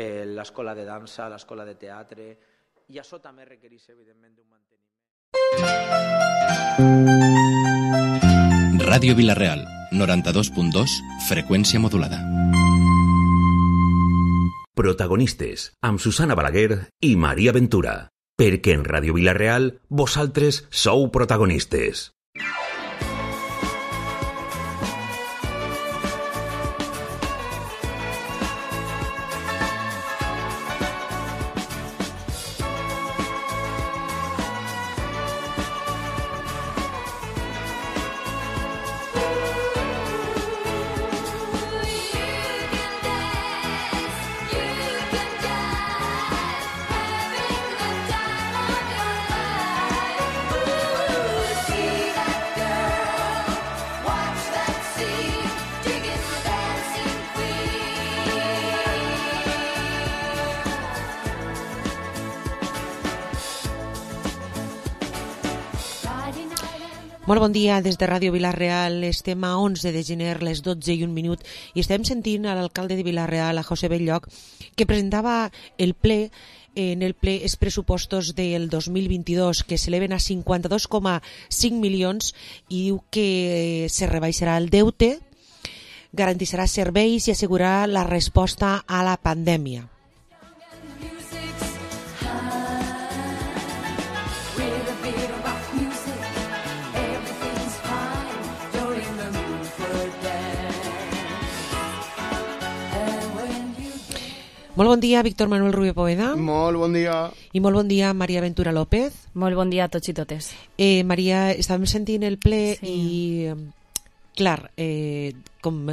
l'escola de dansa, l'escola de teatre, i això també requereix, evidentment, un manteniment. Ràdio Vila-real, 92.2, freqüència modulada. Protagonistes, amb Susana Balaguer i Maria Ventura. Perquè en Ràdio Vila-real vosaltres sou protagonistes. Molt bon dia des de Ràdio Vila-real. Estem a 11 de gener, les 12:01, i estem sentint a l'alcalde de Vila-real, a José Belloc, que presentava el ple els pressupostos del 2022, que s'eleven a 52,5 milions, i diu que se rebaixarà el deute, garantirà serveis i assegurarà la resposta a la pandèmia. Molt bon dia, Víctor Manuel Rubio Poveda. Molt bon dia. I molt bon dia, Maria Ventura López. Molt bon dia a tots i totes. Maria, estàvem sentint el ple i, clar, com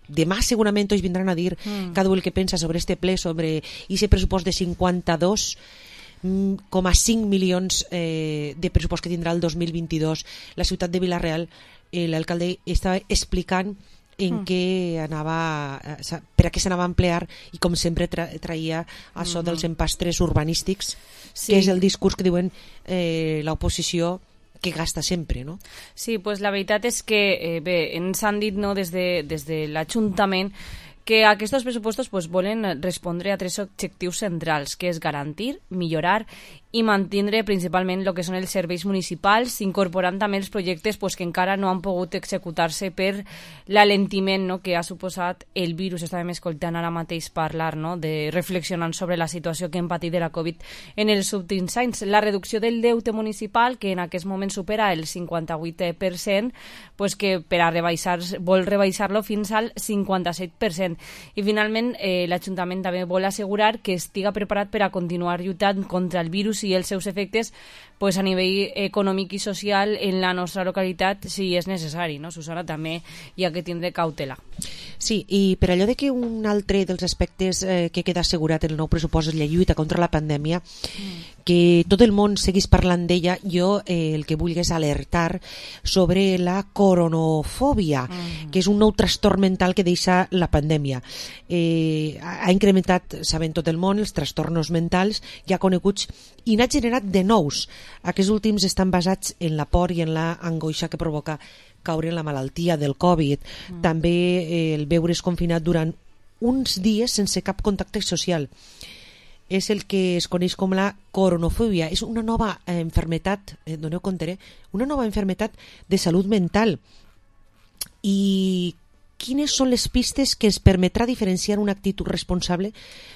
demà segurament tots vindran a dir cada un el que pensa sobre este ple, sobre aquest pressupost de 52,5 milions de pressupost que tindrà el 2022. La ciutat de Vila-real, l'alcalde estava explicant en què anava, per a què s'anava a emplear, i com sempre traia això dels empastres urbanístics, que és el discurs que diuen l'oposició que gasta sempre, no? Sí, pues la veritat és que bé, ens han dit, no, des de l'Ajuntament, que aquests pressupostos pues, volen respondre a 3 objectius centrals, que és garantir, millorar i mantindre principalment el que són els serveis municipals, incorporant també els projectes pues, que encara no han pogut executar-se per l'alentiment, no, que ha suposat el virus. Estàvem escoltant ara mateix parlar, no, de reflexionant sobre la situació que hem patit de la Covid en els últims anys. La reducció del deute municipal, que en aquest moment supera el 58%, pues, que per a vol rebaixar-lo fins al 57%. I finalment l'Ajuntament també vol assegurar que estiga preparat per a continuar lluitant contra el virus i els seus efectes pues, a nivell econòmic i social en la nostra localitat si és necessari, no? Susana, també hi ha que tindre cautela. Sí, i per allò de que un altre dels aspectes que queda assegurat en el nou pressupost és la lluita contra la pandèmia, que tot el món seguís parlant d'ella, jo el que vull és alertar sobre la coronofòbia, que és un nou trastorn mental que deixa la pandèmia. Ha incrementat, saben tot el món, els trastorns mentals ja coneguts, i n'ha generat de nous. Aquests últims estan basats en la por i en la angoixa que provoca caure en la malaltia del Covid. També el veure's confinat durant uns dies sense cap contacte social. És el que es coneix com la coronofòbia. És una nova enfermetat, doneu compte, una nova enfermetat de salut mental. I quines són les pistes que ens permetrà diferenciar una actitud responsable,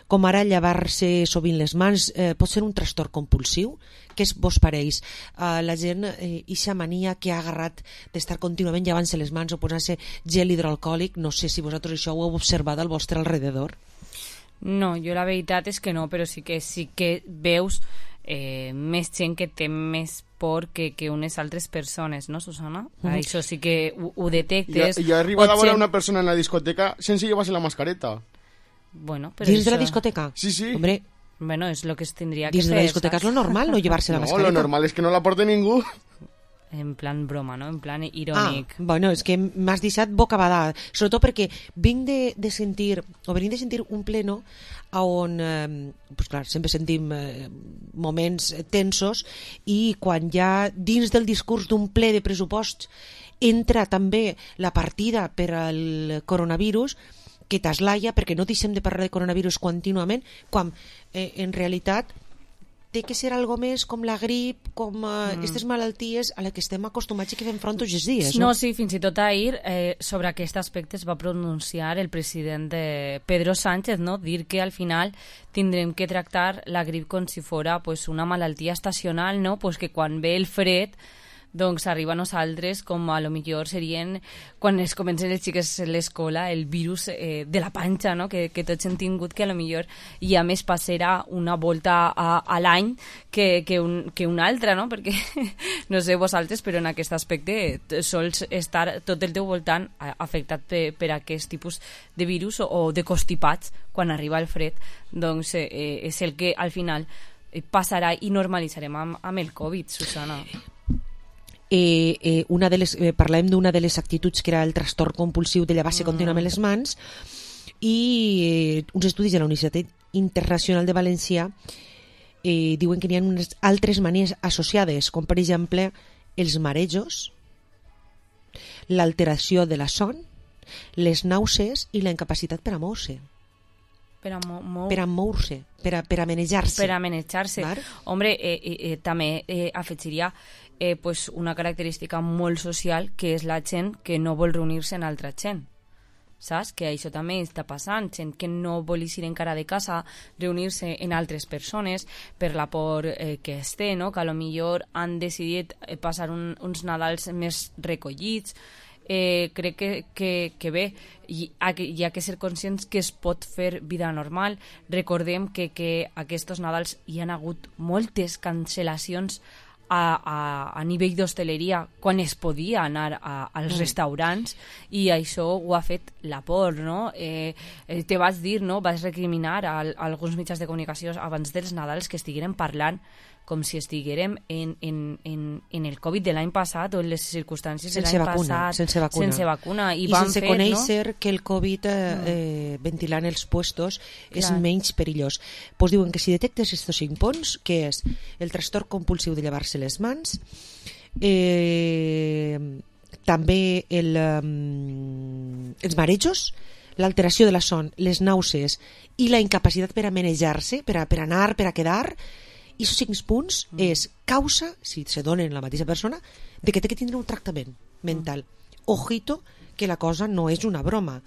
com ara llevar-se sovint les mans? Pot ser un trastorn compulsiu? Què vos pareix? La gent, ixa mania que ha agarrat d'estar contínuament llevant-se les mans o posant-se gel hidroalcohòlic, no sé si vosaltres això ho heu observat al vostre alrededor. No, jo la veritat és que no, però sí que veus més gent que té més por que unes altres persones, no, Susana? Això sí que ho detectes. Jo he arribat a veure una persona en la discoteca sense llevar-se la mascareta. Bueno, però dins de la discoteca? Sí, sí. Hombre, bueno, és el que es tindria que fer. Dins de la discoteca és lo normal, no llevar-se la mascareta. No, lo normal és que no la porte ningú. En plan broma, no? En plan irònic. Bueno, és que m'has deixat bocabadada, sobretot perquè venim de sentir un pleno on, pues clar, sempre sentim moments tensos, i quan ja dins del discurs d'un ple de pressupost entra també la partida per al coronavirus, que t'aslaia perquè no deixem de parlar de coronavirus contínuament, quan en realitat té que ser algo més com la grip, com aquestes malalties a les que estem acostumats i que fem front tots els dies. No, sí, fins i tot ahir sobre aquest aspecte es va pronunciar el president Pedro Sánchez, no? Dir que al final tindrem que tractar la grip com si fora pues, una malaltia estacional, no? Pues que quan ve el fred doncs arriba a nosaltres com a lo millor serien quan es comencen els xiques a l'escola el virus de la panxa, no? que tots hem tingut, que a lo millor i a més passarà una volta a l'any que una altra, no? Perquè no sé vosaltres, però en aquest aspecte sols estar tot el teu voltant afectat per aquest tipus de virus o de constipats quan arriba el fred, doncs és el que al final passarà i normalitzarem amb el Covid, Susana. Parlem d'una de les actituds que era el trastorn compulsiu de llevar-se contínuament les mans, i uns estudis de la Universitat Internacional de València diuen que n'hi ha unes altres manies associades, com per exemple els marejos, l'alteració de la son, les nàusees i la incapacitat per a moure-se. Per a moure-se, per a manejar-se. Per a manejar-se. Hombre, també afegiria pues una característica molt social, que és la gent que no vol reunir-se amb altra gent. Saps? Que això també està passant. Gent que no vol eixir encara de casa, reunir-se amb altres persones per la por que es té, no? Que a lo millor han decidit passar uns Nadals més recollits. Crec que bé, hi ha que ser conscients que es pot fer vida normal. Recordem que aquests Nadals hi han hagut moltes cancel·lacions a nivell d'hostaleria quan es podia anar als restaurants, i això ho ha fet la por, no? Te vas dir, no? Vas recriminar a alguns mitjans de comunicació abans dels Nadals que estigueren parlant com si estiguérem en el Covid de l'any passat o en les circumstàncies de l'any passat sense vacuna i sense conèixer que el Covid ventilant els puestos és menys perillós. Pues diuen que si detectes estos 5 punts, que és el trastorn compulsiu de llevar-se les mans, també els marejos, l'alteració de la son, les nàusees i la incapacitat per a manejar-se, per a anar, per a quedar, i aquests 5 punts és causa, si se donen en la mateixa persona, de que té que tindre un tractament mental. Ojito, que la cosa no és una broma.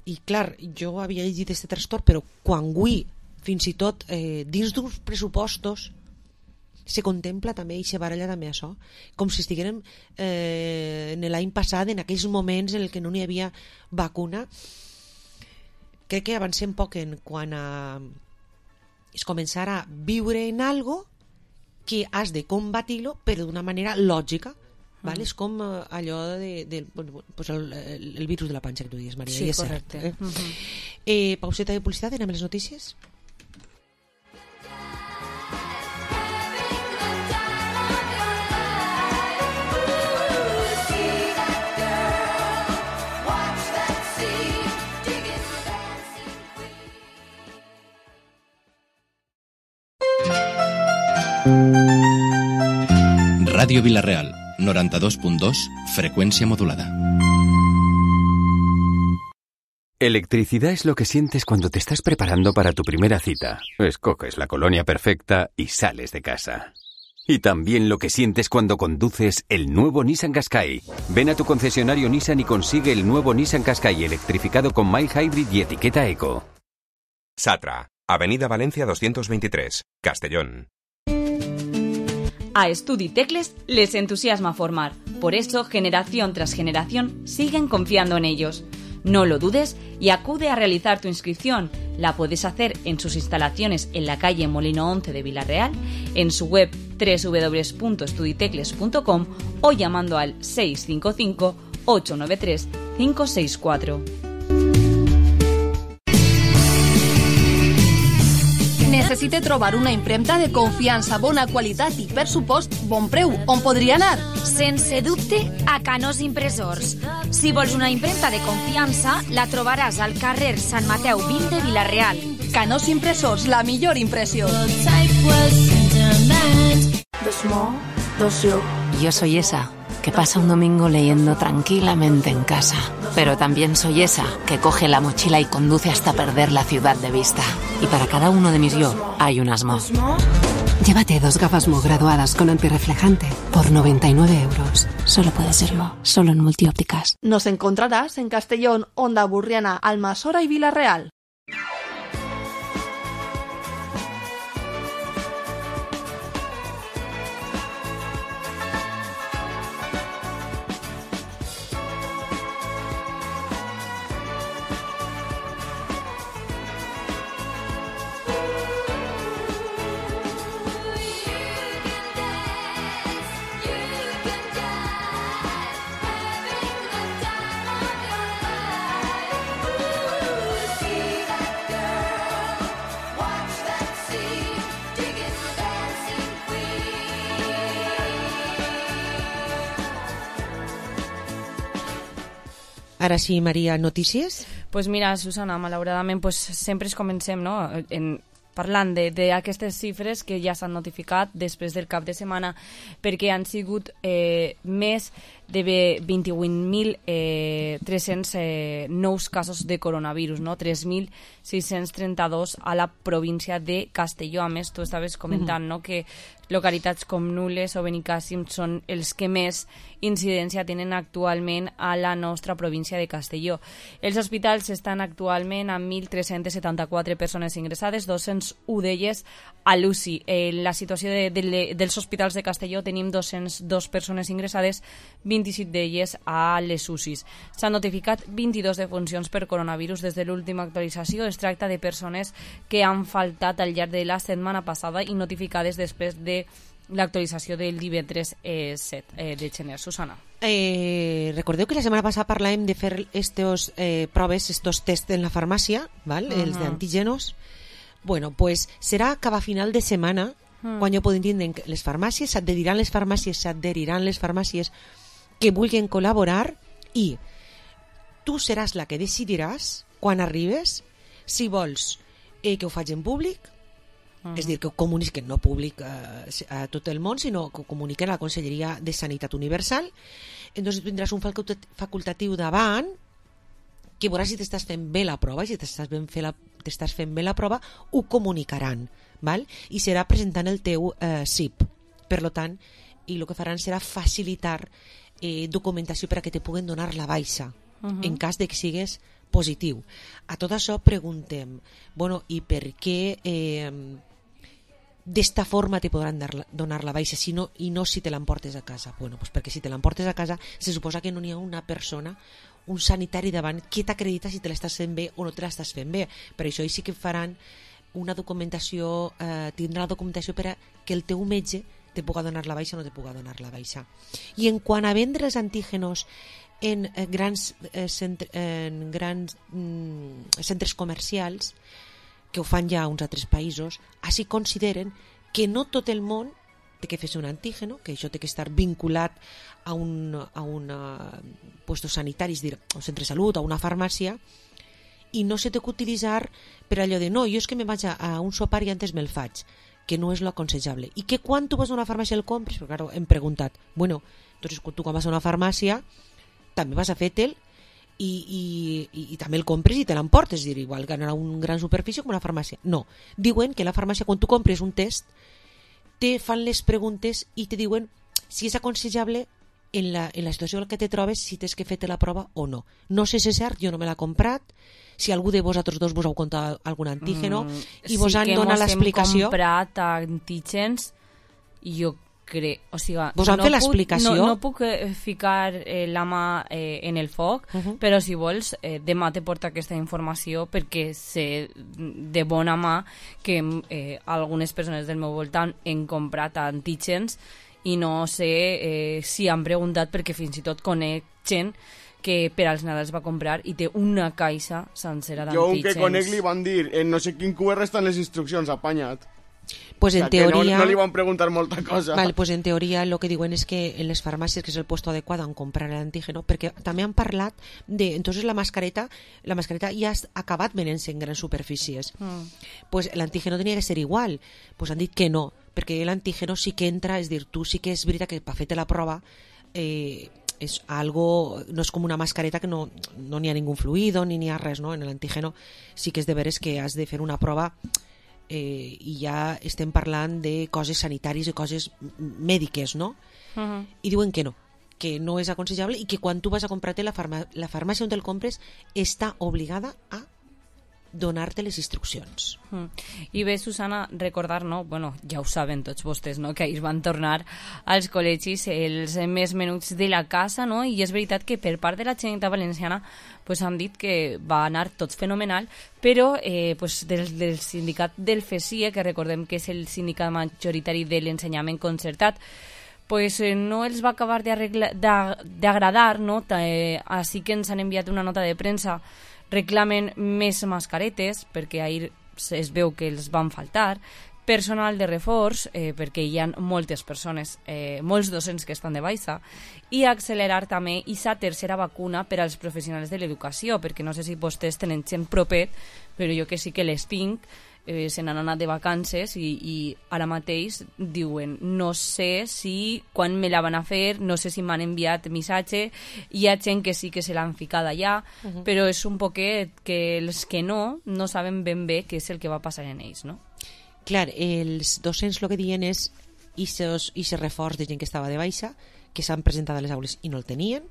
I clar, jo havia llegit aquest trastorn, però quan avui, fins i tot dins d'uns pressupostos, se contempla també i se baralla també això, com si estiguérem en l'any passat, en aquells moments en què no n'hi havia vacuna. Crec que avancem poc en quan és començar a viure en algo que has de combatir-lo però d'una manera lògica, ¿vale? És com allò pues el virus de la panxa que tu dius, Maria. Sí, correcte. Pauseta de publicitat, anem a les notícies? Radio Villarreal, 92.2, frecuencia modulada. Electricidad es lo que sientes cuando te estás preparando para tu primera cita. Escoges la colonia perfecta y sales de casa. Y también lo que sientes cuando conduces el nuevo Nissan Qashqai. Ven a tu concesionario Nissan y consigue el nuevo Nissan Qashqai electrificado con mild hybrid y etiqueta eco. Satra, Avenida Valencia 223, Castellón. A Estudi Tecles les entusiasma formar. Por eso, generación tras generación, siguen confiando en ellos. No lo dudes y acude a realizar tu inscripción. La puedes hacer en sus instalaciones en la calle Molino 11 de Villarreal, en su web www.estuditecles.com o llamando al 655 893 564. Necessite trobar una impremta de confiança, bona qualitat i, per supost, bon preu. On podria anar? Sense dubte, a Canós Impressors. Si vols una impremta de confiança, la trobaràs al carrer Sant Mateu 20 de Vila-real. Canós Impressors, la millor impressió. Yo soy esa que pasa un domingo leyendo tranquilamente en casa. Pero también soy esa que coge la mochila y conduce hasta perder la ciudad de vista. Y para cada uno de mis yo hay un Asmo. Llévate 2 gafas Mo graduadas con antirreflejante por 99 euros. Solo puede ser Mo, solo en Multiópticas. Nos encontrarás en Castellón, Onda Burriana, Almasora y Villarreal. Ara sí, Maria, notícies? Pues mira, Susana, malauradament pues, sempre es comencem no? Parlant d'aquestes xifres que ja s'han notificat després del cap de setmana, perquè han sigut més de 28.300 nous casos de coronavirus, no? 3.632 a la província de Castelló. A més, tu estaves comentant no? que localitats com Nules o Benicàssim són els que més incidència tenen actualment a la nostra província de Castelló. Els hospitals estan actualment amb 1.374 persones ingressades, 201 d'elles a l'UCI. La situació dels hospitals de Castelló tenim 202 persones ingressades, 27 d'elles a les UCIs. S'han notificat 22 defuncions per coronavirus des de l'última actualització. Es tracta de persones que han faltat al llarg de la setmana passada i notificades després de l'actualització del divendres 7 de gener. Susana. Recordeu que la setmana passada parlàvem de fer estos proves, estos tests en la farmàcia, ¿val? Els d'antígenos. Bueno, pues serà cap a final de setmana quan ja podem tindre les farmàcies, s'adheriran les farmàcies que vulguin col·laborar i tu seràs la que decidiràs quan arribes si vols que ho faig en públic, és a dir, que ho comuniquen no públic a tot el món, sinó que ho comuniquen a la Conselleria de Sanitat Universal. Entonces tindràs un facultatiu davant que veuràs si t'estàs fent bé la prova, i si t'estàs fent bé la prova ho comunicaran, val? I serà presentant el teu CIP. Per tant, i el que faran serà facilitar documentació per a que te puguen donar la baixa en cas de que sigues positiu. A tot això preguntem, bueno, i per què d'esta forma te podran donar la baixa i no si te l'emportes a casa? Bueno, pues perquè si te l'emportes a casa se suposa que no n'hi ha una persona, un sanitari davant que t'acredita si te l'estàs fent bé o no te l'estàs fent bé. Per això sí que faran una documentació, tindrà la documentació per a que el teu metge te puga donar la baixa o no te puga donar la baixa. I en quant a vendre els antígenos en grans centres comercials, que ho fan ja a uns altres països, així consideren que no tot el món té que fer un antígeno, que això té que estar vinculat a un puesto sanitari, és dir, a un centre de salut, a una farmàcia, i no se té que utilitzar per allò de no, jo és que me vaig a un sopar i antes me'l faig, que no és lo aconsellable. I que quan tu vas a una farmàcia el compres, perquè claro, hem preguntat, bueno, entonces tu quan vas a una farmàcia també vas a fer-te'l i també el compres i te l'emportes, és dir, igual que anar a una gran superfície com una farmàcia. No, diuen que la farmàcia quan tu compres un test te fan les preguntes i te diuen si és aconsellable en la situació en què te trobes, si tens que fer-te la prova o no. No sé si és cert, jo no me l'he comprat, si algú de vosaltres dos vos heu comptat algun antígeno i vos han donat l'explicació. Sí que hem comprat antígens i jo crec, o sigui, vos han fet l'explicació? No puc ficar la mà en el foc, però si vols demà te porta aquesta informació perquè sé de bona mà que algunes persones del meu voltant han comprat antígens i no sé si han preguntat, perquè fins i tot conec gent que per als Nadals va comprar i té una caixa sencera d'antígens. Jo un que conec li van dir en no sé quin QR estan les instruccions, apanyat. Pues en teoria... no li van preguntar molta cosa. Vale, pues en teoria el que diuen és que en les farmàcies, que és el puesto adequat en comprar l'antígeno, perquè també han parlat de... Entonces la mascareta ja ha acabat venent-se en grans superfícies. Pues l'antígeno tenia que ser igual. Pues han dit que no, perquè l'antígeno sí que entra, és dir, tu sí que és veritat que per fer-te la prova és algo, no és com una mascareta que no n'hi ha ningú fluido ni n'hi ha res, no? En l'antígeno sí que és de veres que has de fer una prova i ja estem parlant de coses sanitàries i coses mèdiques, no? I diuen que no és aconsellable i que quan tu vas a comprar-te la farmàcia on te'l compres està obligada a donar-te les instruccions. I bé, Susana, recordar, no? Bueno, ja ho saben tots vostès, no? Que ahir van tornar als col·legis els més menuts de la casa, no? I és veritat que per part de la Generalitat Valenciana pues han dit que va anar tot fenomenal, però pues del sindicat del FESIE, que recordem que és el sindicat majoritari de l'ensenyament concertat, pues no els va acabar d'agradar, no? Així que ens han enviat una nota de premsa, reclamen més mascaretes, perquè ahir es veu que els van faltar, personal de reforç, perquè hi ha moltes persones, molts docents que estan de baixa, i accelerar també aquesta tercera vacuna per als professionals de l'educació, perquè no sé si vostès tenen gent propet, però jo que sí que les tinc, se n'han anat de vacances i ara mateix diuen no sé si quan me la van a fer, no sé si m'han enviat missatge, hi ha gent que sí que se l'han ficat allà, però és un poquet que els que no saben ben bé què és el que va passar en ells, no? Clar, els docents el que diuen és aquest reforç de gent que estava de baixa, que s'han presentat a les aules i no el tenien,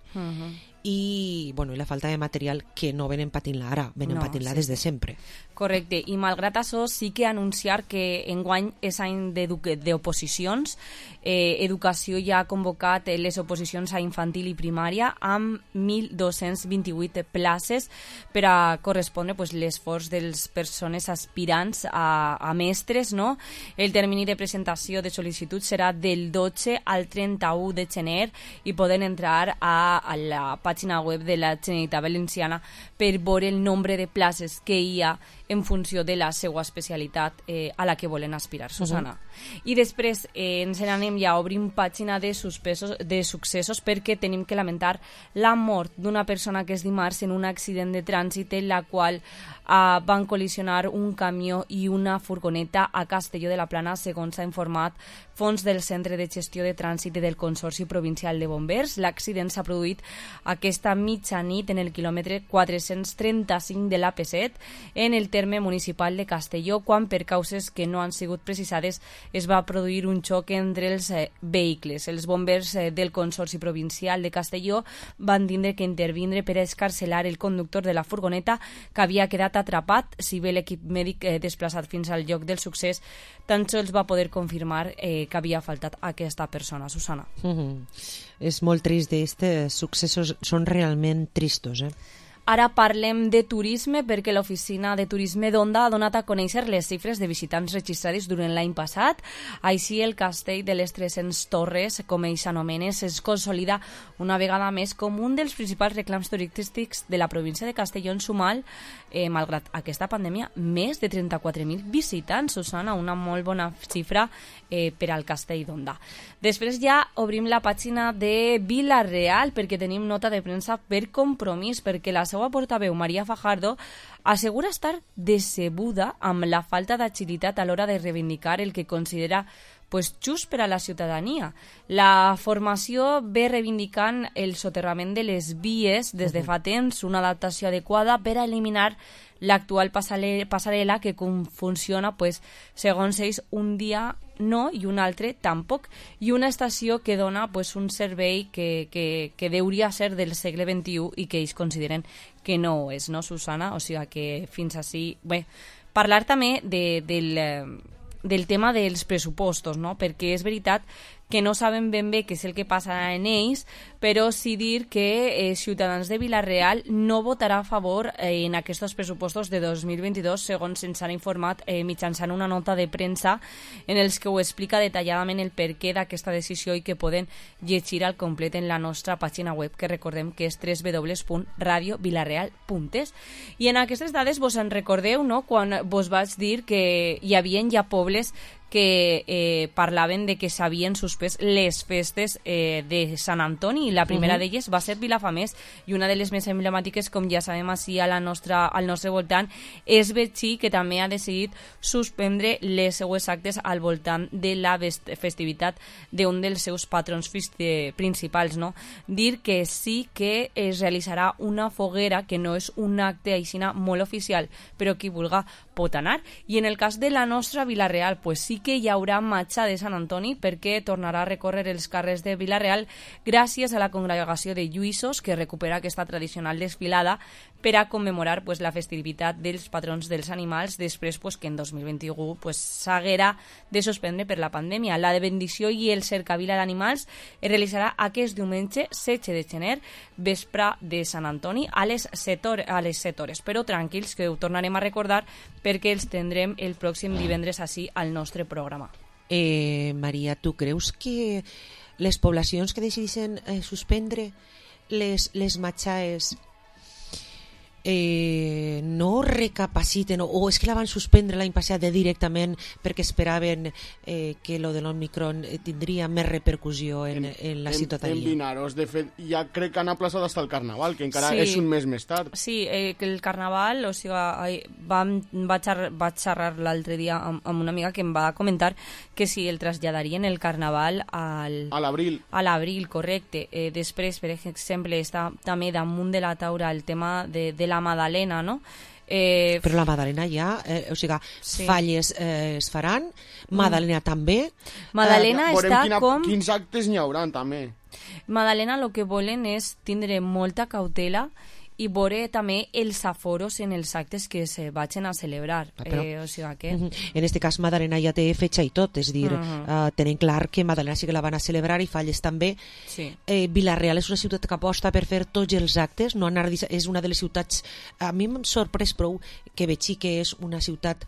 i bueno, la falta de material que no venen patint-la ara, venen patint-la des de sempre. Correcte, i malgrat això sí que anunciar que enguany és any d'oposicions. Educació ja ha convocat les oposicions a infantil i primària amb 1.228 places per a correspondre l'esforç de les persones aspirants a mestres, no? El termini de presentació de sol·licitud serà del 12 al 31 de gener i poden entrar a la pàgina web de la Generalitat Valenciana per veure el nombre de places que hi ha en funció de la seva especialitat a la que volen aspirar, Susana. I després ens n'anem ja a obrir pàgina de successos perquè tenim que lamentar la mort d'una persona que és dimarts en un accident de trànsit en la qual van col·lisionar un camió i una furgoneta a Castelló de la Plana, segons s'ha informat fons del Centre de Gestió de Trànsit del Consorci Provincial de Bombers. L'accident s'ha produït aquesta mitjanit en el quilòmetre 435 de l'AP7 en el terme municipal de Castelló, quan per causes que no han sigut precisades es va produir un xoc entre els vehicles. Els bombers del Consorci Provincial de Castelló van tindre que intervindre per escarcelar el conductor de la furgoneta, que havia quedat atrapat, si bé l'equip mèdic desplaçat fins al lloc del succés tan sols va poder confirmar que havia faltat aquesta persona, Susana. És molt trist, aquests successos són realment tristos, Ara parlem de turisme perquè l'Oficina de Turisme d'Onda ha donat a conèixer les xifres de visitants registrats durant l'any passat. Així, el castell de les 300 Torres, com ells s'anomenen, es consolida una vegada més com un dels principals reclams turístics de la província de Castelló, en sumar, malgrat aquesta pandèmia, més de 34.000 visitants, Susana, una molt bona xifra per al castell d'Onda. Després ja obrim la pàgina de Vila-real perquè tenim nota de premsa per compromís, perquè la seva portaveu, Maria Fajardo, assegura estar decebuda amb la falta d'agilitat a l'hora de reivindicar el que considera just per a la ciutadania. La formació ve reivindicant el soterrament de les vies des de fa temps, una adaptació adequada per a eliminar l'actual passarel·la que funciona, segons ells, un dia no i un altre tampoc, i una estació que dona un servei que hauria ser del segle XXI i que ells consideren que no ho és, no, Susana? O sigui que fins així... Bé, parlar també del tema dels pressupostos, no? Perquè és veritat que no saben ben bé què és el que passarà en ells, però sí dir que Ciutadans de Vila-real no votarà a favor en aquests pressupostos de 2022, segons se'ns han informat mitjançant una nota de premsa en els que ho explica detalladament el perquè d'aquesta decisió i que poden llegir al complet en la nostra pàgina web, que recordem que és www.radiovilareal.es. I en aquestes dades vos en recordeu, no?, quan vos vaig dir que hi havia ja pobles que parlaven de que s'havien suspès les festes de Sant Antoni, la primera d'elles va ser Vilafamés, i una de les més emblemàtiques, com ja sabem així al nostre voltant, és Betxí, que també ha decidit suspendre les seues actes al voltant de la festivitat d'un dels seus patrons principals, no? Dir que sí que es realitzarà una foguera, que no és un acte aixina molt oficial, però qui vulga pot anar. I en el cas de la nostra Vila-real, pues sí que hi haurà marxa de Sant Antoni, perquè tornarà a recórrer els carrers de Vila-real gràcies a la congregació de lluïssos, que recupera aquesta tradicional desfilada per a commemorar pues, la festivitat dels patrons dels animals, després pues, que en 2021 pues, s'haguera de suspendre per la pandèmia. La de bendició i el cercavila d'animals es realitzarà aquest diumenge 16 de gener, vespre de Sant Antoni, a les 7 hores. Però tranquils, que ho tornarem a recordar perquè els tindrem el pròxim divendres així al nostre programa. Maria, tu creus que les poblacions que decideixen suspendre les matxaes no recapaciten, o és que la van suspendre l'any passat directament perquè esperaven que lo de l'Omicron tindria més repercussió en la ciutadania? En Vinaros, de fet, ja crec que han aplaçat fins el Carnaval, que encara és un mes més tard. Sí, que el Carnaval, o sigui, vaig xerrar l'altre dia amb una amiga que em va comentar que si el traslladarien el Carnaval a l'abril. A l'abril, correcte. Després, per exemple, està també damunt de la taula el tema de la Madalena, no? Però la Madalena ja, o sigui, falles es faran, Madalena també. Madalena està com... Quins actes n'hi haurà, també. Madalena el que volen és tindre molta cautela i veure també els aforos en els actes que se vagin a celebrar. O sigui que... En este cas Madalena ja té fetxa i tot, és dir, tenen clar que Madalena sí que la van a celebrar i Falles també. Vila-real és una ciutat que aposta per fer tots els actes, no anar, és una de les ciutats, a mi m'ha sorprès prou que Betxí, que és una ciutat,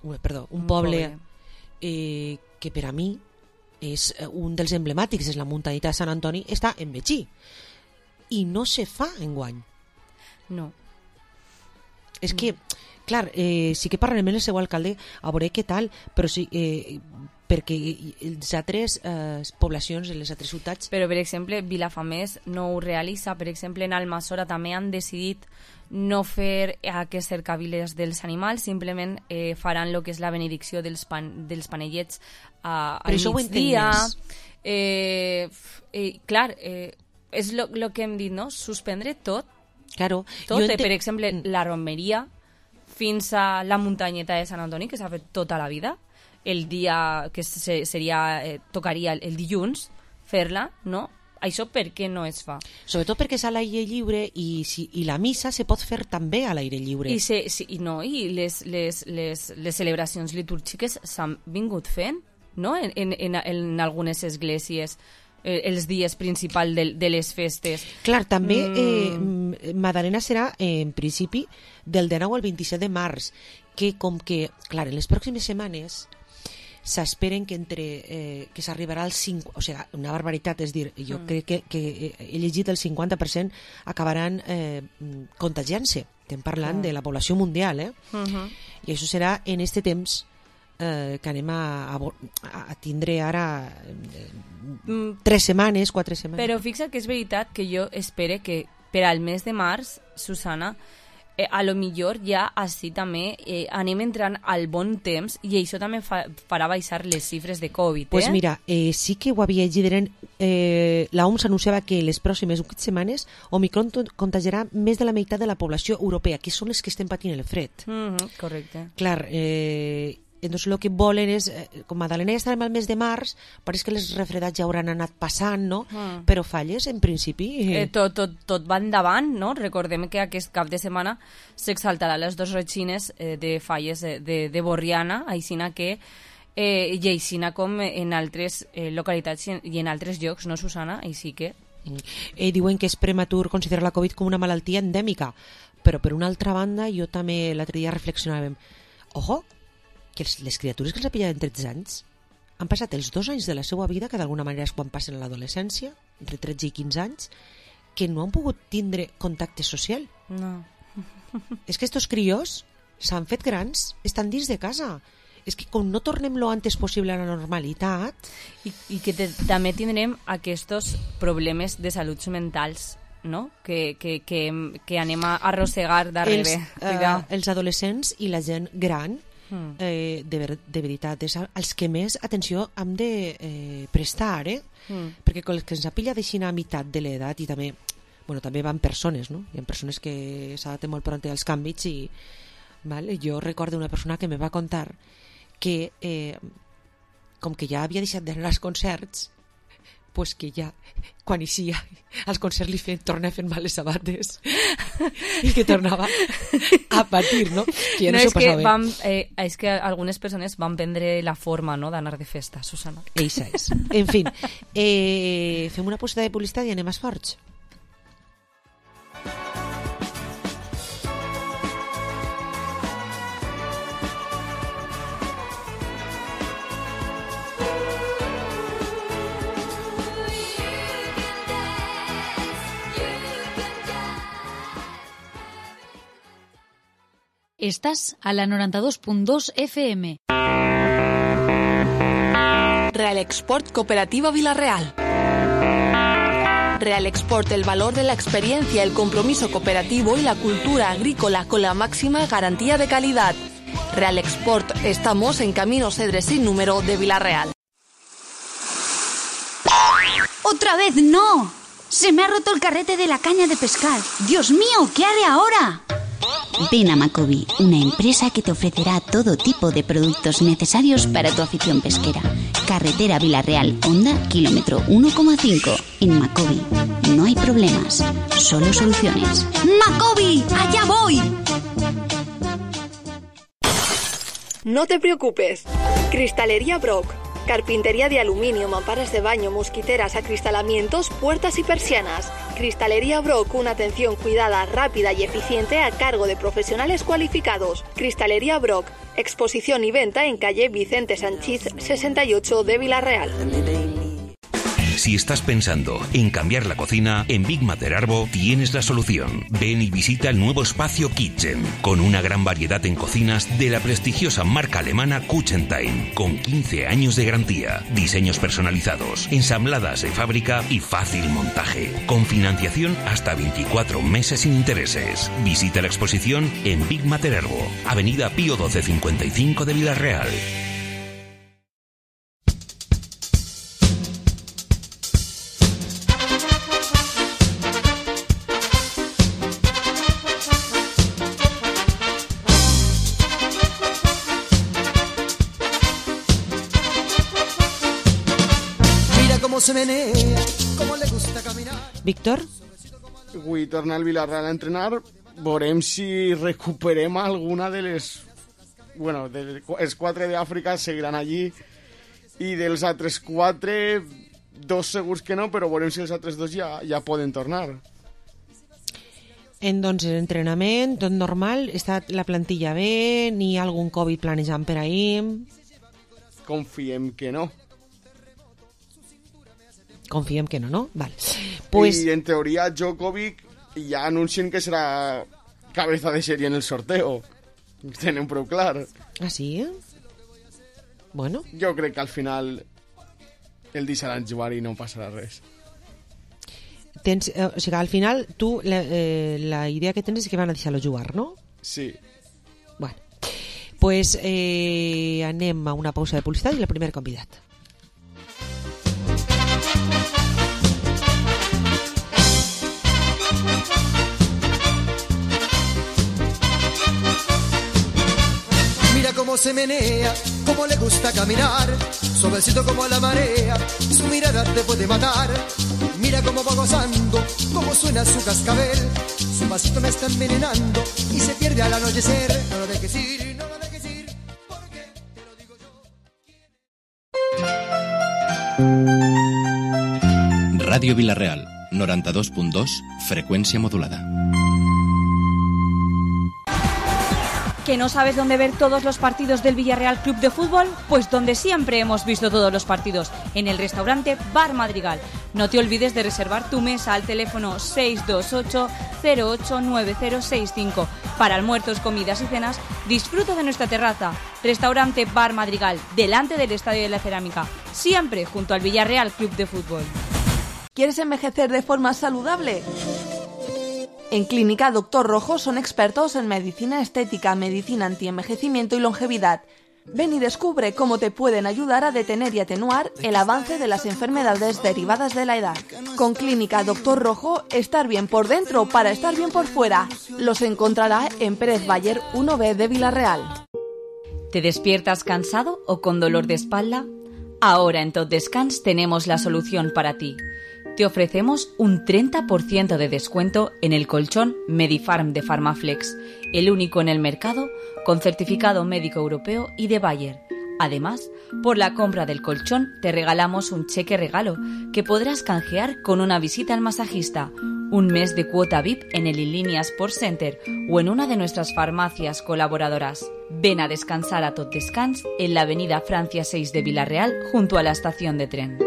un poble que per a mi és un dels emblemàtics, és la muntanyeta de Sant Antoni, està en Betxí i no se fa enguany. No. És que, clar, sí que parlarem amb el seu alcalde a veure què tal, però sí, perquè les altres poblacions, les altres ciutats... Però, per exemple, Vilafamés no ho realitza. Per exemple, en Almassora també han decidit no fer aquests cercaviles dels animals, simplement faran el que és la benedicció dels panellets al migdia. Clar, és el que hem dit, no? Suspendre tot. Claro, tot, per exemple, la romeria fins a la muntanyeta de Sant Antoni, que s'ha fet tota la vida, el dia que tocaria el dilluns fer-la, no? Això per què no es fa? Sobretot perquè és a l'aire lliure i la missa se pot fer també a l'aire lliure. I les celebracions litúrgiques s'han vingut fent, no? En algunes esglésies, els dies principals de les festes. Clar, també Madalena serà en principi del 19 al 27 de març, que com que, clar, en les pròximes setmanes s'esperen que que s'arribarà al 5, o sigui, una barbaritat, és dir, jo crec que he llegit el 50% acabaran contagiant-se. Estem parlant de la població mundial, i això serà en este temps que anem a tindre ara 3 setmanes, 4 setmanes. Però fixa't que és veritat que jo espero que per al mes de març, Susana, a lo millor ja així també anem entrant al bon temps i això també farà baixar les xifres de Covid. Pues mira, sí que ho havia llegit, la OMS anunciava que les pròximes 8 setmanes Omicron contagiarà més de la meitat de la població europea, que són les que estem patint el fred. Correcte. Clar, entonces el que volen és, com Madalena ja estarem al mes de març, pareix que les refredats ja hauran anat passant, no? Però Falles, en principi... Tot va endavant, no? Recordem que aquest cap de setmana s'exaltarà les 2 retxines de Falles de Borriana, aixina que i aixina com en altres localitats i en altres llocs, no, Susana? Així que... Diuen que és prematur considerar la Covid com una malaltia endèmica, però per una altra banda jo també l'altre dia reflexionàvem, ojo, que les criatures que els ha pillat en 13 anys han passat els 2 anys de la seva vida, que d'alguna manera és quan passen a l'adolescència, entre 13 i 15 anys, que no han pogut tindre contacte social. No. És que estos crios s'han fet grans, estan dins de casa és que com no tornem lo antes possible a la normalitat... I que també tindrem aquests problemes de salut mentals, no? Que anem a arrossegar darrere. Els adolescents i la gent gran, de veritat, és als que més atenció hem de prestar, perquè com que ens apilla d'aixina a meitat de l'edat, i també van persones, no? Hi ha persones que s'adapten molt pront als canvis i jo recordo una persona que me va contar que com que ja havia deixat d'anar als concerts, pues que ja quan eixia als concerts tornava fent mal les sabates i que tornava a patir, no? Que ja no s'ho passava bé. És que algunes persones van prendre la forma, no?, d'anar de festa, Susana. Eixa és. En fi, fem una posada de publicitat i anem a Esforç. Estás a la 92.2 FM. Real Export Cooperativa Vilarreal. Real Export, el valor de la experiencia, el compromiso cooperativo y la cultura agrícola con la máxima garantía de calidad. Real Export, estamos en Camino Cedres sin número de Vilarreal. ¡Otra vez no! Se me ha roto el carrete de la caña de pescar. ¡Dios mío! ¿Qué haré ahora? Ven a Macobi, una empresa que te ofrecerá todo tipo de productos necesarios para tu afición pesquera. Carretera Vilarreal, Honda, kilómetro 1,5. En Macobi no hay problemas, solo soluciones. ¡Macobi! ¡Allá voy! No te preocupes. Cristalería Brock. Carpintería de aluminio, mamparas de baño, mosquiteras, acristalamientos, puertas y persianas. Cristalería Brock, una atención cuidada, rápida y eficiente a cargo de profesionales cualificados. Cristalería Brock, exposición y venta en calle Vicente Sanchís 68 de Vilarreal. Si estás pensando en cambiar la cocina, en Big Mater Arbo tienes la solución. Ven y visita el nuevo espacio Kitchen, con una gran variedad en cocinas de la prestigiosa marca alemana Kuchentime, con 15 años de garantía, diseños personalizados, ensambladas de fábrica y fácil montaje, con financiación hasta 24 meses sin intereses. Visita la exposición en Big Mater Arbo, Avenida Pío 1255 de Vilarreal. Se menea, como le gusta caminar. Víctor? Vull tornar al Vilarreal a entrenar. Veurem si recuperem alguna de les... Bueno, els 4 d'Àfrica seguiran allí i dels altres 4, 2 segurs que no, però veurem si els altres 2 ja poden tornar. Doncs l'entrenament, tot normal, està la plantilla bé, ni algun Covid planejant per ahir? Confiem que no. Confiem que no, no? Vale. Pues... I en teoria Djokovic ja anuncien que serà cabeza de sèrie en el sorteo. Tenen prou clar. Ah, sí? Bueno. Jo crec que al final el deixaran jugar i no passarà res. O sigui, al final tu la idea que tens és que van a deixar-lo jugar, no? Sí. Bueno. Pues anem a una pausa de publicitat i el primer convidat. Cómo se menea, cómo le gusta caminar, suavecito como la marea, su mirada te puede matar. Mira cómo va gozando, cómo suena su cascabel, su pasito me está envenenando y se pierde al anochecer. No lo dejes ir, no lo dejes ir, porque te lo digo yo. Radio Vilarreal, 92.2, frecuencia modulada. ¿Que no sabes dónde ver todos los partidos del Villarreal Club de Fútbol? Pues donde siempre hemos visto todos los partidos, en el restaurante Bar Madrigal. No te olvides de reservar tu mesa al teléfono 628-089065. Para almuerzos, comidas y cenas, disfruta de nuestra terraza. Restaurante Bar Madrigal, delante del Estadio de la Cerámica, siempre junto al Villarreal Club de Fútbol. ¿Quieres envejecer de forma saludable? En Clínica Doctor Rojo son expertos en medicina estética, medicina antienvejecimiento y longevidad. Ven y descubre cómo te pueden ayudar a detener y atenuar el avance de las enfermedades derivadas de la edad. Con Clínica Doctor Rojo, estar bien por dentro para estar bien por fuera. Los encontrará en Pérez Bayer 1B de Villarreal. ¿Te despiertas cansado o con dolor de espalda? Ahora en Tot Descans tenemos la solución para ti. Te ofrecemos un 30% de descuento en el colchón Medifarm de Pharmaflex, el único en el mercado con certificado médico europeo y de Bayer. Además, por la compra del colchón te regalamos un cheque regalo que podrás canjear con una visita al masajista, un mes de cuota VIP en el Inlínea Sports Center o en una de nuestras farmacias colaboradoras. Ven a descansar a Tot Descans en la avenida Francia 6 de Villarreal junto a la estación de tren.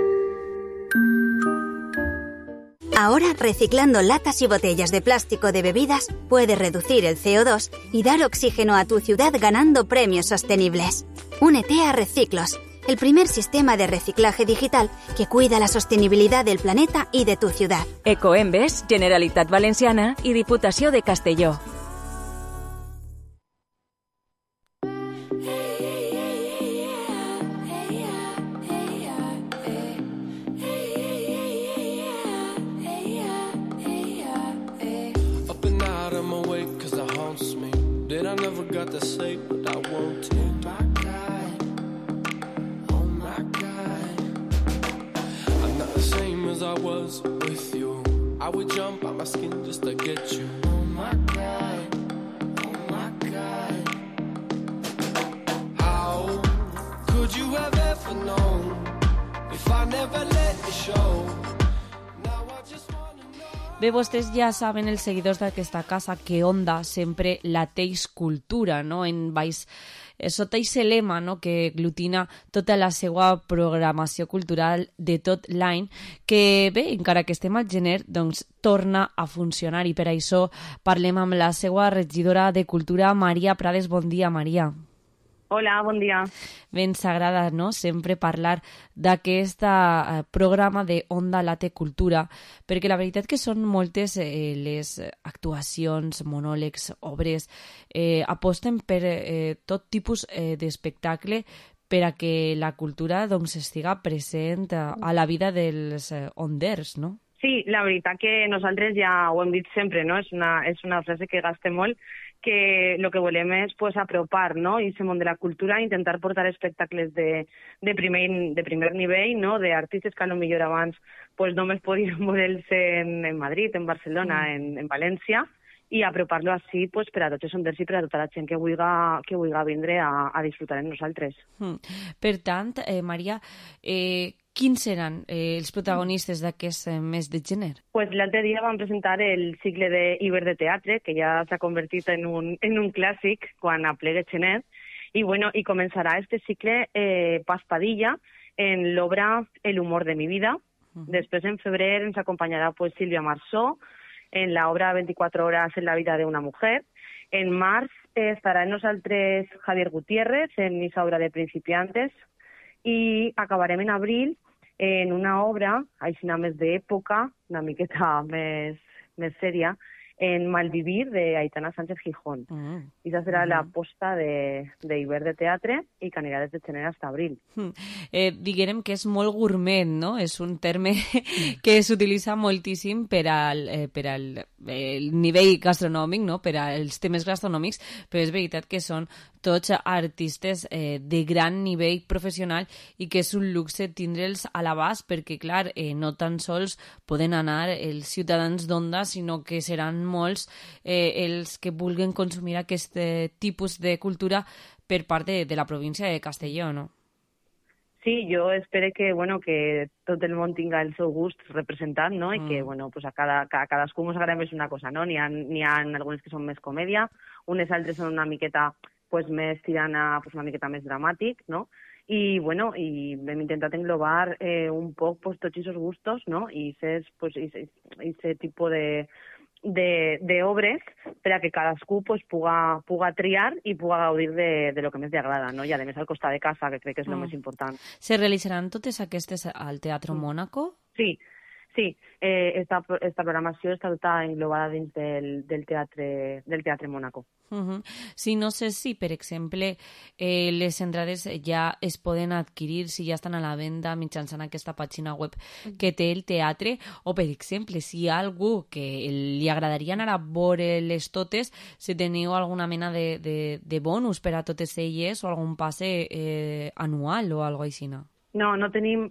Ahora, reciclando latas y botellas de plástico de bebidas, puedes reducir el CO2 y dar oxígeno a tu ciudad ganando premios sostenibles. Únete a Reciclos, el primer sistema de reciclaje digital que cuida la sostenibilidad del planeta y de tu ciudad. Ecoembes, Generalitat Valenciana i Diputació de Castelló. I never got to say what I want to. Oh my God, I'm not the same as I was with you. I would jump out my skin just to get you. Oh my God, oh my God. How could you have ever known if I never let you show? Bé, vostès ja saben, els seguidors d'aquesta casa, que Onda sempre la teix cultura, no? En baix, sota aquest lema, no? Que aglutina tota la seva programació cultural de tot l'any, que bé, encara que estem al gener, doncs torna a funcionar, i per això parlem amb la seva regidora de Cultura, Maria Prades. Bon dia, Maria. Hola, bon dia. Bé, ens agrada, no?, sempre parlar d'aquest programa de Onda Late Cultura, perquè la veritat que són moltes les actuacions, monòlegs, obres, aposten per tot tipus d'espectacle per a que la cultura doncs estiga present a la vida dels onders, no? Sí, la veritat que nosaltres ja ho hem dit sempre, no? És una frase que gastem molt, que el que volem és pues, apropar, no? I aquest món de la cultura, intentar portar espectacles de primer nivell, no? D'artistes que potser abans pues, només podien veure'ls en Madrid, en Barcelona, en València, i apropar-lo així pues, per a tots els onders i per a tota la gent que vulgui vindre a disfrutar amb nosaltres. Per tant, Maria, quins seran els protagonistes d'aquest mes de gener? Pues l'altre dia vam presentar el cicle d'Iber de teatre, que ja s'ha convertit en un clàssic quan aplega gener, i començarà este cicle Paz Padilla en l'obra El humor de mi vida. Després, en febrer, ens acompanyarà pues, Sílvia Marsó en la obra 24 horas en la vida de una mujer. En març estarà en nosaltres Javier Gutiérrez en esa obra de principiantes, i acabarem en abril en una obra, així més d'època, una miqueta més sèria, en Malvivir, de Aitana Sánchez Gijón. I aquesta serà l'aposta d'Iber de teatre i que anirà des de gener fins a abril. Diguem que és molt gourmet, no? És un terme que s'utilitza moltíssim per al nivell gastronòmic, no? Per als temes gastronòmics, però és veritat que són tots artistes de gran nivell professional i que és un luxe tindre'ls a l'abast perquè, clar, no tan sols poden anar els ciutadans d'Onda, sinó que seran molts els que vulguin consumir aquest tipus de cultura per part de la província de Castelló, no? Sí, jo espero que, bueno, que tot el món tinga el seu gust representat, no? I que, bueno, pues a cadascú ens agrada més una cosa, no? N'hi ha algunes que són més comèdia, unes altres són una miqueta pues, més tirant a pues, una miqueta més dramàtic, no? I, bueno, i hem intentat englobar un poc pues, tots aquests gustos, no? I aquest tipus de obres per a que cadascú pues, puga triar i puga gaudir de lo que més li agrada, no? I a més al costat de casa, que crec que és el més important. Se realitzaran totes aquestes al Teatro Mónaco? Sí. Esta programació està tota englobada dins del Teatre Mónaco. Sí, no sé si, per exemple, les entrades ja es poden adquirir, si ja estan a la venda mitjançant aquesta pàgina web que té el teatre, o, per exemple, si hi ha algú que li agradaria anar a veure-les totes, si teniu alguna mena de bonus per a totes elles o algun passe anual o alguna cosa així. No tenim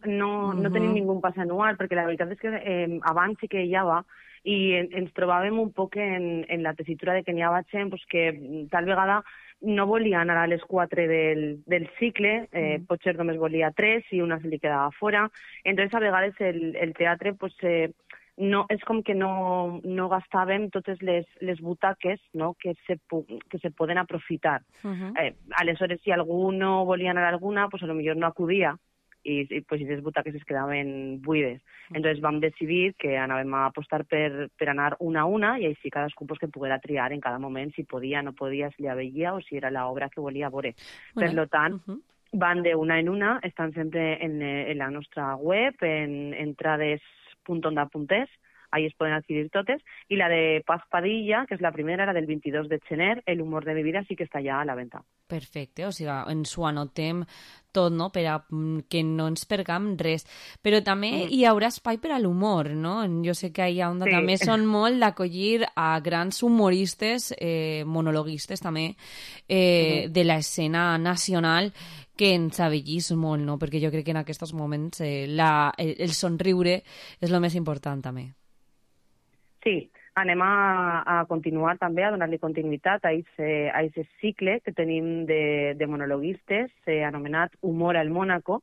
ningú pas anual, perquè la veritat és que abans sí que hi havia i ens trobàvem un poc en la tessitura de que n'hi havia gent que tal vegada no volia anar a les 4 del cicle, potser només volia 3 i una se li quedava fora. Entonces, a vegades el teatre no, és com que no gastàvem totes les butaques, no, que se poden aprofitar. Aleshores, si algú no volia anar a alguna, pues a lo millor no acudia i pues, les butaques es quedaven buides. Entonces vam decidir que anàvem a apostar per anar una a una i així cadascú pues, que poguera triar en cada moment si podia, no podia, si la veia o si era l'obra que volia veure. Per tant, van d'una en una, estan sempre en la nostra web, en entrades.onda.es, ahí es poden adquirir totes, i la de Paz Padilla, que és la primera, la del 22 de gener, El humor de mi vida, sí que està ja a la venda. Perfecte, o sigui, ens ho anotem tot, no?, per a que no ens pergam res. Però també hi haurà espai per a l'humor, no? Jo sé que a Onda també són molt d'acollir a grans humoristes, monologuistes també, de l'escena nacional, que ens abellís molt, no? Perquè jo crec que en aquests moments el somriure és el més important també. Sí, anem a continuar també, a donar-li continuïtat a aquest cicle que tenim de monologuistes, anomenat Humor al Mónaco,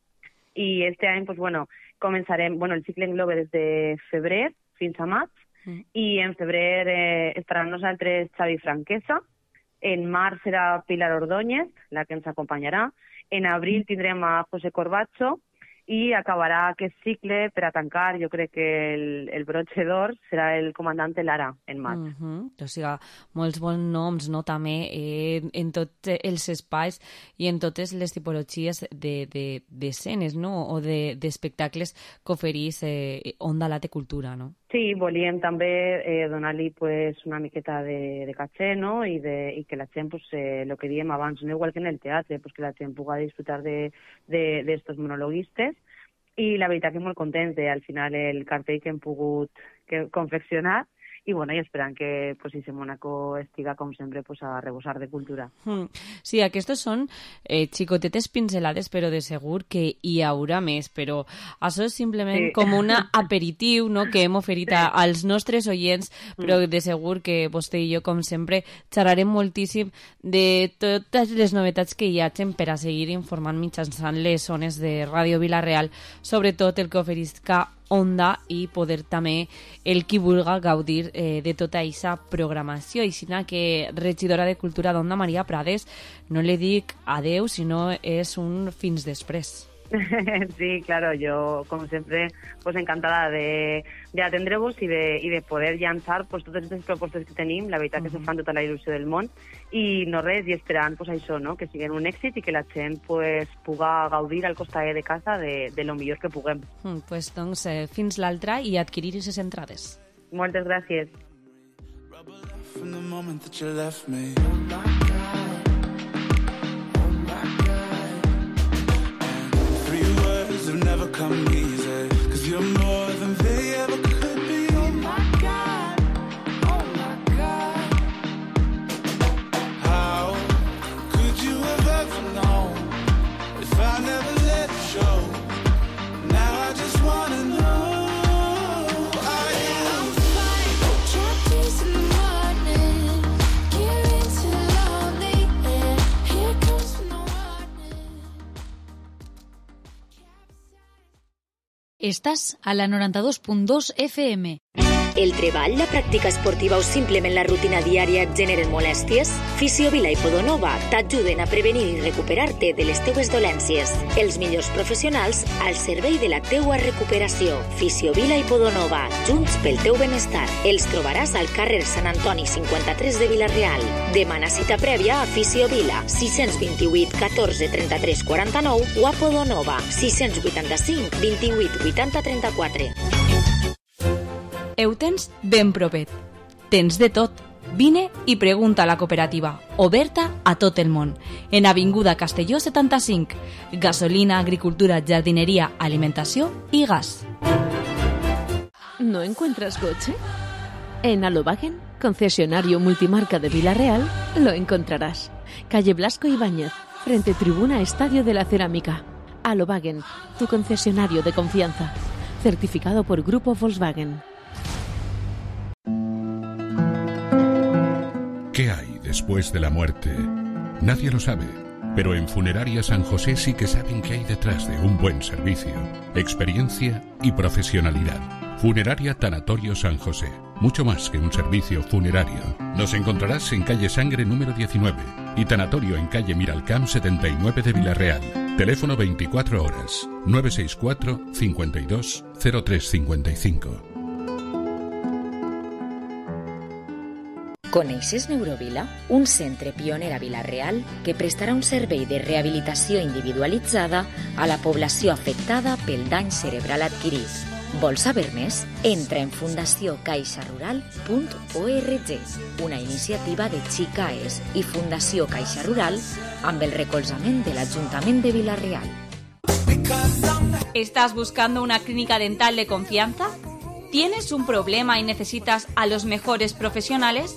i este any, pues, bueno, començarem, el cicle engloba des de febrer fins a maig, i en febrer estarà amb nosaltres Xavi Franquesa, en març serà Pilar Ordóñez, la que ens acompanyarà, en abril tindrem a José Corbacho, i acabarà aquest cicle per a tancar, jo crec que el broche d'or serà el comandant Lara en maig. O sigui, molts bons noms, no?, també en tots els espais i en totes les tipologies d'escenes, no?, o d'espectacles que oferís Onda Late Cultura, no? Sí, volíem també donar-li una miqueta de caché, no?, i que la gent, el que diem abans, no igual que en el teatre, que la gent pugui disfrutar d'estos monologuistes, i la veritat que molt contents al final el cartell que hem pogut confeccionar, i bueno, i esperant que ese Mónaco estiga, com sempre, a rebosar de cultura. Sí, aquestes són xicotetes pincelades, però de segur que hi haurà més, però això és simplement com un aperitiu, no?, que hem oferit als nostres oients, però de segur que vostè i jo, com sempre, xerrarem moltíssim de totes les novetats que hi hagin per a seguir informant mitjançant les zones de Ràdio Vila-real, sobretot el que oferisca Onda, i poder també el qui vulga gaudir de tota aquesta programació. I sinó que regidora de Cultura d'Onda, Maria Prades, no li dic adeu, sinó és un fins després. Sí, claro, yo como siempre encantada de atendre-vos i de poder llançar totes aquestes propostes que tenim, la veritat que se fan tota la il·lusió del món, i no res, i esperant això, no?, que siguin un èxit i que la gent puga gaudir al costat de casa de lo millor que puguem. Doncs fins l'altra i adquirir aquestes entrades. Moltes gràcies. Have never come easy, 'cause you're more than they ever could be. Oh my God, oh my God. How could you have ever known if I never let it show? Now I just wanna know. Chapters in the morning, giving to love. Estàs a la 92.2 FM. El treball, la pràctica esportiva o simplement la rutina diària et generen molèsties? Fisiovila i Podonova t'ajuden a prevenir i recuperar-te de les teues dolències. Els millors professionals al servei de la teua recuperació. Fisiovila i Podonova, junts pel teu benestar. Els trobaràs al carrer Sant Antoni 53 de Vila-real. Demana cita prèvia a Fisiovila 628 14 33 49 o a Podonova 685 28 80 34. Ho tens ben propet. Tens de tot. Vine i pregunta a la cooperativa, oberta a tot el món. En Avinguda Castelló 75. Gasolina, agricultura, jardinería, alimentació i gas. ¿No encuentras coche? En Alobagen, concesionario multimarca de Vila-real, lo encontrarás. Calle Blasco Ibáñez, frente Tribuna Estadio de la Cerámica. Alobagen, tu concesionario de confianza. Certificado por Grupo Volkswagen. ¿Qué hay después de la muerte? Nadie lo sabe, pero en Funeraria San José sí que saben qué hay detrás de un buen servicio, experiencia y profesionalidad. Funeraria Tanatorio San José, mucho más que un servicio funerario. Nos encontrarás en calle Sangre número 19 y Tanatorio en calle Miralcamp 79 de Vila-real. Teléfono 24 horas, 964 52 0355. Coneixes Neurovila? Un centre pioner a Vila-real que prestarà un servei de rehabilitació individualitzada a la població afectada pel dany cerebral adquirit. Vols saber més? Entra en fundaciócaixarural.org, una iniciativa de Xicaes i Fundació Caixa Rural amb el recolzament de l'Ajuntament de Vila-real. ¿Estás buscando una clínica dental de confianza? ¿Tienes un problema y necesitas a los mejores profesionales?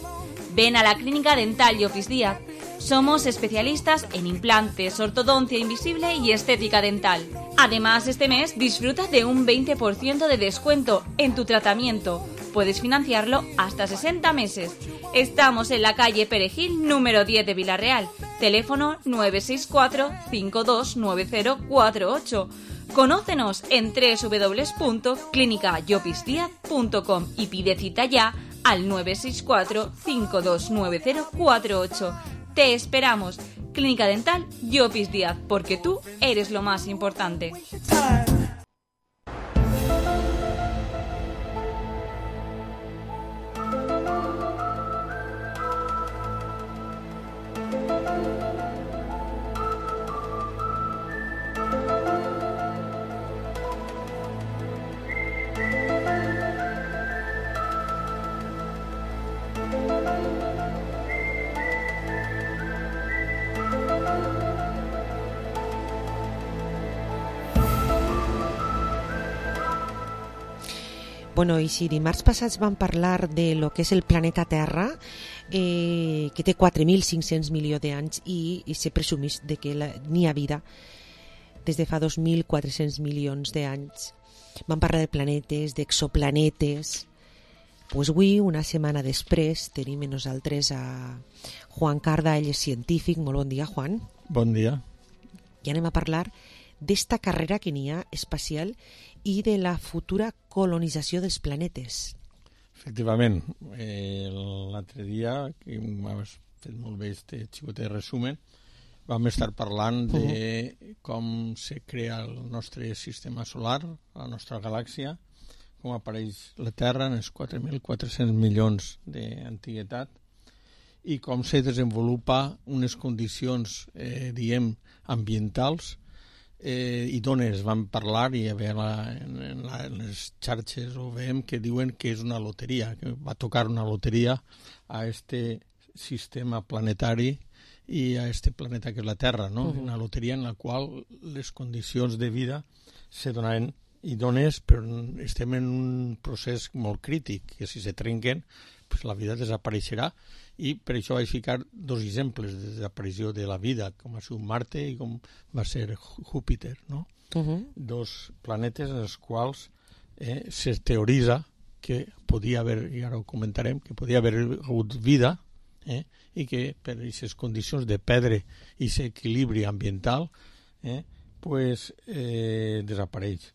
Ven a la Clínica Dental Llopis Díaz. Somos especialistas en implantes, ortodoncia invisible y estética dental. Además, este mes disfruta de un 20% de descuento en tu tratamiento. Puedes financiarlo hasta 60 meses. Estamos en la calle Perejil, número 10 de Vila-real. Teléfono 964 529048. Conócenos en www.clinicallopisdiaz.com y pide cita ya al 964 529048. Te esperamos. Clínica Dental Llopis Díaz, porque tú eres lo más importante. Bueno, i si dimarts passats vam parlar de lo que és el planeta Terra, que té 4.500 milions d'anys i se presumís de que n'hi ha vida des de fa 2.400 milions d'anys. Vam parlar de planetes, d'exoplanetes. Pues avui, una setmana després, tenim amb nosaltres a Juan Carda, ell és científic. Molt bon dia, Juan. Bon dia. I anem a parlar d'esta carrera que n'hi ha espacial i de la futura colonització dels planetes. Efectivament. L'altre dia, que has fet molt bé este xicotet resumen, vam estar parlant de com se crea el nostre sistema solar, la nostra galàxia, com apareix la Terra en els 4.400 milions d'antiguitat i com se desenvolupa unes condicions, ambientals idones. Vam parlar i en les xarxes ho veiem que diuen que és una loteria, que va tocar una loteria a este sistema planetari i a este planeta que és la Terra, no? Una loteria en la qual les condicions de vida se donaven idones, però estem en un procés molt crític, que si se trenquen pues la vida desapareixerà, i per això vaig ficar dos exemples de desaparició de la vida, com va ser Marte i com va ser Júpiter, no? Dos planetes en els quals se teoritza que podia haver, i ara ho comentarem, que podia haver hagut vida i que per aquestes condicions de perdre aquest equilibri ambiental pues desapareix.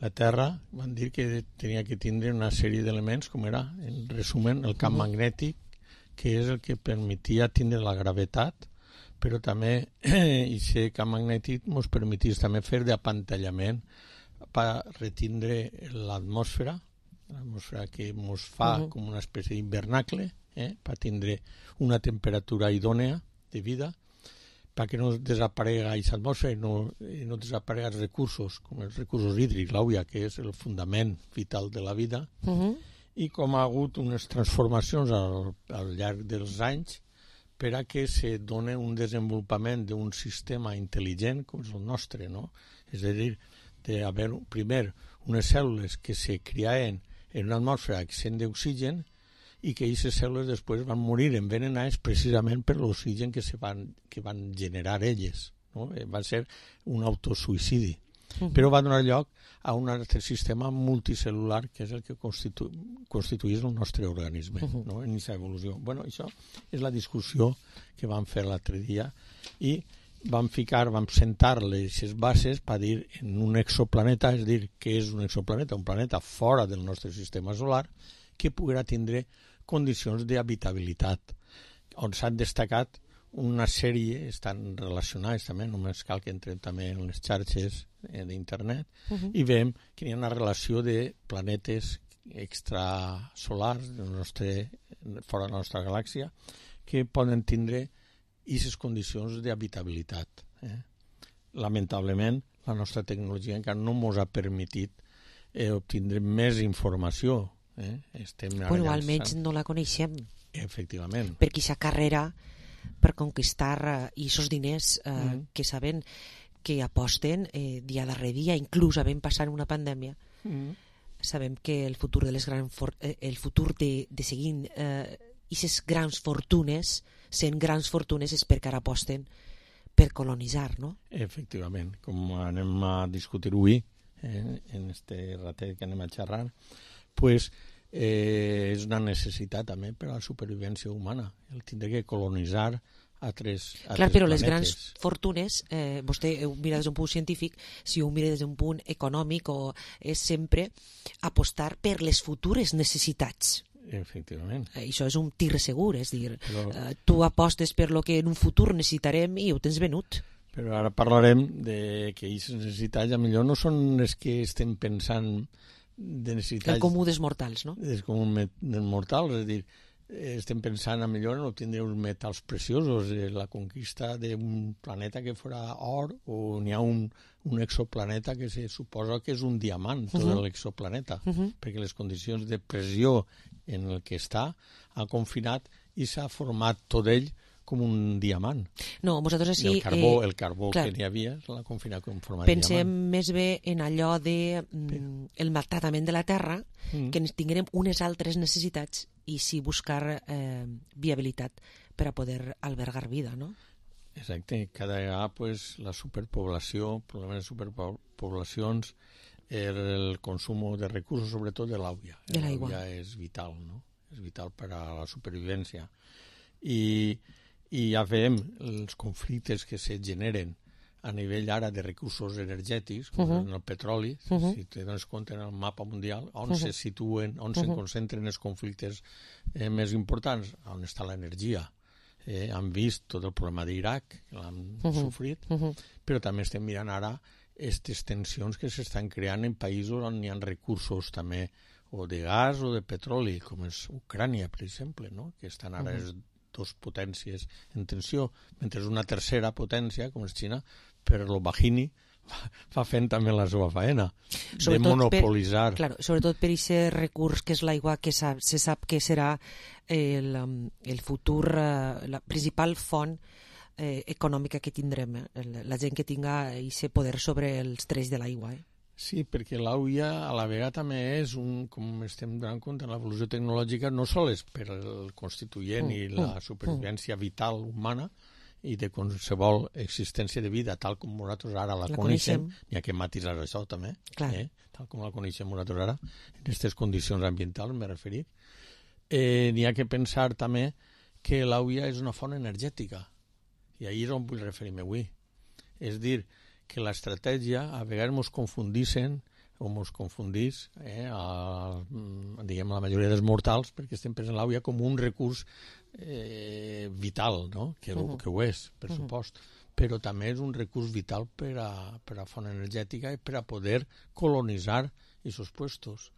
La Terra van dir que tenia que tindre una sèrie d'elements, com era, en resumen, el camp magnètic, que és el que permetia tindre la gravetat, però també aquest camp magnètic ens permetís també fer d'apantallament per retindre l'atmosfera que ens fa com una espècie d'hivernacle, per tindre una temperatura idònea de vida, perquè no desaparega aquesta atmosfera i no desaparega els recursos, com els recursos hídrics, l'aigua, que és el fundament vital de la vida, i com ha hagut unes transformacions al llarg dels anys per a que se doni un desenvolupament d'un sistema intel·ligent com és el nostre, no? És a dir, d'haver primer unes cèl·lules que se criaven en una atmosfera accent d'oxigen i que aquestes cèl·lules després van morir envenenades precisament per l'oxigen que van generar elles. No? Va ser un autosuïcidi. Però va donar lloc a un altre sistema multicel·lular que és el que constitueix el nostre organisme, no? En aquesta evolució. Bueno, això és la discussió que vam fer l'altre dia i vam sentar les bases per dir en un exoplaneta, és a dir, què és un exoplaneta? Un planeta fora del nostre sistema solar que poguera tindre condicions d'habitabilitat, on s'han destacat una sèrie, estan relacionades també, només cal que entrem també en les xarxes d'internet, i veiem que hi ha una relació de planetes extrasolars fora de la nostra galàxia que poden tindre aquestes condicions d'habitabilitat. Lamentablement, la nostra tecnologia encara no ens ha permetit obtindre més informació. Bueno, almenys no la coneixem. Efectivament. Perquè aquesta carrera per conquistar aquests diners que saben que aposten dia darrere dia, inclús havent passat una pandèmia, sabem que el futur de seguir aquestes grans fortunes, sent grans fortunes, és perquè ara aposten per colonitzar, no? Efectivament, com anem a discutir avui en este ratet que anem a xerrar, pues és una necessitat també per a la supervivència humana, el tindre que colonitzar altres planetes. Clar, però les grans fortunes, vostè ho mira des d'un punt científic, si ho mira des d'un punt econòmic, és sempre apostar per les futures necessitats. Efectivament. Això és un tir segur, és dir, tu apostes per lo que en un futur necessitarem i ho tens venut. Però ara parlarem de que aquestes necessitats millor no són les que estem pensant de necessitats... El comú dels mortals, no? El comú dels mortals, és a dir, estem pensant millor en obtindre uns metals preciosos, la conquista d'un planeta que fora or, o n'hi ha un exoplaneta que se suposa que és un diamant, tot l'exoplaneta, perquè les condicions de pressió en el que està ha confinat i s'ha format tot ell com un diamant. No, nosaltres així... El carbó que n'hi havia l'ha confinat com format de diamant. Pensem més bé en allò de el maltractament de la terra, que tinguem unes altres necessitats i sí buscar viabilitat per a poder albergar vida, no? Exacte. Cada vegada pues, la superpoblació, el problema de superpoblacions, el consum de recursos, sobretot de l'aigua. L'aigua és vital, no? És vital per a la supervivència. I ja veiem els conflictes que se generen a nivell ara de recursos energètics, com en el petroli, si te dones compte en el mapa mundial, on se situen, on se concentren els conflictes més importants, on està l'energia. Han vist tot el problema d'Iraq, l'han sofrit, però també estem mirant ara aquestes tensions que s'estan creant en països on hi ha recursos també, o de gas o de petroli, com és Ucrània, per exemple, no? Que estan ara dos potències en tensió, mentre una tercera potència, com és Xina, per lo bajini, fa fent també la seva faena, de monopolitzar. Sobretot per aquest recurs que és l'aigua, que se sap que serà el futur, la principal font econòmica que tindrem, la gent que tinga aquest poder sobre els trells de l'aigua. Sí, perquè l'aigua a la vegada també és com estem donant compte en l'evolució tecnològica, no sols per el constituent i la supervivència vital humana i de qualsevol existència de vida tal com nosaltres ara la coneixem, n'hi ha que matisar això també, tal com la coneixem nosaltres ara, en aquestes condicions ambientals m'he referit. N'hi ha que pensar també que l'aigua és una font energètica, i ahir és on vull referir-me avui. És dir, que l'estratègia a vegades ens confundissin o mos confundís, diguem, la majoria dels mortals, perquè estem pensant l'àvia com un recurs vital, no? Que ho és, per supost, però també és un recurs vital per a font energètica i per a poder colonitzar aquests puestos.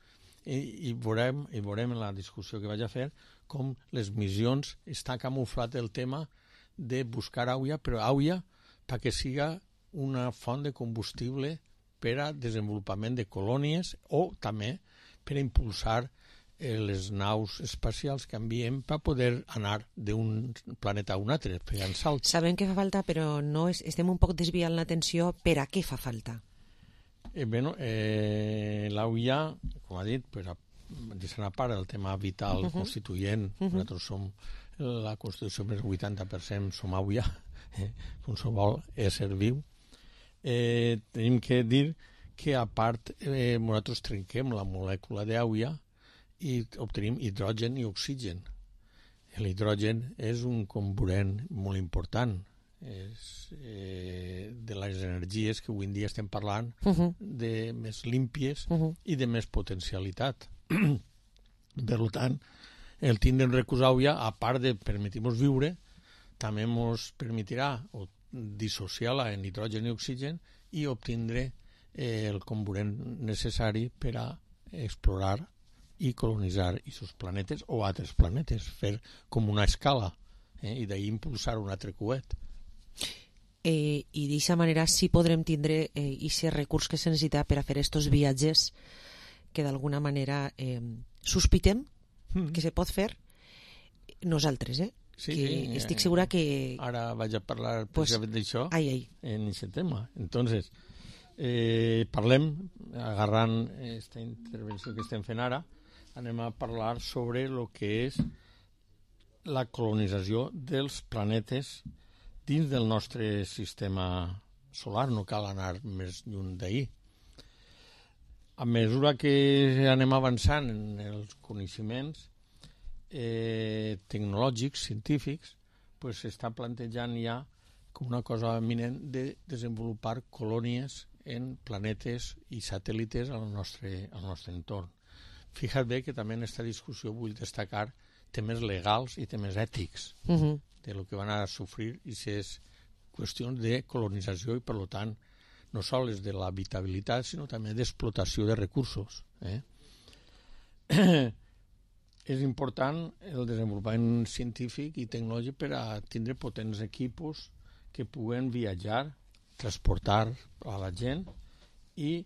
I veurem en la discussió que vaig a fer com les missions està camuflat el tema de buscar àvia, però àvia perquè siga una font de combustible per a desenvolupament de colònies o també per a impulsar les naus espacials que enviem per poder anar d'un planeta a un altre, pegant salts. Sabem que fa falta, però no estem un poc desviant l'atenció per a què fa falta. L'AUIA, com ha dit, per a deixar a part el tema vital constituent, nosaltres som la Constitució més del 80% som AUIA, qualsevol ésser viu. Tenim que dir que a part nosaltres trenquem la molècula d'AUIA i obtenim hidrogen i oxigen. L'hidrogen és un comburent molt important, és de les energies que avui en dia estem parlant de més límpies i de més potencialitat. Per tant, el tindre en recurs àvia, a part de permetir-nos viure, també ens permetirà dissociar-la en hidrogen i oxigen i obtindre el comburent necessari per a explorar i colonitzar aquests planetes o altres planetes, fer com una escala i d'ahir impulsar un altre coet. I d'aquesta manera sí podrem tindre aquest recurs que se necessita per a fer aquests viatges que d'alguna manera sospitem que se pot fer nosaltres, Sí, que estic segura que... Ara vaig a parlar precisament d'això en aquest tema. Entonces, parlem, agarrant aquesta intervenció que estem fent ara, anem a parlar sobre el que és la colonització dels planetes dins del nostre sistema solar. No cal anar més lluny d'ahir. A mesura que anem avançant en els coneixements tecnològics, científics, s'està plantejant ja com una cosa eminent de desenvolupar colònies en planetes i satèl·lites al nostre entorn. Fija't bé que també en aquesta discussió vull destacar temes legals i temes ètics de lo que van a sofrir i és qüestions de colonització i, per tant, no sols de l'habitabilitat, sinó també d'explotació de recursos. És important el desenvolupament científic i tecnològic per a tindre potents equipos que puguen viatjar, transportar a la gent i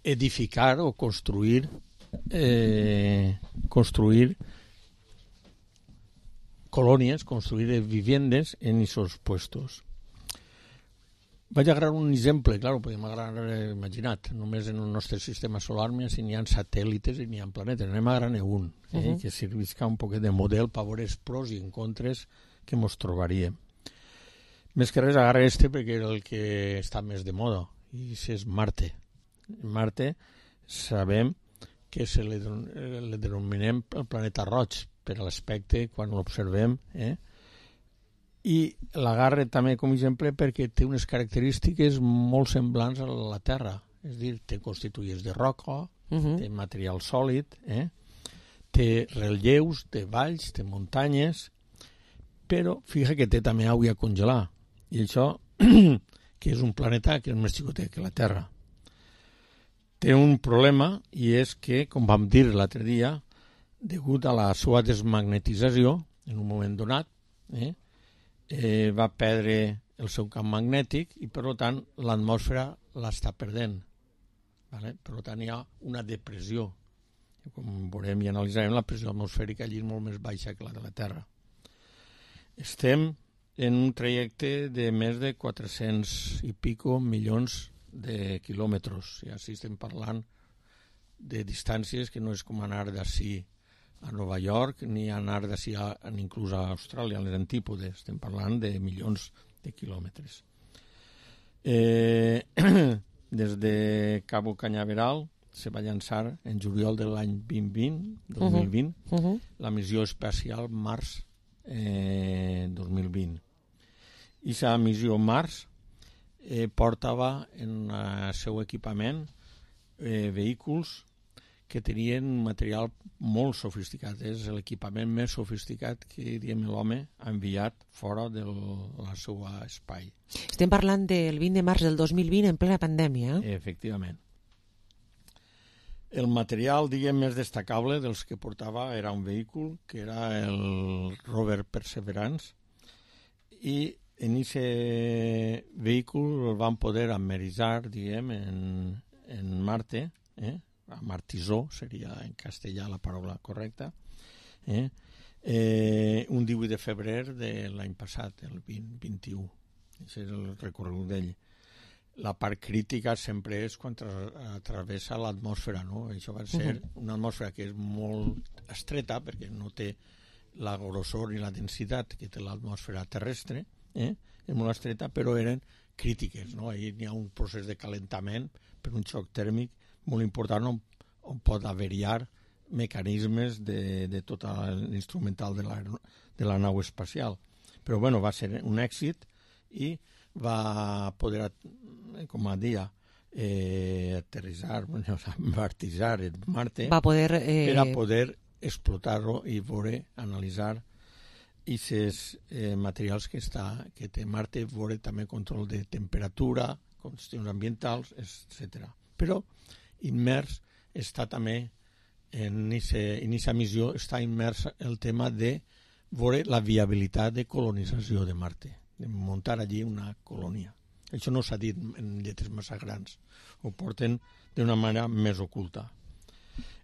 edificar o construir colònies, construir viviendes en aquests puestos. Vaig a agarrar un exemple, clar, podem agarrar, imaginat, només en el nostre sistema solar n'hi ha satèl·lites i n'hi ha planetes, anem a agarrar-ne un, que servisca un poquet de model per veure els pros i en contres que ens trobaríem. Més que res agarra perquè és el que està més de moda, i és Marte. Marte sabem que le denominem el planeta roig per l'aspecte quan l'observem, i l'agarra també com a exemple perquè té unes característiques molt semblants a la Terra, és a dir, té constituïts de roca, té material sòlid, té relleus, té valls, té muntanyes, però fija que té també aigua a congelar, i això que és un planeta que és més xicotet que la Terra. Té un problema, i és que, com vam dir l'altre dia, degut a la seva desmagnetització, en un moment donat, va perdre el seu camp magnètic i, per tant, l'atmosfera l'està perdent. Per tant, hi ha una depressió. Com veurem i analitzarem, la pressió atmosfèrica allí és molt més baixa que la de la Terra. Estem en un trajecte de més de 400 i pico milions de quilòmetres. I així estem parlant de distàncies que no és com anar d'ací a Nova York ni anar d'ací inclús a Austràlia, a les antípodes. Estem parlant de milions de quilòmetres. Des de Cabo Cañaveral se va llançar en juliol de l'any 2020 la missió espacial Mars 2020. I aquesta missió Mars portava en el seu equipament vehicles que tenien un material molt sofisticat. És l'equipament més sofisticat que l'home ha enviat fora del seu espai. Estem parlant del 20 de març del 2020 en plena pandèmia. Efectivament. El material, diguem, més destacable dels que portava era un vehicle que era el rover Perseverance, i en aquest vehicle el van poder ameritzar, diguem, en Marte, amartissó seria en castellà la paraula correcta, un 18 de febrer de l'any passat, el 2021. Aquest és el recorregut d'ell. La part crítica sempre és quan travessa l'atmosfera, no? Això va ser una atmosfera que és molt estreta perquè no té la grossor i la densitat que té l'atmosfera terrestre, és molt estreta, però eren crítiques, no? Ahí hi ha un procés de calentament per un xoc tèrmic molt important on pot averiar mecanismes de tot l'instrumental de la nau espacial. Però bueno, va ser un èxit i va poder, com a dia, aterrissar, amartissar en Marte per a poder explotar-lo i veure, analitzar aquests materials que té Marte, veure també control de temperatura, qüestions ambientals, etc. Però immers està també en aquesta missió està immers el tema de veure la viabilitat de colonització de Marte, de muntar allí una colònia. Això no s'ha dit en lletres massa grans, ho porten d'una manera més oculta.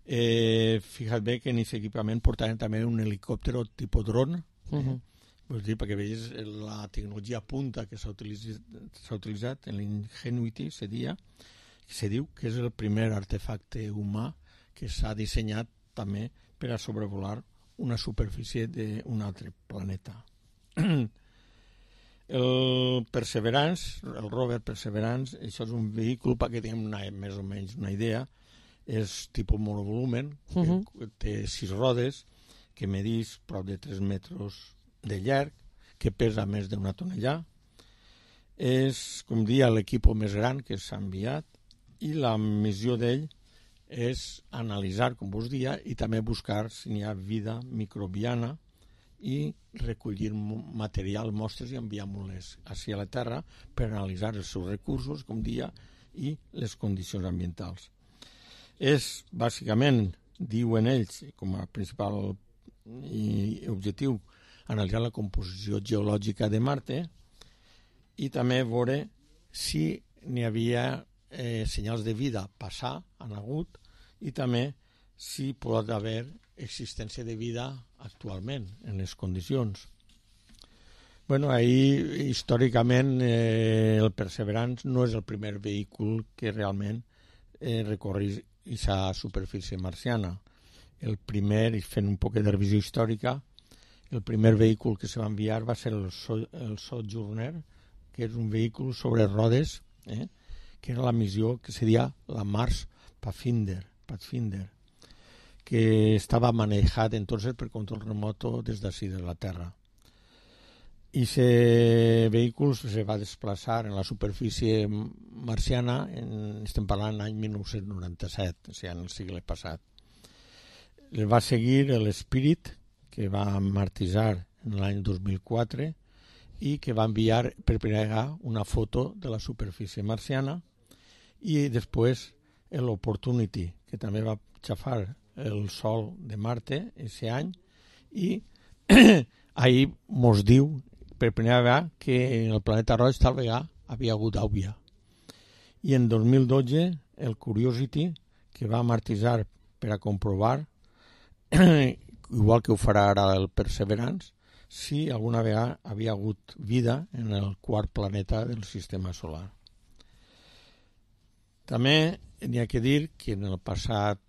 Fija't bé que en aquest equipament portaven també un helicòpter tipus dron, vull dir, perquè veies la tecnologia punta que s'ha utilitzat en l'Ingenuity, se diu que és el primer artefacte humà que s'ha dissenyat també per a sobrevolar una superfície d'un altre planeta. El Perseverance, el rover Perseverance, això és un vehicle, perquè tinguem més o menys una idea, és tipus monovolumen, que té 6 rodes, que medeix prop de 3 metres de llarg, que pesa més d'una tonellà. És, com dia, l'equip més gran que s'ha enviat, i la missió d'ell és analitzar, com vos dia, i també buscar si n'hi ha vida microbiana i recollir material, mostres i enviar-les així a la Terra per analitzar els seus recursos, com dia, i les condicions ambientals. És, bàsicament, diuen ells, com a principal objectiu, analitzar la composició geològica de Marte i també veure si n'hi havia senyals de vida passar, han hagut, i també si pot haver existència de vida actualment en les condicions. Bueno, ahí històricament el Perseverance no és el primer vehicle que realment recorre aquesta superfície marciana. El primer, i fent un poc de revisió històrica, el primer vehicle que se va enviar va ser el Sojourner, que és un vehicle sobre rodes, que era la missió que seria la Mars Pathfinder, que estava manejat entonces per control remoto des d'ací de la Terra. I aquest vehicle se va desplaçar en la superfície marciana, estem parlant l'any 1997, o sigui, en el segle passat. El va seguir l'Spirit, que va martissar en l'any 2004 i que va enviar per primera vegada una foto de la superfície marciana, i després l'Opportunity, que també va xafar el sol de Marte aquest any, i ahir mos diu per primera vegada que en el planeta roig tal vegada havia hagut àvia. I en 2012 el Curiosity, que va martissar per a comprovar, igual que ho farà ara el Perseverance, si alguna vegada havia hagut vida en el quart planeta del sistema solar. També n'hi ha que dir que en el passat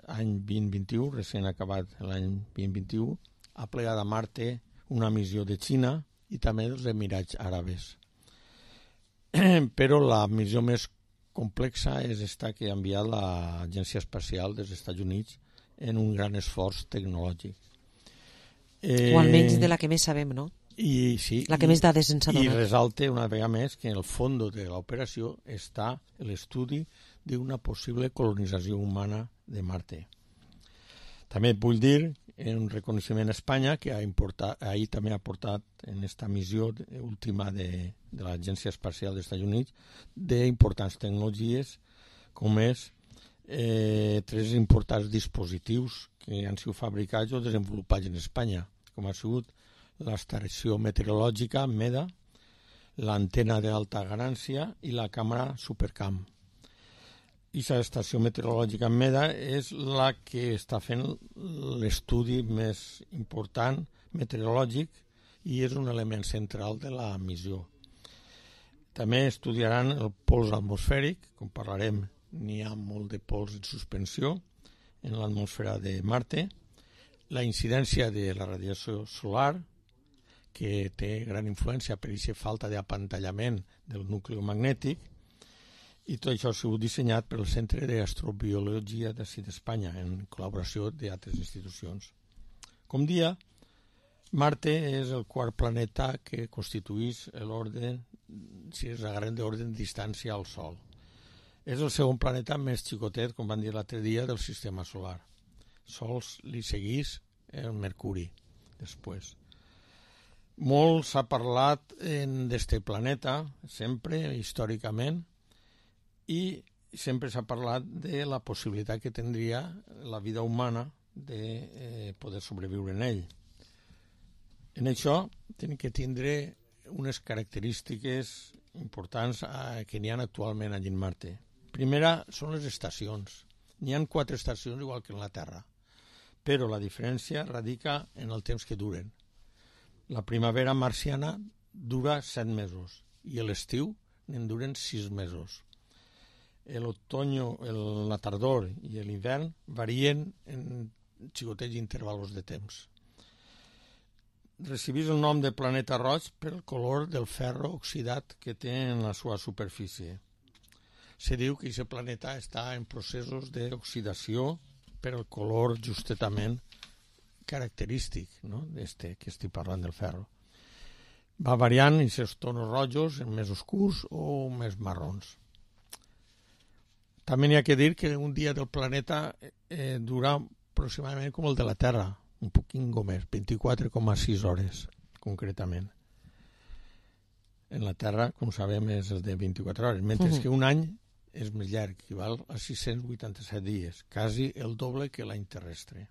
any 2021, recent acabat l'any 2021, ha plegat a Marte una missió de Xina i també dels Emirats Àrabs. Però la missió més complexa és esta que ha enviat l'Agència Espacial dels Estats Units en un gran esforç tecnològic. O almenys de la que més sabem, no? I, sí, la que més dades ens ha donat. I resalta una vegada més que en el fons de l'operació està l'estudi d'una possible colonització humana de Marte. També vull dir un reconeixement a Espanya que ahir també ha portat en esta missió última de l'Agència Espacial dels Estats Units d'importants tecnologies com és 3 importants dispositius que han sigut fabricats o desenvolupats en Espanya, com ha sigut l'estació meteorològica MEDA, l'antena d'alta ganància i la càmera Supercam. I l'estació meteorològica MEDA és la que està fent l'estudi més important meteorològic i és un element central de la missió. També estudiaran el pols atmosfèric, com parlarem, n'hi ha molt de pols en suspensió en l'atmosfera de Marte, la incidència de la radiació solar, que té gran influència per aquesta falta d'apantallament del nucli magnètic, i tot això ha sigut dissenyat pel Centre d'Astrobiologia d'ací d'Espanya, en col·laboració d'altres institucions. Com dia, Marte és el quart planeta que constitueix l'ordre, si es agarrem d'ordre de distància al Sol. És el segon planeta més xicotet, com van dir l'altre dia, del sistema solar. Sols li segueix el Mercuri, després. Molt s'ha parlat d'este planeta, sempre, històricament, i sempre s'ha parlat de la possibilitat que tindria la vida humana de poder sobreviure en ell. En això tenim que tindre unes característiques importants que n'hi ha actualment allí en Marte. Primera són les estacions. N'hi ha 4 estacions igual que en la Terra, però la diferència radica en el temps que duren. La primavera marciana dura 7 mesos i l'estiu en duren 6 mesos. L'otoño, la tardor i l'hivern varien en xicotets intervalos de temps. Recibís el nom de planeta roig pel color del ferro oxidat que té en la seva superfície. Se diu que aquest planeta està en processos d'oxidació per el color justament característic, no? Que estic parlant del ferro. Va variant en aquests tonos rojos, més oscurs o més marrons. També n'hi ha que dir que un dia del planeta dura aproximadament com el de la Terra, un poquinho més, 24,6 hores, concretament. En la Terra, com sabem, és el de 24 hores, mentre que un any és més llarg, equival a 687 dies, quasi el doble que l'any terrestre.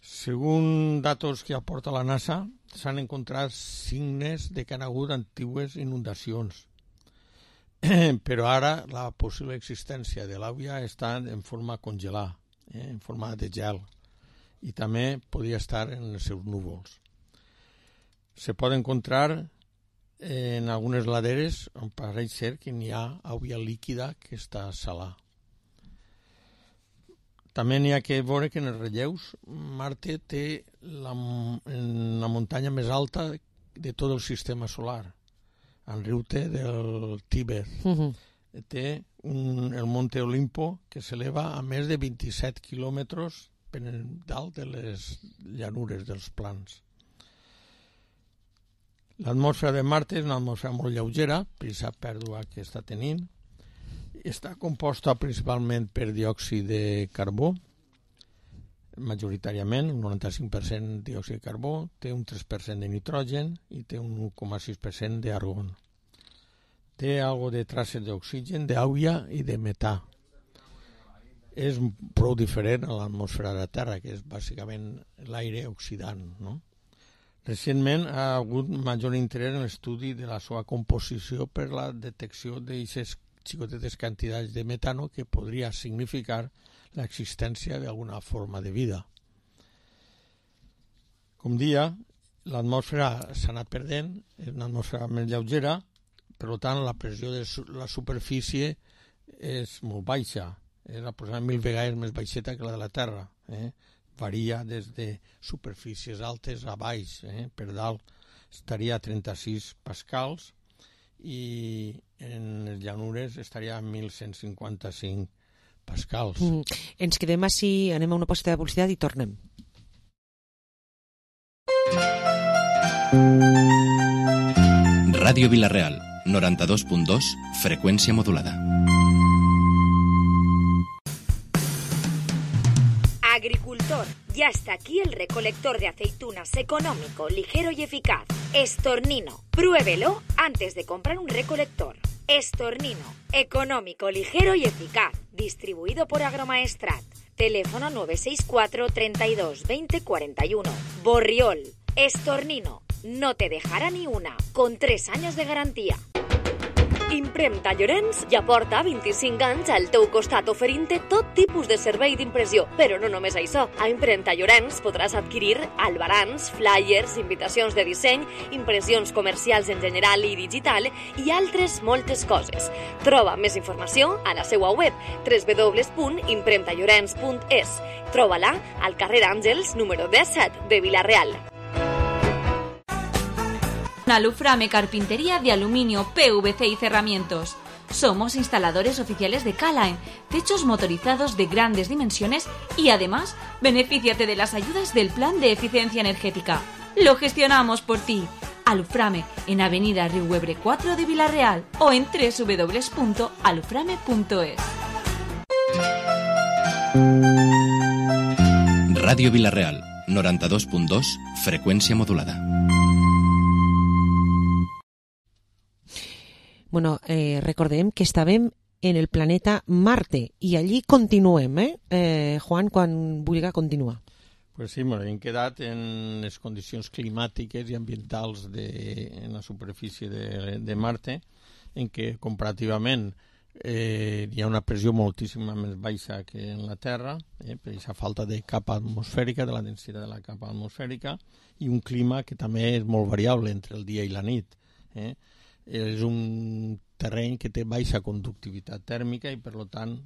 Segons datos que aporta la NASA, s'han encontrat signes de que han hagut antigues inundacions, però ara la possible existència de l'aigua està en forma congelada, en forma de gel, i també podria estar en els seus núvols. Se pot encontrar en algunes laderes on pareix ser que n'hi ha aigua líquida que està salada. També n'hi ha que veure que en els relleus Marte té la muntanya més alta de tot el sistema solar, en riute del Tíber. Té el Monte Olimpo que s'eleva a més de 27 quilòmetres per dalt de les llanures dels plans. L'atmosfera de Marte és una atmosfera molt lleugera, per aquesta pèrdua que està tenint. Està composta principalment per diòxid de carbó, majoritàriament, un 95% de diòxid de carbó, té un 3% de nitrogen i té un 1,6% d'argon. Té algo de traces d'oxigen, d'aigua i de metà. És prou diferent a l'atmosfera de la Terra, que és bàsicament l'aire oxidant, no? Recentment ha hagut major interès en l'estudi de la seva composició per la detecció d'aquestes xicotetes quantitats de metano que podria significar l'existència d'alguna forma de vida. Com dia, l'atmosfera s'ha anat perdent, és una atmosfera més lleugera, per tant la pressió de la superfície és molt baixa, és aproximadament 1000 vegades més baixeta que la de la Terra. Varia des de superfícies altes a baix, per dalt estaria a 36 pascals i en les llanures estaria a 1155 pascals. Ens quedem així, anem a una pausa de publicitat i tornem. Ràdio Vila-real, 92.2, freqüència modulada. Agricultor, ya está aquí el recolector de aceitunas económico, ligero y eficaz. Estornino. Pruébelo antes de comprar un recolector. Estornino. Económico, ligero y eficaz. Distribuido por Agromaestrat. Teléfono 964 32 20 41. Borriol. Estornino. No te dejará ni una. Con 3 años de garantía. Impremta Llorenç ja porta 25 anys al teu costat oferint-te tot tipus de servei d'impressió. Però no només això. A Impremta Llorenç podràs adquirir albarans, flyers, invitacions de disseny, impressions comercials en general i digital i altres moltes coses. Troba més informació a la seva web www.impremtallorenç.es. Troba-la al carrer Àngels número 17 de Vila-real. Aluframe Carpintería de Aluminio, PVC y Cerramientos. Somos instaladores oficiales de K-Line, techos motorizados de grandes dimensiones y además, benefíciate de las ayudas del Plan de Eficiencia Energética. Lo gestionamos por ti. Aluframe, en Avenida Riuebre 4 de Vila-real o en www.aluframe.es. Ràdio Vila-real, 92.2, freqüència modulada. Bueno, recordem que estàvem en el planeta Marte i allí continuem, Juan, quan vulga continuar. Pues sí, hem quedat en les condicions climàtiques i ambientals en la superfície de Marte, en què comparativament hi ha una pressió moltíssima més baixa que en la Terra, per aquesta falta de capa atmosfèrica, de la densitat de la capa atmosfèrica, i un clima que també és molt variable entre el dia i la nit. És un terreny que té baixa conductivitat tèrmica i, per tant,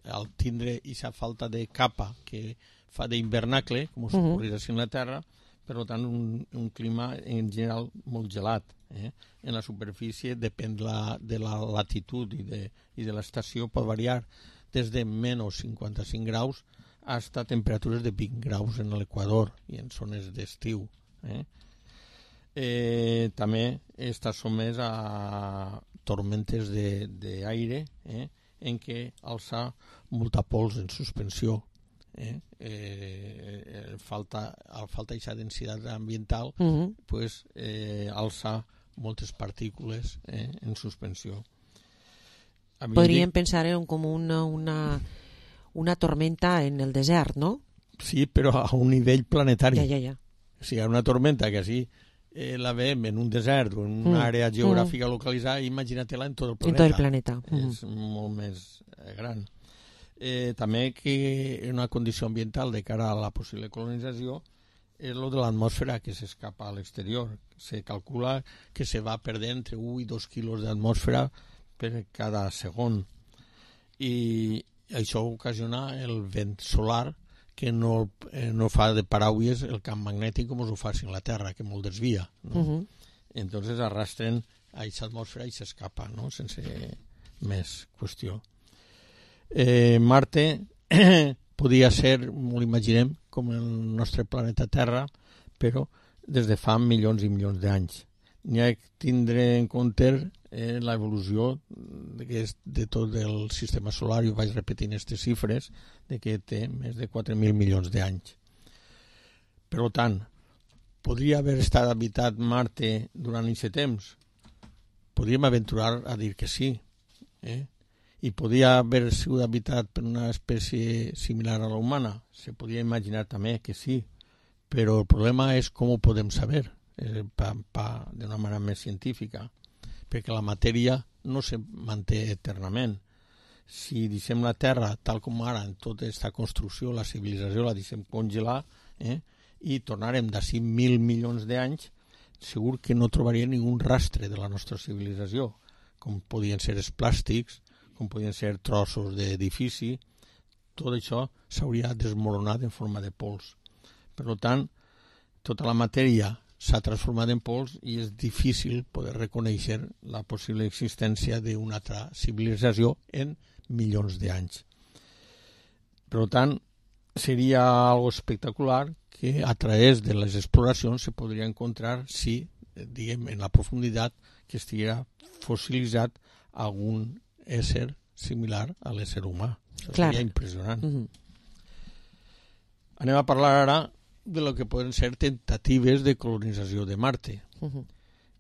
al tindre aquesta falta de capa que fa d'hivernacle, com s'ocorrirà en la Terra, per tant, un clima en general molt gelat. En la superfície, depèn de la latitud i de l'estació, pot variar des de menys 55 graus fins a temperatures de 20 graus en l'equador i en zones d'estiu. També està sotmès a tormentes d'aire en què alça molta pols en suspensió. Falta aquesta densitat ambiental, alça moltes partícules en suspensió. Podríem pensar com una tormenta en el desert, no? Sí, però a un nivell planetari. Ja. Si hi ha una tormenta que sí la veiem en un desert o en una àrea geogràfica localitzada, imagina-te-la en tot el planeta. En tot el planeta. És molt més gran. També que una condició ambiental de cara a la possible colonització és el de l'atmosfera que s'escapa a l'exterior. Se calcula que se va perdent entre 1 i 2 quilos d'atmosfera per cada segon. I això ocasiona el vent solar que no fa de paraules el camp magnètic com ho fa en la Terra, que molt desvia. Entonces arrastren a aquesta atmosfera i s'escapa, sense més qüestió. Marte podia ser, m'ho imaginem, com el nostre planeta Terra, però des de fa milions i milions d'anys. N'hi ha que tindre en compte l'evolució de tot el sistema solar, i vaig repetint aquestes xifres, de que té més de 4.000 milions d'anys. Per tant, podria haver estat habitat Marte durant aquest temps? Podríem aventurar a dir que sí. I podria haver sigut habitat per una espècie similar a la humana? Se podria imaginar també que sí, però el problema és com ho podem saber d'una manera més científica, perquè la matèria no se manté eternament. Si deixem la Terra tal com ara, en tota aquesta construcció, la civilització la deixem congelar i tornarem d'ací 1.000 milions d'anys, segur que no trobaria ningú rastre de la nostra civilització, com podien ser els plàstics, com podien ser trossos d'edifici. Tot això s'hauria desmoronat en forma de pols. Per tant, tota la matèria s'ha transformat en pols i és difícil poder reconèixer la possible existència d'una altra civilització en milions d'anys. Per tant, sería algo espectacular que a través de las exploracions se podria encontrar si, diguem, en la profunditat que estiguera fossilitzat algun ésser similar a l'ésser humà. Això seria impressionant. Anem a parlar ara de lo que poden ser tentatives de colonització de Marte.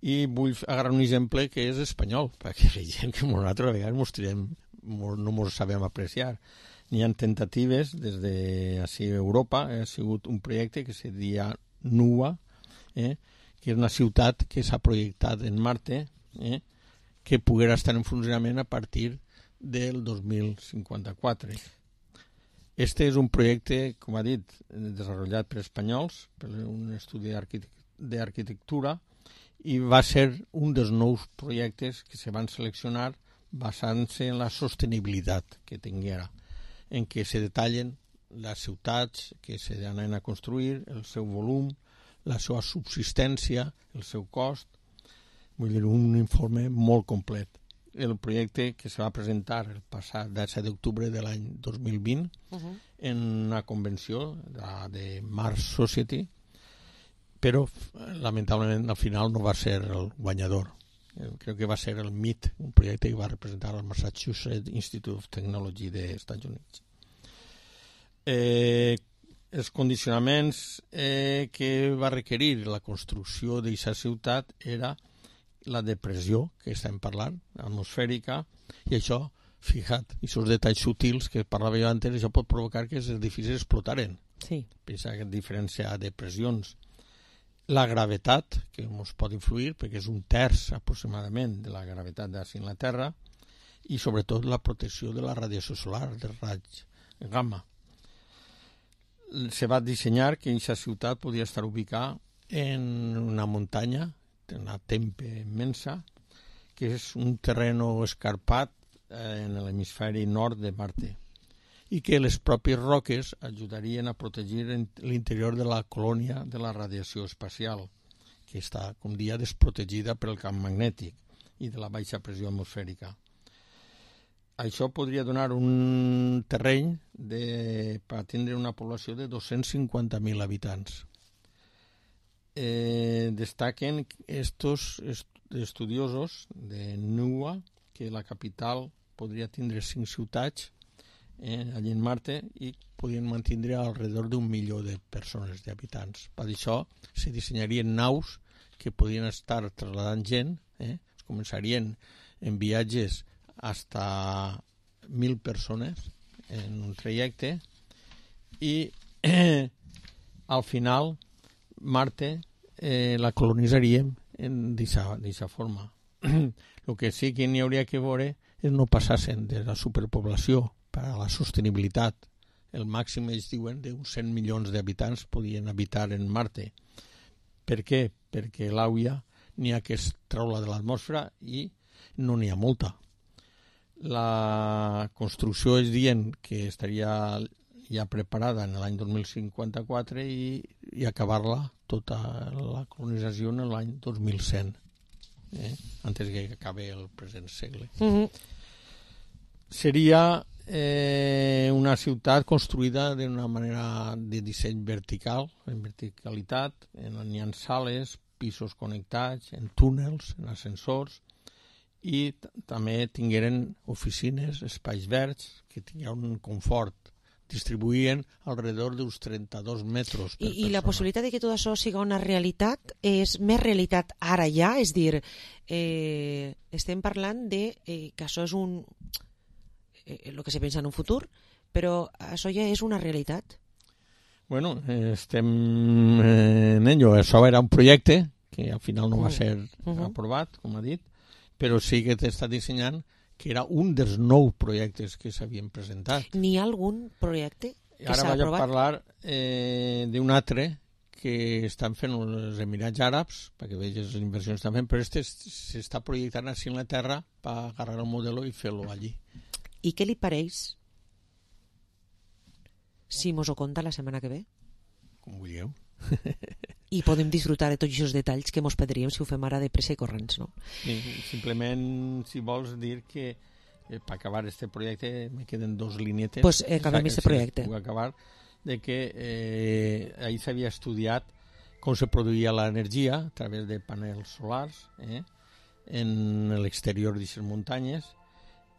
I vull agarrar un exemple que és espanyol, perquè veiem que nosaltres a vegades no mos sabem apreciar. N'hi ha tentatives des de Europa, ha sigut un projecte que se deia NUA, que és una ciutat que s'ha projectat en Marte, que poguera estar en funcionament a partir del 2054. Este és un projecte, com ha dit, desenvolupat per espanyols, per un estudi d'arquitectura, i va ser un dels nous projectes que se van seleccionar basant-se en la sostenibilitat que tinguera, en què se detallen les ciutats que s'anaven a construir, el seu volum, la seva subsistència, el seu cost. Vull dir, un informe molt complet. El projecte que se va presentar el passat 17 d'octubre de l'any 2020 en una convenció de Mars Society, però lamentablement al final no va ser el guanyador. Crec que va ser el MIT, un projecte que va representar el Massachusetts Institute of Technology dels Estats Units. Els condicionaments que va requerir la construcció d'aquesta ciutat era la depressió que estem parlant, atmosfèrica, i això, fija't, aquests detalls sutils que parlava jo antes, això pot provocar que els edificis explotaren. Sí. Pensa que diferència de pressions. La gravetat, que ens pot influir, perquè és un terç aproximadament de la gravetat d'ací en la Terra, i sobretot la protecció de la radiació solar, del raig gamma. Se va dissenyar que aquesta ciutat podia estar ubicada en una muntanya, una tempe immensa, que és un terreno escarpat en l'hemisferi nord de Marte, i que les pròpies roques ajudarien a protegir l'interior de la colònia de la radiació espacial, que està, com dia, desprotegida pel camp magnètic i de la baixa pressió atmosfèrica. Això podria donar un terreny per atendre una població de 250.000 habitants. Destaquen estos estudiosos de NUA que la capital podria tindre 5 ciutats allí en Marte i podien mantindre alrededor d'1 milió de persones, d'habitants. Per això se dissenyarien naus que podien estar trasladant gent, es començarien en viatges hasta 1.000 persones en un trajecte i al final Marte la colonitzaríem d'aquesta forma. El que sí que n'hi hauria que veure és no passassen de la superpoblació per a la sostenibilitat. El màxim, ells diuen, d'uns 100 milions d'habitants podien habitar en Marte. Per què? Perquè l'aigua n'hi ha que es treure de l'atmosfera i no n'hi ha molta. La construcció es diuen que estaria ja preparada en l'any 2054 i acabar-la tota la colonització en l'any 2100, antes que acabi el present segle. Seria una ciutat construïda d'una manera de disseny vertical, en verticalitat, n'hi ha sales, pisos connectats, en túnels, en ascensors, i també tingueren oficines, espais verds, que tingueren un confort. Distribuïen alrededor d'uns 32 metres per persona. I la possibilitat de que tot això siga una realitat és més realitat ara ja? És dir, estem parlant de que això és el que se pensa en un futur, però això ja és una realitat. Bueno, estem en ello. Això era un projecte que al final no va ser aprovat, com ha dit, però sí que t'està dissenyant que era un dels 9 projectes que s'havien presentat. N'hi ha algun projecte que s'ha aprovat? Ara vaig a parlar d'un altre que estan fent els Emirats Àrabs, perquè vegis les inversions que estan fent, però s'està projectant així en la Terra per agarrar el model i fer-lo allí. I què li pareix si mos ho conta la setmana que ve? Com vulgueu. I podem disfrutar de tots aquests detalls que mos perdríem si ho fem ara de pressa i corrents, no? Sí, simplement, si vols dir que per acabar este projecte me queden 2 linietes. Pues acabem este projecte. Puc acabar. de que ahí s'havia estudiat com se produïa l'energia a través de panels solars en l'exterior d'aquestes muntanyes,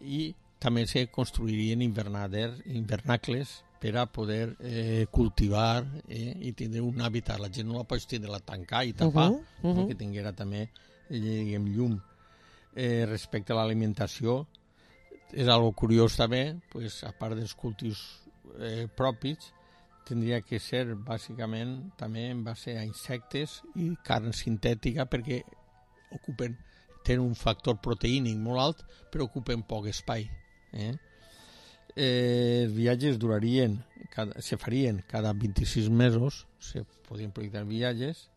i també se construirien invernacles per a poder cultivar i tindre un hàbitat. La gent no la pots tindre a tancar i tapar, que tinguera també llum. Respecte a l'alimentació, és algo curiós també, pues, a part dels cultius propis, tindria que ser bàsicament també en base a insectes i carn sintètica, perquè tenen un factor proteínic molt alt, però ocupen poc espai. Els viatges se farien cada 26 mesos, se podien projectar viatges,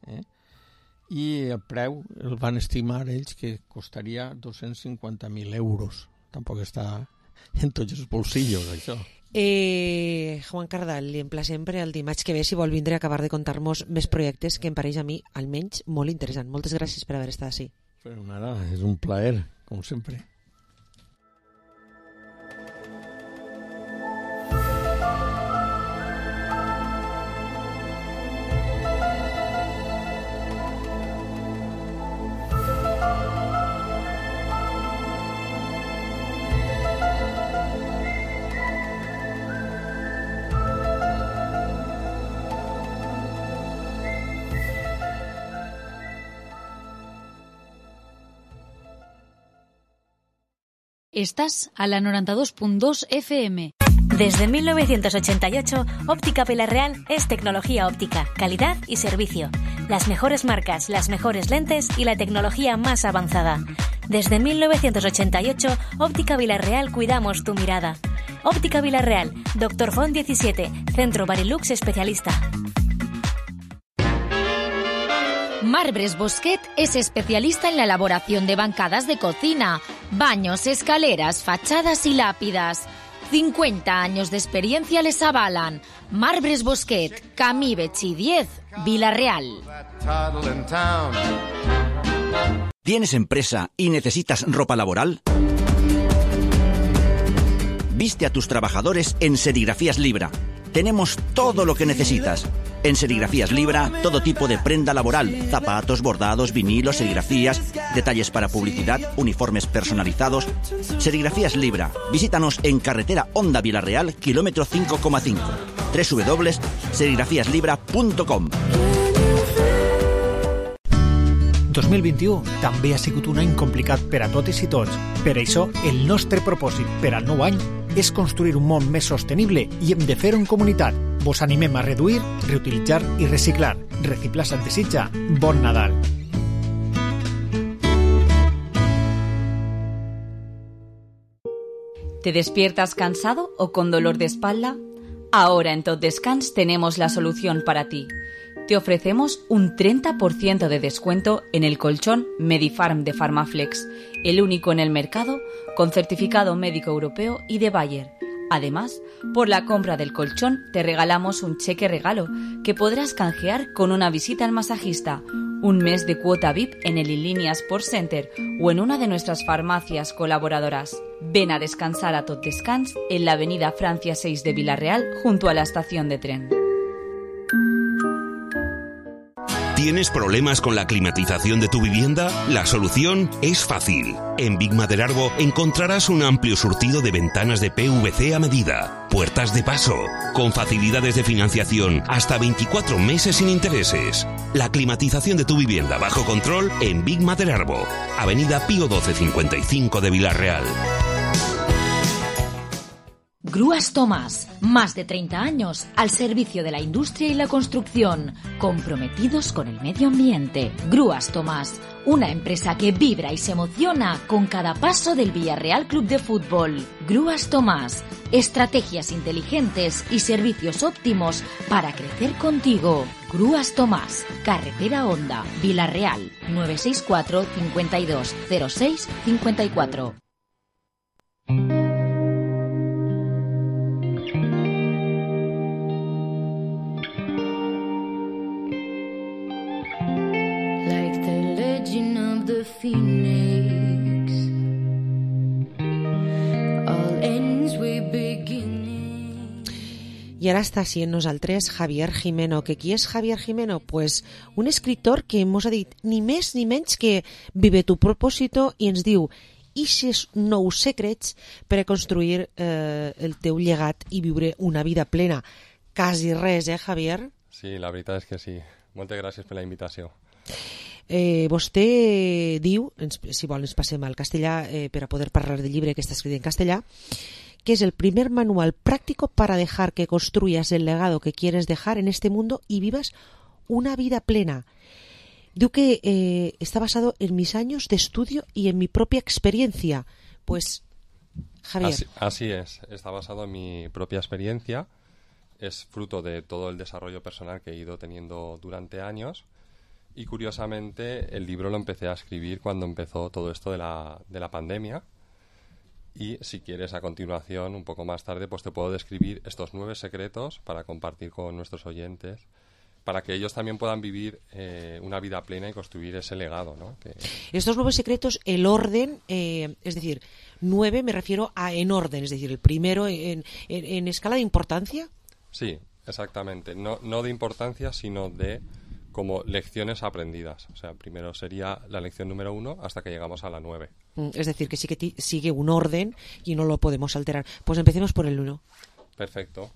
i el preu el van estimar ells que costaria 250.000 euros. Tampoc està en tots els bolsillos, això. Juan Cardal, li emplacem per el dimarts que ve, si vol vindre a acabar de contar-nos més projectes que em pareix a mi, almenys, molt interessant. Moltes gràcies per haver estat així. Però nada, és un plaer, com sempre. Estás a la 92.2 FM. Desde 1988, Óptica Vilarreal es tecnología óptica, calidad y servicio. Las mejores marcas, las mejores lentes y la tecnología más avanzada. Desde 1988, Óptica Vilarreal cuidamos tu mirada. Óptica Vilarreal, Dr. Font 17, Centro Barilux Especialista. Marbres Bosquet es especialista en la elaboración de bancadas de cocina, baños, escaleras, fachadas y lápidas. 50 años de experiencia les avalan. Marbres Bosquet, Camí Betxí 10, Vila-real. ¿Tienes empresa y necesitas ropa laboral? Viste a tus trabajadores en Serigrafías Libra. Tenemos todo lo que necesitas. En Serigrafías Libra, todo tipo de prenda laboral, zapatos, bordados, vinilos, serigrafías, detalles para publicidad, uniformes personalizados. Serigrafías Libra. Visítanos en carretera Honda Vila-real, kilómetro 5,5. www.serigrafiaslibra.com. 2021 també ha sigut un any complicat per a totes i tots. Per això, el nostre propòsit per al nou any és construir un món més sostenible i hem de fer-ho en comunitat. Vos animem a reduir, reutilitzar i reciclar. Reciclar se't desitja. Bon Nadal. ¿Te despiertas cansado o con dolor de espalda? Ahora en Tot Descans tenemos la solución para ti. Te ofrecemos un 30% de descuento en el colchón Medifarm de Farmaflex, el único en el mercado con certificado médico europeo y de Bayer. Además, por la compra del colchón te regalamos un cheque regalo que podrás canjear con una visita al masajista, un mes de cuota VIP en el Inlínea Sport Center o en una de nuestras farmacias colaboradoras. Ven a descansar a Tot Descans en la avenida Francia 6 de Vila-real junto a la estación de tren. ¿Tienes problemas con la climatización de tu vivienda? La solución es fácil. En Big Maderarbo encontrarás un amplio surtido de ventanas de PVC a medida, puertas de paso, con facilidades de financiación hasta 24 meses sin intereses. La climatización de tu vivienda bajo control en Big Maderarbo, avenida Pío 12 55 de Vila-real. Grúas Tomás, más de 30 años al servicio de la industria y la construcción, comprometidos con el medio ambiente. Grúas Tomás, una empresa que vibra y se emociona con cada paso del Villarreal Club de Fútbol. Grúas Tomás, estrategias inteligentes y servicios óptimos para crecer contigo. Grúas Tomás, carretera Honda, Vila-real, 964 52 06 54. Phoenix. All ends with beginning. I Y ahora está así en nosaltres Javier Jimeno. Que qui és Javier Jimeno? Pues un escritor que mos ha dit ni més ni menys que vive tu propósito i ens diu ixes nous secrets per a construir el teu llegat i viure una vida plena. Quasi res, Javier? Sí, la veritat és que sí. Moltes gràcies per la invitació. Vostè diu, si vol ens passem al castellà per a poder parlar del llibre que està escrit en castellà, que es el primer manual práctico para dejar que construyas el legado que quieres dejar en este mundo y vivas una vida plena. Digo que está basado en mis años de estudio y en mi propia experiencia. Pues, Javier. Así es, está basado en mi propia experiencia. Es fruto de todo el desarrollo personal que he ido teniendo durante años. Y curiosamente, el libro lo empecé a escribir cuando empezó todo esto de la pandemia. Y si quieres, a continuación, un poco más tarde, pues te puedo describir estos 9 secretos para compartir con nuestros oyentes, para que ellos también puedan vivir una vida plena y construir ese legado, ¿no? Estos 9 secretos, el orden, es decir, 9 me refiero a en orden, es decir, el primero en escala de importancia. Sí, exactamente. No de importancia, sino de como lecciones aprendidas. O sea, primero sería la lección número 1 hasta que llegamos a la 9. Es decir, que sí que sigue un orden y no lo podemos alterar. Pues empecemos por el 1. Perfecto.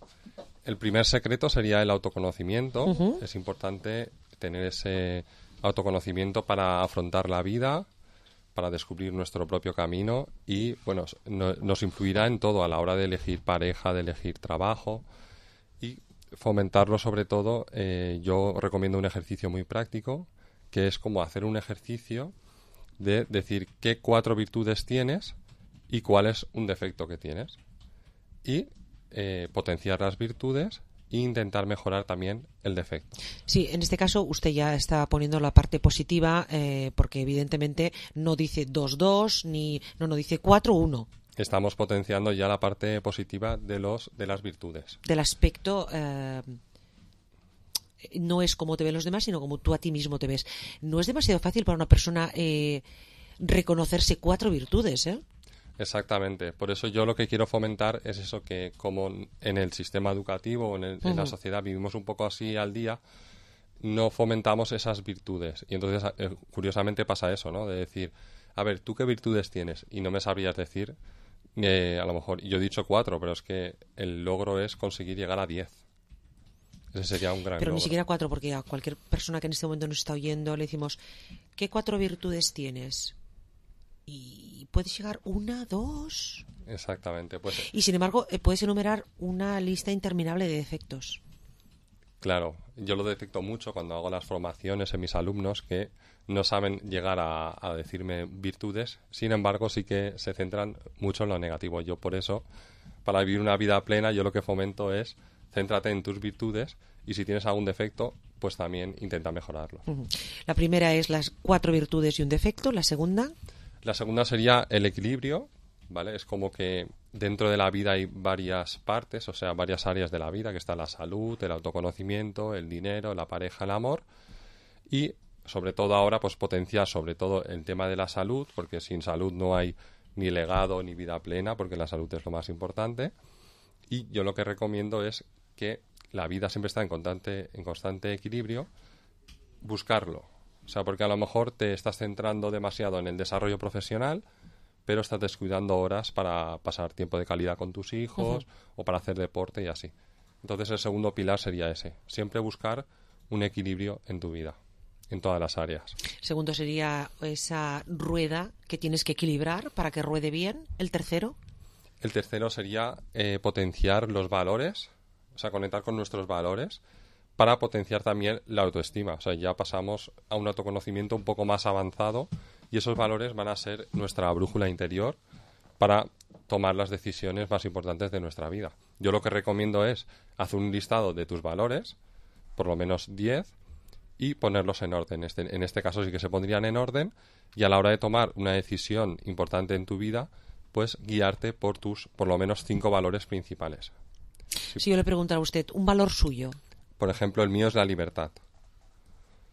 El primer secreto sería el autoconocimiento. Es importante tener ese autoconocimiento para afrontar la vida, para descubrir nuestro propio camino y, bueno, nos influirá en todo a la hora de elegir pareja, de elegir trabajo y fomentarlo sobre todo. Yo recomiendo un ejercicio muy práctico que es como hacer un ejercicio de decir qué 4 virtudes tienes y cuál es un defecto que tienes y potenciar las virtudes e intentar mejorar también el defecto. Sí, en este caso usted ya está poniendo la parte positiva porque evidentemente no dice 2-2 ni no dice 4-1. Estamos potenciando ya la parte positiva de las virtudes. Del aspecto no es como te ven los demás, sino como tú a ti mismo te ves. No es demasiado fácil para una persona reconocerse 4 virtudes, ¿eh? Exactamente. Por eso yo lo que quiero fomentar es eso, que como en el sistema educativo o en la sociedad vivimos un poco así al día, no fomentamos esas virtudes. Y entonces, curiosamente pasa eso, ¿no? De decir, a ver, ¿tú qué virtudes tienes? Y no me sabrías decir, a lo mejor, yo he dicho 4, pero es que el logro es conseguir llegar a 10. Ese sería un gran Pero logro. Ni siquiera 4, porque a cualquier persona que en este momento nos está oyendo le decimos, ¿qué 4 virtudes tienes? Y puedes llegar 1, 2... Exactamente. Pues, y sin embargo, puedes enumerar una lista interminable de defectos. Claro, yo lo detecto mucho cuando hago las formaciones en mis alumnos que no saben llegar a decirme virtudes, sin embargo sí que se centran mucho en lo negativo. Yo por eso, para vivir una vida plena, yo lo que fomento es céntrate en tus virtudes y si tienes algún defecto, pues también intenta mejorarlo. La primera es las 4 virtudes y un defecto. ¿La segunda? La segunda sería el equilibrio, ¿vale? Es como que dentro de la vida hay varias partes, o sea, varias áreas de la vida, que está la salud, el autoconocimiento, el dinero, la pareja, el amor. Y sobre todo ahora, pues potenciar sobre todo el tema de la salud, porque sin salud no hay ni legado ni vida plena, porque la salud es lo más importante. Y yo lo que recomiendo es que la vida siempre está en constante equilibrio, buscarlo. O sea, porque a lo mejor te estás centrando demasiado en el desarrollo profesional, pero estás descuidando horas para pasar tiempo de calidad con tus hijos o para hacer deporte y así. Entonces el segundo pilar sería ese, siempre buscar un equilibrio en tu vida, en todas las áreas. Segundo sería esa rueda que tienes que equilibrar para que ruede bien. ¿El tercero? El tercero sería potenciar los valores, o sea, conectar con nuestros valores para potenciar también la autoestima. O sea, ya pasamos a un autoconocimiento un poco más avanzado y esos valores van a ser nuestra brújula interior para tomar las decisiones más importantes de nuestra vida. Yo lo que recomiendo es hacer un listado de tus valores, por lo menos 10, y ponerlos en orden. En este caso sí que se pondrían en orden y a la hora de tomar una decisión importante en tu vida, pues guiarte por lo menos 5 valores principales. Si yo le preguntara a usted, un valor suyo. Por ejemplo, el mío es la libertad.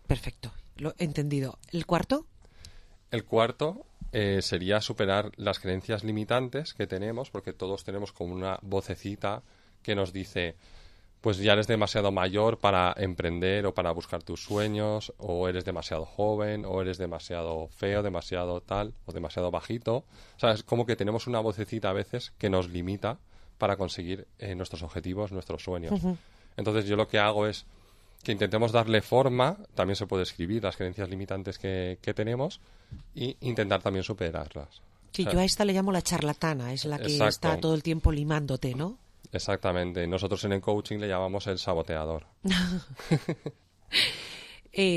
Perfecto, lo he entendido. ¿El cuarto? El cuarto sería superar las creencias limitantes que tenemos, porque todos tenemos como una vocecita que nos dice, pues ya eres demasiado mayor para emprender o para buscar tus sueños, o eres demasiado joven, o eres demasiado feo, demasiado tal, o demasiado bajito. O sea, es como que tenemos una vocecita a veces que nos limita para conseguir nuestros objetivos, nuestros sueños. Ujú. Entonces yo lo que hago es que intentemos darle forma, también se puede escribir las creencias limitantes que tenemos, y intentar también superarlas. Sí, O sea, yo a esta le llamo la charlatana, es la que Exacto. está todo el tiempo limándote, ¿no? Exactamente. Nosotros en el coaching le llamamos el saboteador.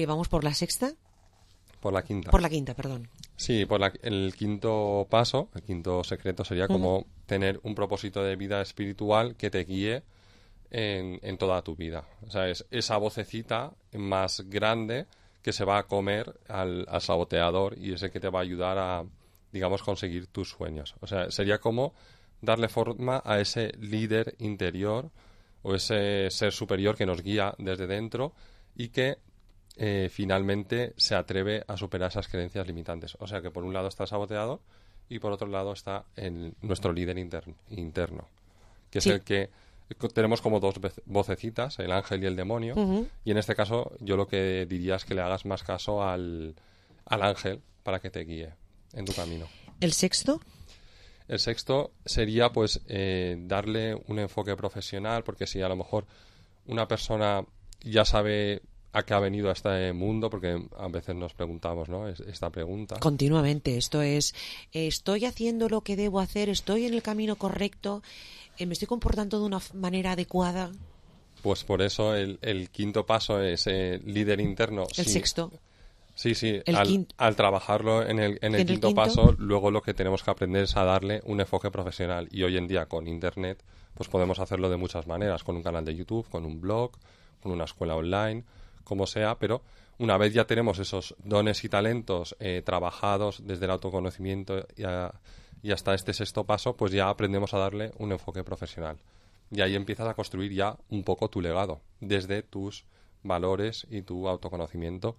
Vamos por la sexta. Por la quinta. Por la quinta, perdón. Sí, el quinto paso, el quinto secreto sería como tener un propósito de vida espiritual que te guíe en toda tu vida. O sea, es esa vocecita más grande que se va a comer al saboteador, y es el que te va a ayudar a, digamos, conseguir tus sueños. O sea, sería como darle forma a ese líder interior o ese ser superior que nos guía desde dentro y que finalmente se atreve a superar esas creencias limitantes. O sea que por un lado está el saboteador y por otro lado está nuestro líder interno, que es el que tenemos como dos vocecitas, el ángel y el demonio. Y en este caso yo lo que diría es que le hagas más caso al ángel para que te guíe en tu camino. ¿El sexto? El sexto sería pues darle un enfoque profesional, porque si a lo mejor una persona ya sabe a qué ha venido a este mundo, porque a veces nos preguntamos, ¿no?, esta pregunta. Continuamente, esto es, ¿estoy haciendo lo que debo hacer? ¿Estoy en el camino correcto? ¿Me estoy comportando de una manera adecuada? Pues por eso el quinto paso es líder interno. El sexto. Sí, El al trabajarlo en el quinto paso, luego lo que tenemos que aprender es a darle un enfoque profesional. Y hoy en día con Internet pues podemos hacerlo de muchas maneras, con un canal de YouTube, con un blog, con una escuela online, como sea, pero una vez ya tenemos esos dones y talentos trabajados desde el autoconocimiento y hasta este sexto paso, pues ya aprendemos a darle un enfoque profesional. Y ahí empiezas a construir ya un poco tu legado, desde tus valores y tu autoconocimiento,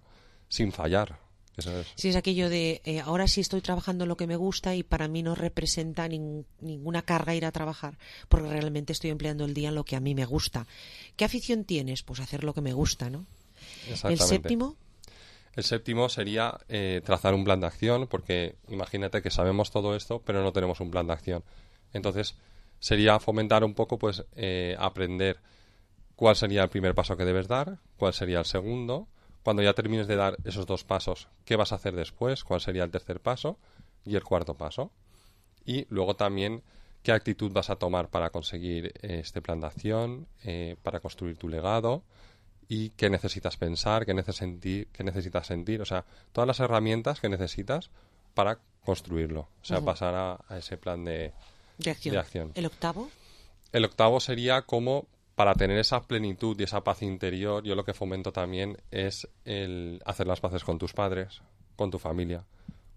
sin fallar. Eso es. Sí, es aquello de ahora sí estoy trabajando en lo que me gusta y para mí no representa ninguna carga ir a trabajar, porque realmente estoy empleando el día en lo que a mí me gusta. ¿Qué afición tienes? Pues hacer lo que me gusta, ¿no? ¿El séptimo? El séptimo sería trazar un plan de acción, porque imagínate que sabemos todo esto, pero no tenemos un plan de acción. Entonces, sería fomentar un poco, pues, aprender cuál sería el primer paso que debes dar, cuál sería el segundo. Cuando ya termines de dar esos dos pasos, ¿qué vas a hacer después? ¿Cuál sería el tercer paso? Y el cuarto paso. Y luego también, ¿qué actitud vas a tomar para conseguir este plan de acción, para construir tu legado? Y qué necesitas pensar, qué necesitas sentir. O sea, todas las herramientas que necesitas para construirlo. O sea, pasar a ese plan de acción. ¿El octavo? El octavo sería como, para tener esa plenitud y esa paz interior, yo lo que fomento también es el hacer las paces con tus padres, con tu familia,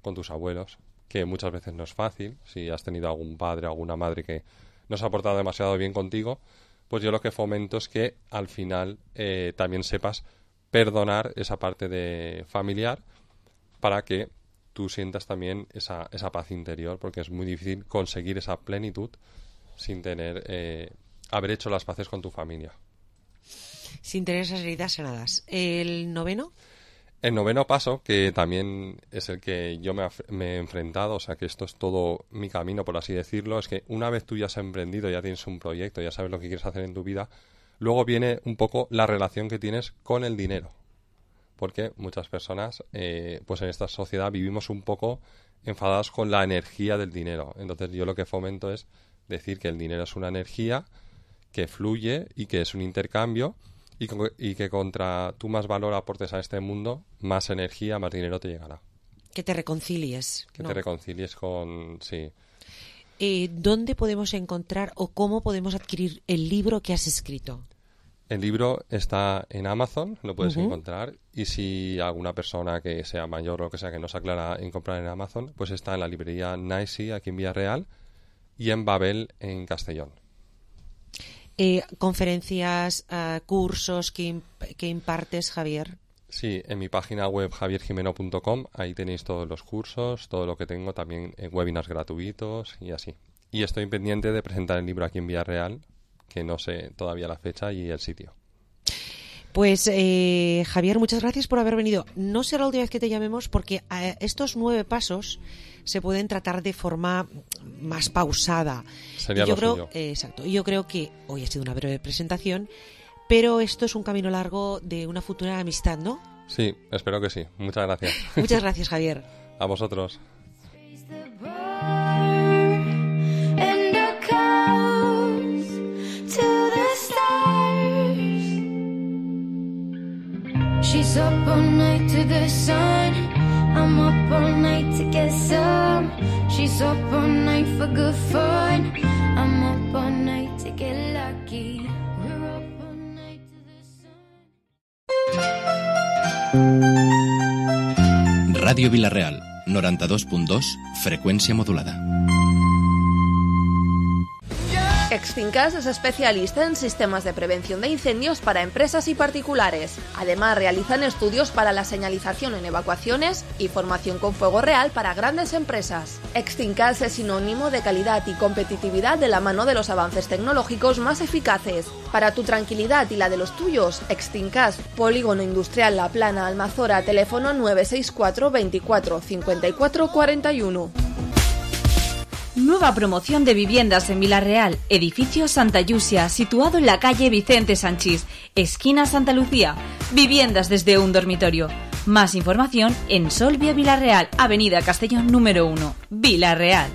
con tus abuelos, que muchas veces no es fácil. Si has tenido algún padre o alguna madre que no se ha portado demasiado bien contigo, pues yo lo que fomento es que al final también sepas perdonar esa parte de familiar, para que tú sientas también esa paz interior, porque es muy difícil conseguir esa plenitud sin tener haber hecho las paces con tu familia. Sin tener esas heridas sanadas. ¿El noveno? El noveno paso, que también es el que yo me he enfrentado, o sea que esto es todo mi camino, por así decirlo, es que una vez tú ya has emprendido, ya tienes un proyecto, ya sabes lo que quieres hacer en tu vida, luego viene un poco la relación que tienes con el dinero. Porque muchas personas, pues en esta sociedad vivimos un poco enfadados con la energía del dinero. Entonces yo lo que fomento es decir que el dinero es una energía que fluye y que es un intercambio, y que contra tú más valor aportes a este mundo, más energía, más dinero te llegará. Que te reconcilies. Que te reconcilies con... Sí. ¿Dónde podemos encontrar o cómo podemos adquirir el libro que has escrito? El libro está en Amazon, lo puedes encontrar, y si alguna persona que sea mayor o lo que sea que no se aclara en comprar en Amazon, pues está en la librería Nicey aquí en Villarreal y en Babel en Castellón. Conferencias, cursos que impartes, Javier. Sí, en mi página web javierjimeno.com, ahí tenéis todos los cursos, todo lo que tengo, también en webinars gratuitos y así. Y estoy pendiente de presentar el libro aquí en Villarreal, que no sé todavía la fecha y el sitio. Pues Javier, muchas gracias por haber venido. No será la última vez que te llamemos porque estos 9 pasos se pueden tratar de forma más pausada. Sería lo suyo. Exacto. Yo creo que hoy ha sido una breve presentación, pero esto es un camino largo de una futura amistad, ¿no? Sí, espero que sí. Muchas gracias. Muchas gracias, Javier. A vosotros. She's up all night to the sun. I'm up all night to get some. She's up all night for good fun. I'm up all night to get lucky. We're up all night to the sun. Radio Vila-real, 92.2, frecuencia modulada. Extincas es especialista en sistemas de prevención de incendios para empresas y particulares. Además, realizan estudios para la señalización en evacuaciones y formación con fuego real para grandes empresas. Extincas es sinónimo de calidad y competitividad de la mano de los avances tecnológicos más eficaces. Para tu tranquilidad y la de los tuyos, Extincas, Polígono Industrial La Plana, Almazora, teléfono 964 24 54 41. Nueva promoción de viviendas en Vila-real, edificio Santa Llucia, situado en la calle Vicente Sanchís, esquina Santa Lucía. Viviendas desde un dormitorio. Más información en Solvia Vila-real, avenida Castellón número 1, Vila-real.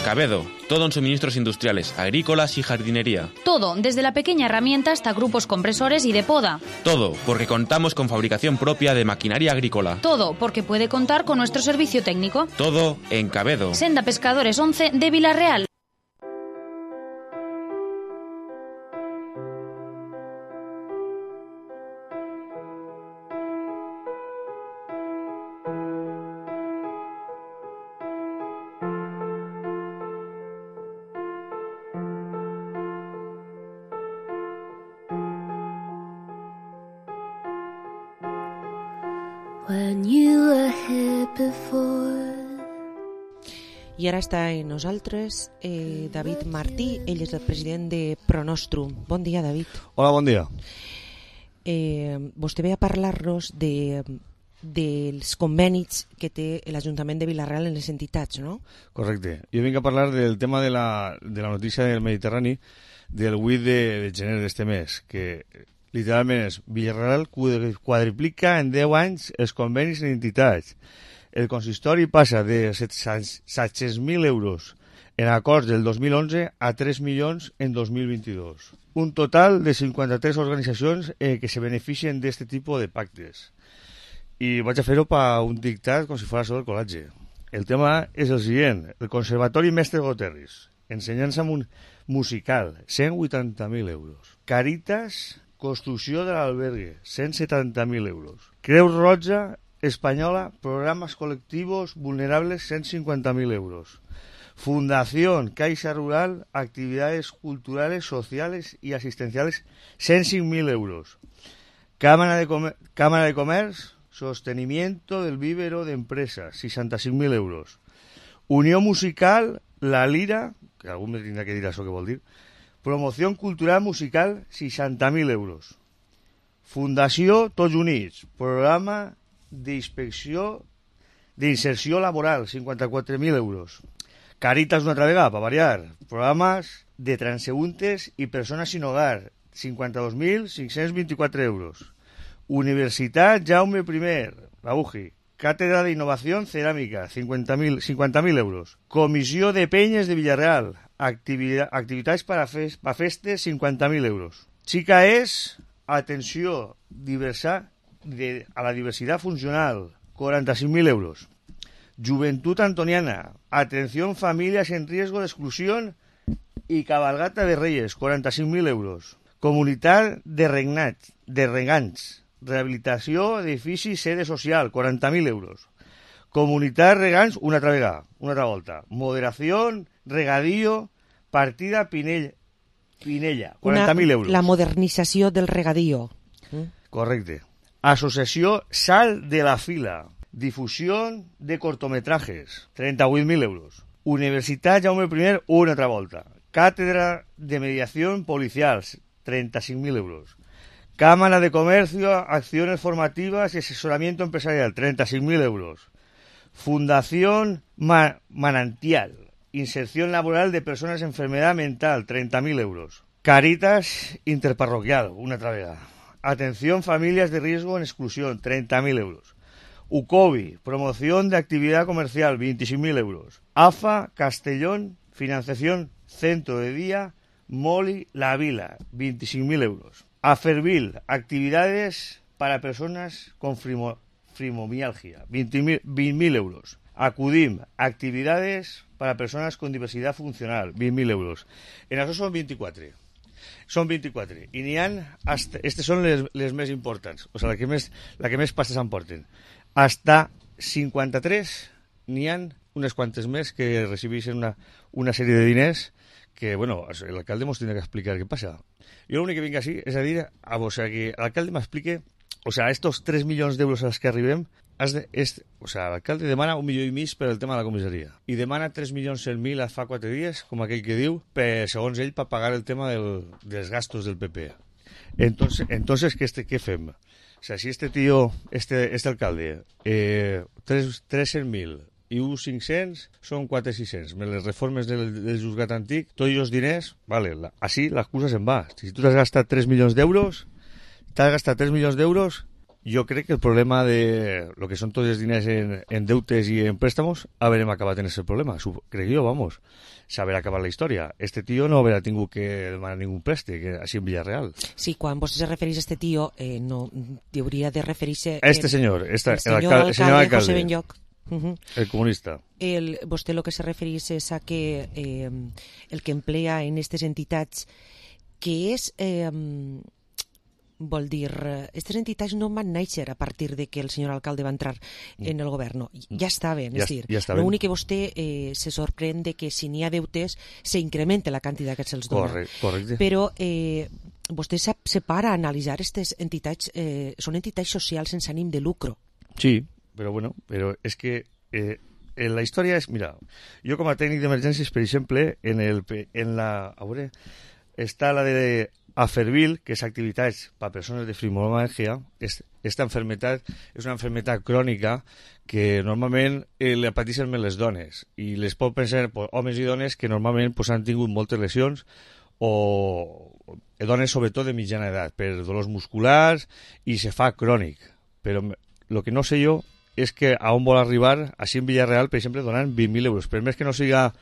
Cabedo, todo en suministros industriales, agrícolas y jardinería. Todo, desde la pequeña herramienta hasta grupos compresores y de poda. Todo, porque contamos con fabricación propia de maquinaria agrícola. Todo, porque puede contar con nuestro servicio técnico. Todo en Cabedo. Senda Pescadores 11 de Vila-real. I ara està amb nosaltres David Martí, ell és el president de Pronostrum. Bon dia, David. Hola, bon dia. Vostè ve a parlar-nos dels convenis que té l'Ajuntament de Vila-real en les entitats, no? Correcte. Jo vinc a parlar del tema de la notícia del Mediterrani del 8 de gener d'este mes, que literalment és Vila-real quadriplica en 10 anys els convenis en entitats. El consistori passa de 700.000 euros en acords del 2011 a 3 milions en 2022. Un total de 53 organitzacions que se beneficien d'aquest tipus de pactes. I vaig a fer-ho per un dictat com si fos sobre el col·legi. El tema és el següent. El Conservatori Mestre Goterris, ensenyança musical, 180.000 euros. Caritas, construcció de l'albergue, 170.000 euros. Creu Roja Española, programas colectivos vulnerables, 150.000 euros. Fundación Caixa Rural, actividades culturales, sociales y asistenciales, 105.000 euros. Cámara de Comercio, sostenimiento del vívero de empresas, 65.000 euros. Unión Musical, La Lira, que algú me tindrà que dir això que vol dir, promoción cultural musical, 60.000 euros. Fundació Tots Units, programa d'inspecció d'inserció laboral, 54.000 euros. Caritas una altra vegada, per variar, programes de transeúntes i persones sin hogar, 52.524 euros. Universitat Jaume I, la UJI, Cátedra d'Innovació Ceràmica, 50.000 euros. Comissió de Penyes de Vila-real, activitats per a festes, 50.000 euros. Xica és atenció a la diversidad funcional, 45.000 euros. Juventud Antoniana, atención familias en riesgo de exclusión y cabalgata de Reyes, 45.000 euros. Comunitat de Regants, rehabilitació edifici sede social, 40.000 euros. Comunitat Regants, una altra volta. Moderación, regadío, partida Pinella, 40.000 euros. La modernització del regadío. Correcte. Asociació Sal de la Fila, difusió de cortometrajes, 38.000 euros. Universitat Jaume I, una altra volta. Cátedra de Mediación Policial, 35.000 euros. Cámara de Comercio, Acciones Formativas y Asesoramiento Empresarial, 35.000 euros. Fundación Manantial, Inserción Laboral de Personas en Enfermedad Mental, 30.000 euros. Caritas Interparroquial, una travega. Atención Familias de Riesgo en Exclusión, 30.000 euros. UCOBI, Promoción de Actividad Comercial, 25.000 euros. AFA Castellón, Financiación Centro de Día, Moli La Vila, 25.000 euros. Afervil, Actividades para Personas con Fibromialgia, 20.000 euros. Acudim, Actividades para Persones con Diversidad Funcional, 20.000 euros. En això són 24. Són 24. I n'hi ha... Estes són les més importants. O sigui, la que més passes emporten. Hasta 53 n'hi ha unes quantes més que recibeixen una sèrie de diners que, bueno, l'alcalde ens tindrà que explicar què passa. Jo l'únic que vinc així és a dir a vos que l'alcalde m'explique, o sea, estos 3 milions d'euros als que arribem, o sea, l'alcalde demana 1,5 milions per el tema de la comissaria i demana 3.100.000 fa 4 dies, com aquell que diu, segons ell, per pagar el tema dels gastos del PP. Entonces ¿qué fem? O sea, si este tío, este alcalde, 300.000 i 1.500 són 4.600. Med les reformes del juzgat antic, tots els diners, vale, així l'excusa se'n va. Si tu t'has gastat 3 milions d'euros, jo crec que el problema de lo que són tots els diners en deutes i en préstamos haurem acabat en aquest problema. Crec jo, vamos, s'haurà acabat la història. Este tío no haurà tingut que demanar ningú préstec, així en Villarreal. Sí, quan vos se referís a este tío, no hauria de referir-se... Este senyor, el senyor alcalde José Benlloch. El comunista. Vostè el que se referís és a que el que emplea en aquestes entitats que és... vol dir, aquestes entitats no van néixer a partir de que el senyor alcalde va entrar en el govern. Ja estaven, és dir, l'únic que vostè se sorprèn de que si n'hi ha deutes s'incrementa la quantitat que se'ls dona. Correcte. Però vostè se para a analitzar aquestes entitats, són entitats socials sense ànim de lucro. Sí, però bueno, però és que la història és, mira, jo com a tècnic d'emergències, per exemple, està la de Afervil, que és activitats per a persones de fibromialgia. Esta enfermedad és una enfermedad crònica que normalment la pateixen més les dones, i les pot pensar homes i dones que normalment han tingut moltes lesions, o dones sobretot de mitjana edat, per dolors musculars, i se fa crònic. Però el que no sé jo és que a on vol arribar, així en Villarreal, per exemple, donant 20.000 euros. Per més que no siga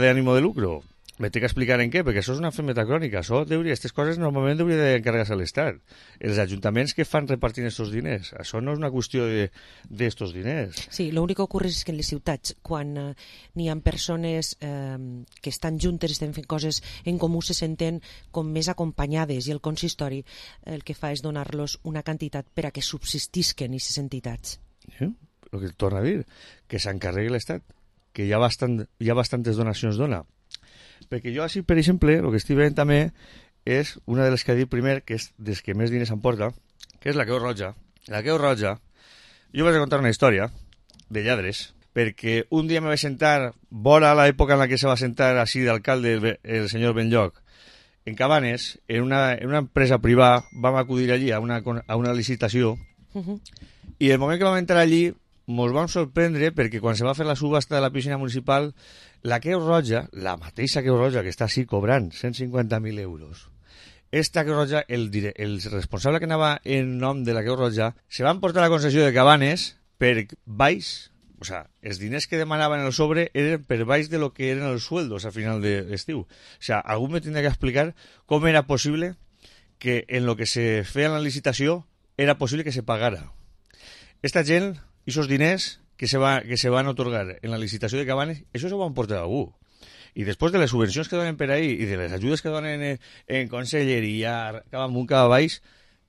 d'ànimo de lucro, me té que explicar en què, perquè això és una enfermedad crònica. Aquestes coses normalment hauria d'encarregar-se a l'Estat. Els ajuntaments que fan repartint aquests diners. Això no és una qüestió d'estos diners. Sí, l'únic que ocorre és que en les ciutats, quan n'hi ha persones que estan juntes, estan fent coses en comú, se senten com més acompanyades, i el consistori el que fa és donar-los una quantitat per a que subsistisquen aquestes entitats. Sí, el que torna a dir, que s'encarregui l'Estat, que ja bastantes donacions dona. Perquè jo així, per exemple, el que estic veient també és una de les que ha dit primer, que és des que més diners emporta, que és la Creu Roja. La Creu Roja, jo vaig a contar una història de lladres, perquè un dia me vaig sentar, vora l'època en la que se va sentar així d'alcalde el senyor Benlloch, en Cabanes, en una empresa privada, vam acudir allí a una licitació, i el moment que vam entrar allí ens vam sorprendre perquè quan se va fer la subhasta de la piscina municipal, la Creu Roja, la mateixa Creu Roja que està així cobrant 150.000 euros, esta Creu Roja, el responsable que anava en nom de la Creu Roja, se va emportar la concessió de Cabanes per baix, o sea, els diners que demanaven en el sobre eren per baix de lo que eren els sueldos a final de l'estiu. O sea, algú me tindria que explicar com era possible que en lo que se feia en la licitació era possible que se pagara. Esta gent, esos diners que se van otorgar en la licitació de Cabanes, això se ho van portar a algú. I després de les subvencions que donen per ahí i de les ajudes que donen en conselleria, cada amunt, cada baix,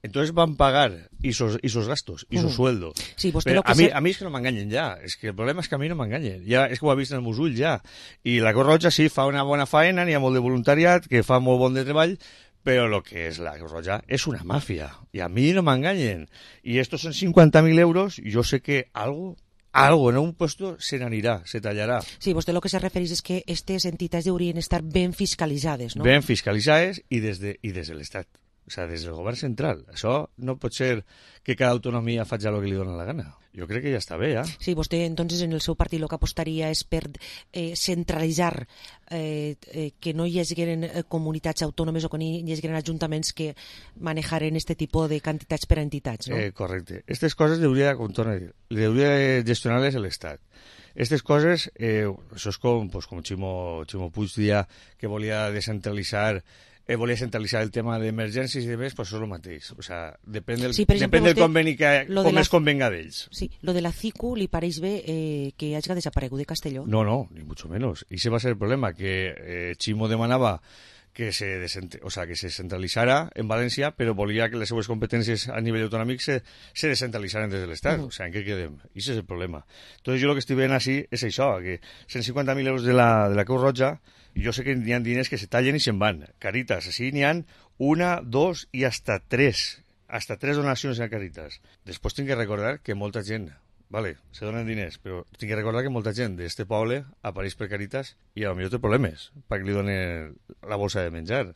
entonces van pagar esos gastos, esos sueldos. Sí, pero a mí es que no m'enganyen ja. És que el problema és que a mi no m'enganyen. Ja, és que ho ha vist en el meus ulls ja. I la Creu Roja sí fa una bona faena, n'hi ha molt de voluntariat, que fa molt bon de treball, però el que és la Creu Roja és una màfia. I a mi no m'enganyen. I estos són 50.000 euros, jo sé que algo algo en un puesto se n'anirà, se tallarà. Sí, vostè el que se refereix és que aquestes entitats haurien d'estar ben fiscalitzades, no? Ben fiscalitzades i des de l'Estat. O sigui, des del govern central. Això no pot ser que cada autonomia faci el que li dona la gana. Jo crec que ja està bé, ja. Sí, vostè, entonces, en el seu partit el que apostaria és per centralitzar, que no hi hagin comunitats autònomes o que no hi hagin ajuntaments que manejaren aquest tipus de quantitats per a entitats, no? Correcte. Aquestes coses hauria de gestionar-les l'Estat. Aquestes coses, això és com Ximo Puig dia que volia descentralitzar volia centralitzar el tema d'emergències i demés, pues això és el mateix. O sea, depèn del conveni com es convenga d'ells. Sí, lo de la CICU li pareix bé que hagi desaparegut de Castelló? No, ni mucho menos. I ese va ser el problema, que Ximo demanava que se centralitzara en València, però volia que les seues competències a nivell autonòmic se descentralitzaren des de l'Estat. O sea, en què quedem? I ese és el problema. Entonces, jo el que estic veient així és això, que 150.000 euros de la Creu Roja, jo sé que hi ha diners que se tallen i se'n van. Caritas, així n'hi ha 1, 2 i hasta 3. Hasta 3 donacions a Caritas. Després tinc que recordar que molta gent, vale, se donen diners, però tinc que recordar que molta gent d'este poble apareix per Caritas i potser té problemes perquè li donen la bolsa de menjar.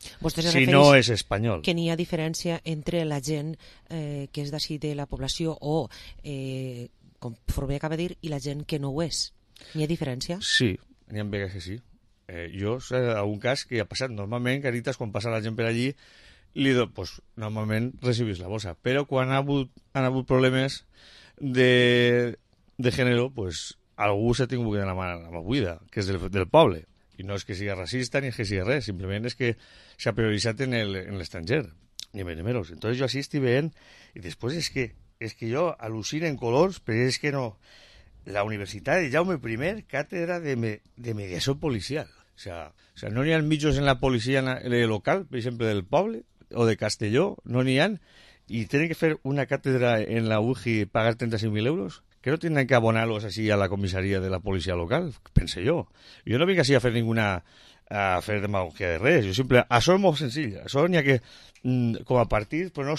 Si no és espanyol. Que n'hi ha diferència entre la gent que és d'ací de la població o, com Forber acaba de dir, i la gent que no ho és. N'hi ha diferència? Sí, n'hi ha vegades que sí. Jo sé algun cas que ha passat. Normalment, Caritas, quan passa la gent per allí, normalment recibís la bossa. Però quan han hagut problemes de gènere, pues, algú s'ha tingut que donar la mà buida, que és del poble. I no és que sigui racista ni és que sigui res, simplement és que s'ha prioritzat en l'estranger, ni menos. Entonces jo així estic veient, i després és que jo al·lucino en colors, però és que no... La Universitat de Jaume I, càtedra de mediació policial. O sea, no n'hi ha mitjos en la policia local, per exemple, del poble o de Castelló, no n'hi ha, i tenen que fer una càtedra en la UGI pagar 35.000 euros, que no tenen que abonar-los així a la comissaria de la policia local, pense jo. Jo no vinc així a fer a fer demagogia de res, això és molt senzill, això n'hi ha que, com a partit, però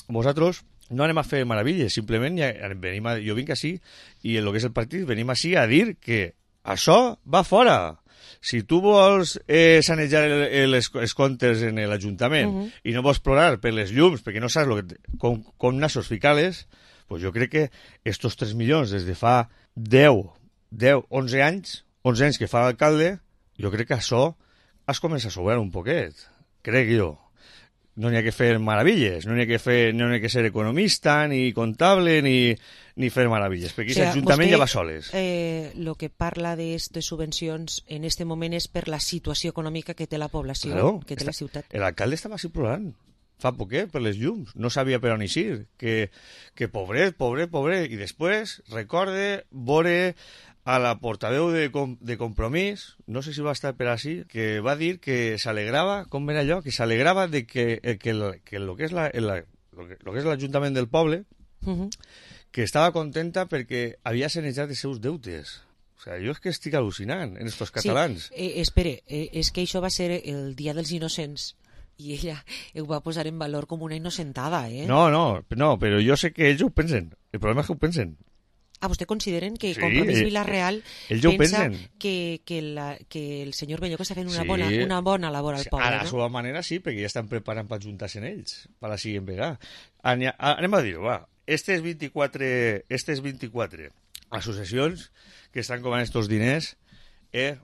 vosaltres no anem a fer meravilles, simplement jo vinc així i en el que és el partit venim així a dir que això va fora. Si tu vols sanejar els comptes en l'Ajuntament i no vols plorar per les llums perquè no saps com nassos ficar-les, pues jo crec que estos 3 milions des de fa 11 anys que fa l'alcalde, jo crec que això es comença a sobrar un poquet, crec jo. No n'hi ha que fer meravilles, no n'hi ha que ser economista, ni comptable, ni fer meravilles, perquè aquest ajuntament ja va soles. El que parla d'aquestes subvencions en aquest moment és per la situació econòmica que té la població, claro, que té la ciutat. L'alcalde estava així plorant fa poquet per les llums, no sabia per on eixir, que pobret, i després recorde veure a la portaveu de Compromís, no sé si va estar per així, que va dir que s'alegrava, com era allò, que s'alegrava de que el que és l'Ajuntament del poble, que estava contenta perquè havia sanejat els seus deutes. O sigui, jo és que estic al·lucinant en estos catalans. Sí, espere, és que això va ser el Dia dels Innocents i ella ho va posar en valor com una innocentada, eh? No, però jo sé que ells ho pensen. El problema és que ho pensen. ¿Vostè consideren que Compromís Vila-real pensa que el senyor Belló que està fent una bona labor al poble? A la seva manera sí, perquè ja estan preparant per juntar-se en ells, per la siguiente vegada. Anem a dir-ho, va. Aquestes 24 associacions que estan cobrant estos diners que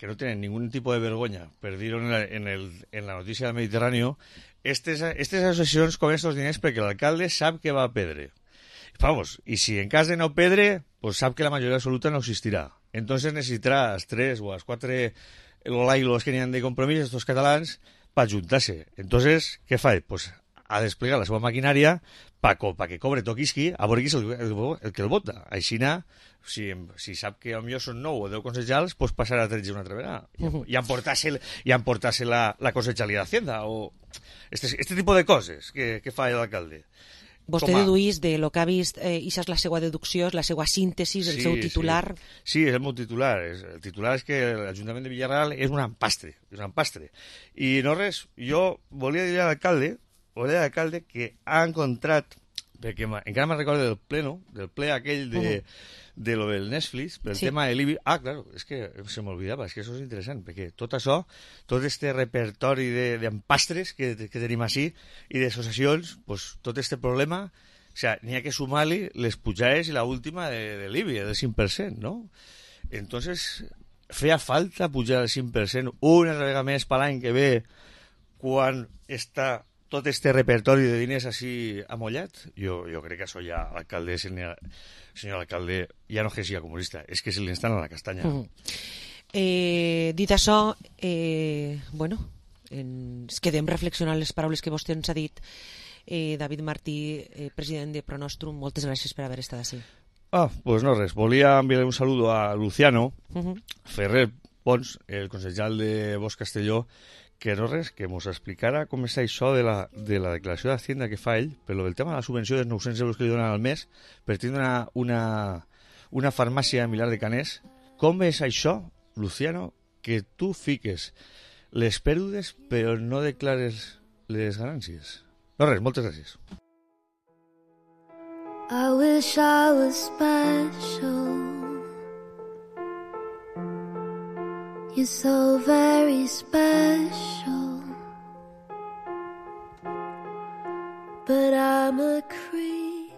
no tenen ningú tipus de vergonya, per dir-ho en la notícia del Mediterrani, aquestes associacions cobren estos diners perquè l'alcalde sap que va a perdre. Vamos, y si en cas de no pedre, pues sap que la mayoría absoluta no existirá. Entonces necesitará a 3 o a 4 lailos que n'hi ha de Compromís, estos catalans, para juntar-se. Entonces, què fa? Pues a desplegar la seva maquinària pa que cobre toquisqui, a veure qui és el que el vota. Així, si sap que potser són 9 o 10 consejals, pues passarà a 13 una altra vegada. I emportar-se la cosechalia d'Hacienda o este tipo de coses que fa l'alcalde. Vostè deduís de lo que ha vist, i això és la seva deducció, és la seva síntesi, el seu titular. Sí, és el meu titular. El titular és que l'Ajuntament de Villarreal és un empastre. I no res, jo volia dir a l'alcalde que ha encontrat perquè encara me'n recordo del ple aquell de lo del Netflix, pel tema de l'IBI. Ah, claro, és que se m'olvidava, és que això és interessant, perquè tot això, tot este repertori d'empastres que tenim així i d'associacions, pues, tot este problema, o sea, n'hi ha que sumar-li les pujades i la última de l'IBI, del 5%, ¿no? Entonces, feia falta pujar el 5% una vegada més per l'any que ve quan està tot este repertori de diners així amollat? Jo crec que això ja l'alcalde, senyor alcalde, ja no és que sigui comunista, és que se li instal·la la castanya. Dit això, bueno, ens quedem reflexionant les paraules que vostè ens ha dit. David Martí, president de Pronostrum, moltes gràcies per haver estat així. Pues no res, volia enviar un saludo a Luciano Ferrer Pons, el consellal de Bosch Castelló, que no res, que mos explicara com és això de la declaració d'Hacienda que fa ell, per lo del tema de la subvenció dels 900 euros que li donen al mes per tindre una farmàcia a Milà de Canès. Com és això, Luciano, que tu fiques les pèrdues però no declares les ganàncies? No res, moltes gràcies. I wish I was special. You're so very special. But I'm a creep.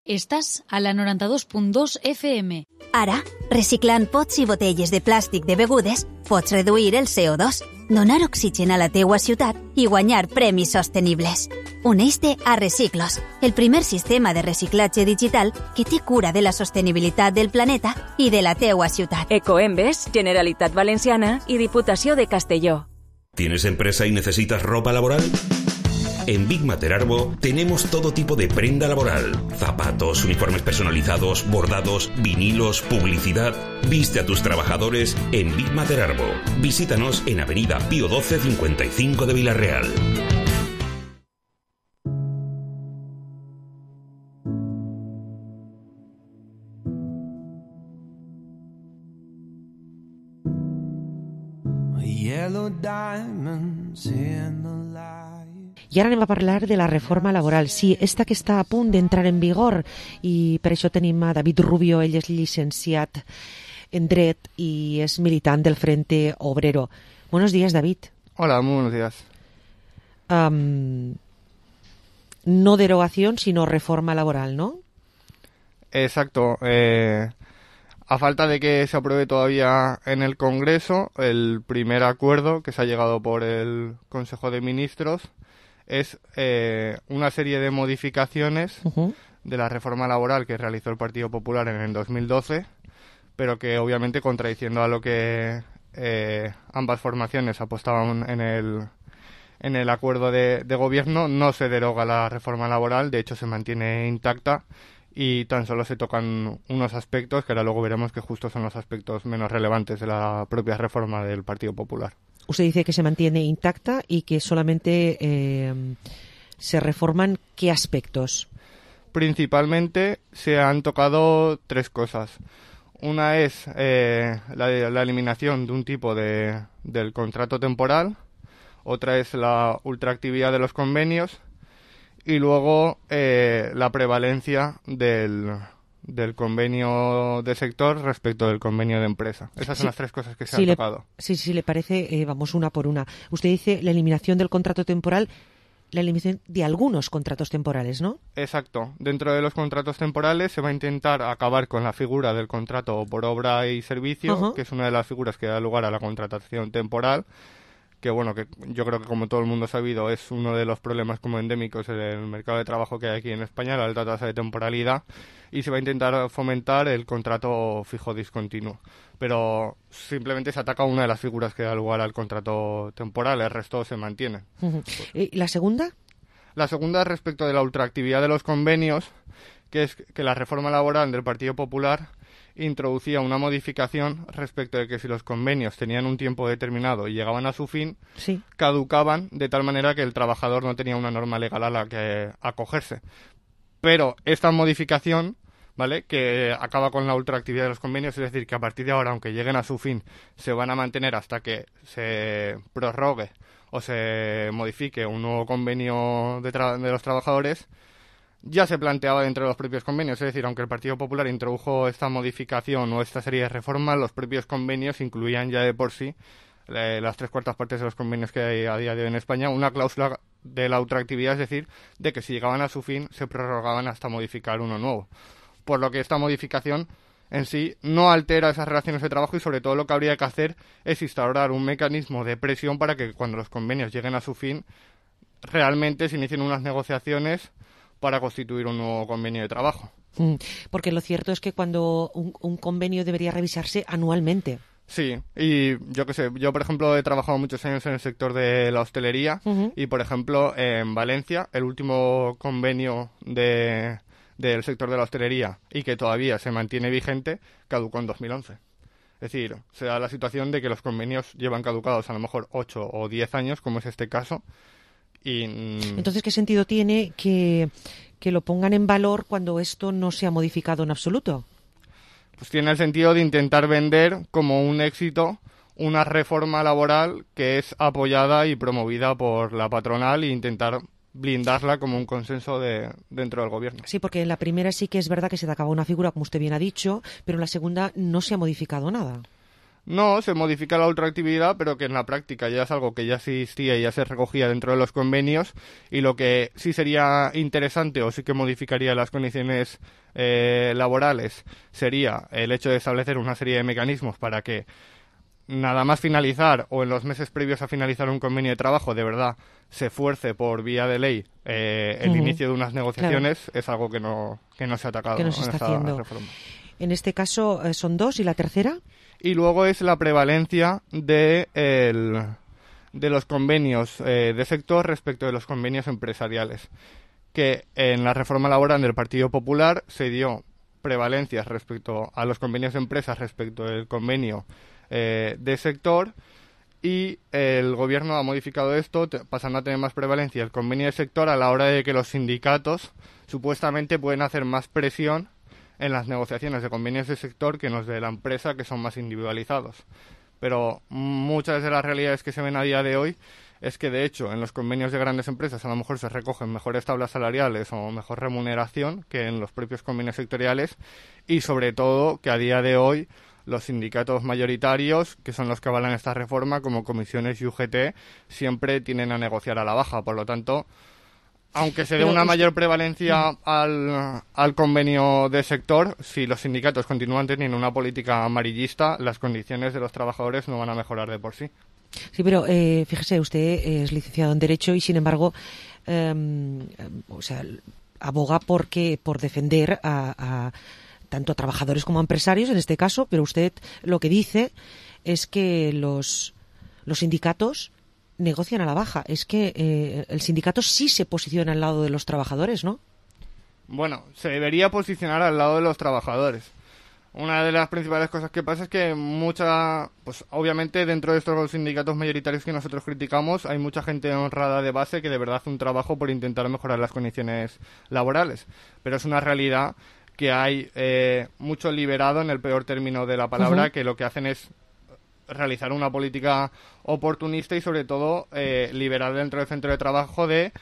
Estàs a la 92.2 FM. Ara, reciclant pots i botelles de plàstic de begudes, pots reduir el CO2, donar oxigen a la teua ciutat i guanyar premis sostenibles. Uneix-te a Reciclos, el primer sistema de reciclatge digital que té cura de la sostenibilitat del planeta i de la teua ciutat. Ecoembes, Generalitat Valenciana y Diputació de Castelló. ¿Tienes empresa y necesitas ropa laboral? En Big Mater Arbo tenemos todo tipo de prenda laboral. Zapatos, uniformes personalizados, bordados, vinilos, publicidad. Viste a tus trabajadores en Big Mater Arbo. Visítanos en Avenida Pío XII 55 de Vila-real. Yellow diamonds in the light. I ara anem a parlar de la reforma laboral. Sí, esta que està a punt d'entrar en vigor, i per això tenim a David Rubio. Ell és llicenciat en Dret i és militant del Frente Obrero. Buenos días, David. Hola, muy buenos días. No derogación, sino reforma laboral, ¿no? Exacto. A falta de que se apruebe todavía en el Congreso, el primer acuerdo que se ha llegado por el Consejo de Ministros es una serie de modificaciones de la reforma laboral que realizó el Partido Popular en el 2012, pero que obviamente, contradiciendo a lo que ambas formaciones apostaban en el acuerdo de gobierno, no se deroga la reforma laboral, de hecho se mantiene intacta y tan solo se tocan unos aspectos que ahora luego veremos que justo son los aspectos menos relevantes de la propia reforma del Partido Popular. Usted dice que se mantiene intacta y que solamente se reforman ¿qué aspectos? Principalmente se han tocado tres cosas. Una es la eliminación de un tipo del contrato temporal, otra es la ultraactividad de los convenios y luego la prevalencia del convenio de sector respecto del convenio de empresa. Esas son las tres cosas que se han tocado. Sí, le parece, vamos una por una. Usted dice la eliminación del contrato temporal, la eliminación de algunos contratos temporales, ¿no? Exacto. Dentro de los contratos temporales se va a intentar acabar con la figura del contrato por obra y servicio, que es una de las figuras que da lugar a la contratación temporal, que bueno, que yo creo que como todo el mundo ha sabido es uno de los problemas como endémicos en el mercado de trabajo que hay aquí en España, la alta tasa de temporalidad, y se va a intentar fomentar el contrato fijo discontinuo. Pero simplemente se ataca una de las figuras que da lugar al contrato temporal, el resto se mantiene. ¿Y la segunda? La segunda es respecto de la ultraactividad de los convenios, que es que la reforma laboral del Partido Popular introducía una modificación respecto de que si los convenios tenían un tiempo determinado y llegaban a su fin, caducaban de tal manera que el trabajador no tenía una norma legal a la que acogerse. Pero esta modificación, ¿vale?, que acaba con la ultraactividad de los convenios, es decir, que a partir de ahora, aunque lleguen a su fin, se van a mantener hasta que se prorrogue o se modifique un nuevo convenio de los trabajadores, ya se planteaba dentro de los propios convenios. Es decir, aunque el Partido Popular introdujo esta modificación o esta serie de reformas, los propios convenios incluían ya de por sí, las 3/4 partes de los convenios que hay a día de hoy en España, una cláusula de la ultraactividad, es decir, de que si llegaban a su fin se prorrogaban hasta modificar uno nuevo. Por lo que esta modificación en sí no altera esas relaciones de trabajo y sobre todo lo que habría que hacer es instaurar un mecanismo de presión para que cuando los convenios lleguen a su fin realmente se inicien unas negociaciones para constituir un nuevo convenio de trabajo. Porque lo cierto es que cuando un convenio debería revisarse anualmente. Sí, y yo qué sé, yo por ejemplo he trabajado muchos años en el sector de la hostelería y por ejemplo en Valencia el último convenio del sector de la hostelería y que todavía se mantiene vigente, caducó en 2011. Es decir, se da la situación de que los convenios llevan caducados a lo mejor 8 o 10 años, como es este caso. Y entonces, ¿qué sentido tiene que lo pongan en valor cuando esto no se ha modificado en absoluto? Pues tiene el sentido de intentar vender como un éxito una reforma laboral que es apoyada y promovida por la patronal e intentar blindarla como un consenso dentro del gobierno. Sí, porque en la primera sí que es verdad que se te acaba una figura, como usted bien ha dicho, pero en la segunda no se ha modificado nada. No, se modifica la ultraactividad, pero que en la práctica ya es algo que ya existía y ya se recogía dentro de los convenios, y lo que sí sería interesante o sí que modificaría las condiciones laborales sería el hecho de establecer una serie de mecanismos para que nada más finalizar o en los meses previos a finalizar un convenio de trabajo de verdad se fuerce por vía de ley el inicio de unas negociaciones. Claro. Es algo que no se ha atacado, que no se está haciendo. Reforma. En este caso son 2, ¿y la tercera? Y luego es la prevalencia de los convenios de sector respecto de los convenios empresariales, que en la reforma laboral del Partido Popular se dio prevalencias respecto a los convenios de empresas respecto del convenio de sector, y el gobierno ha modificado esto pasando a tener más prevalencia el convenio de sector a la hora de que los sindicatos supuestamente pueden hacer más presión en las negociaciones de convenios de sector que en los de la empresa, que son más individualizados. Pero muchas de las realidades que se ven a día de hoy es que, de hecho, en los convenios de grandes empresas a lo mejor se recogen mejores tablas salariales o mejor remuneración que en los propios convenios sectoriales, y sobre todo que a día de hoy los sindicatos mayoritarios, que son los que avalan esta reforma, como comisiones y UGT, siempre tienden a negociar a la baja. Por lo tanto, aunque se dé una mayor prevalencia al convenio de sector, si los sindicatos continúan teniendo una política amarillista, las condiciones de los trabajadores no van a mejorar de por sí. Sí, pero fíjese, usted es licenciado en Derecho y, sin embargo, aboga por defender tanto a trabajadores como a empresarios, en este caso, pero usted lo que dice es que los sindicatos negocian a la baja. Es que el sindicato sí se posiciona al lado de los trabajadores, ¿no? Bueno, se debería posicionar al lado de los trabajadores. Una de las principales cosas que pasa es que pues obviamente dentro de estos sindicatos mayoritarios que nosotros criticamos hay mucha gente honrada de base que de verdad hace un trabajo por intentar mejorar las condiciones laborales. Pero es una realidad que hay mucho liberado, en el peor término de la palabra, que lo que hacen es realizar una política oportunista y sobre todo liberar dentro del centro de trabajo de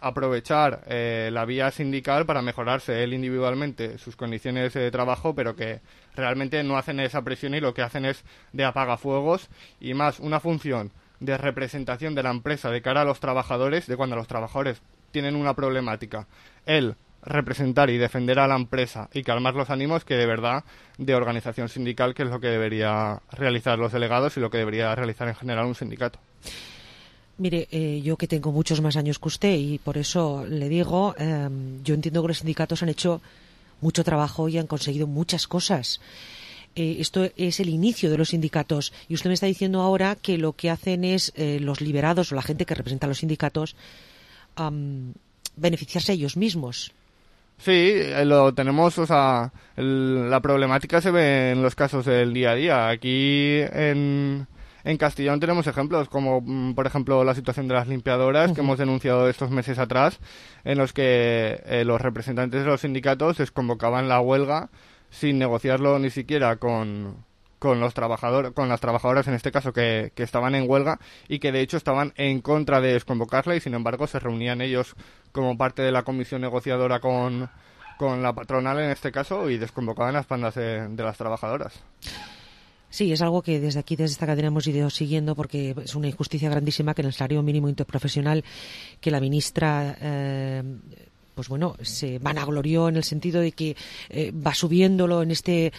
aprovechar la vía sindical para mejorarse él individualmente sus condiciones de trabajo, pero que realmente no hacen esa presión y lo que hacen es de apagafuegos y más una función de representación de la empresa de cara a los trabajadores, de cuando los trabajadores tienen una problemática, él representar y defender a la empresa y calmar los ánimos, que de verdad de organización sindical, que es lo que debería realizar los delegados y lo que debería realizar en general un sindicato. Mire, yo que tengo muchos más años que usted y por eso le digo, yo entiendo que los sindicatos han hecho mucho trabajo y han conseguido muchas cosas. Esto es el inicio de los sindicatos y usted me está diciendo ahora que lo que hacen es los liberados o la gente que representa a los sindicatos beneficiarse a ellos mismos. Sí, lo tenemos, la problemática se ve en los casos del día a día. Aquí en Castellón tenemos ejemplos como, por ejemplo, la situación de las limpiadoras que hemos denunciado estos meses atrás, en los que los representantes de los sindicatos desconvocaban la huelga sin negociarlo ni siquiera con con las trabajadoras en este caso que estaban en huelga y que de hecho estaban en contra de desconvocarla, y sin embargo se reunían ellos como parte de la comisión negociadora con la patronal en este caso, y desconvocaban las pandas de las trabajadoras. Sí, es algo que desde aquí, desde esta cadena, hemos ido siguiendo, porque es una injusticia grandísima que en el salario mínimo interprofesional, que la ministra pues bueno, se vanaglorió en el sentido de que va subiéndolo en este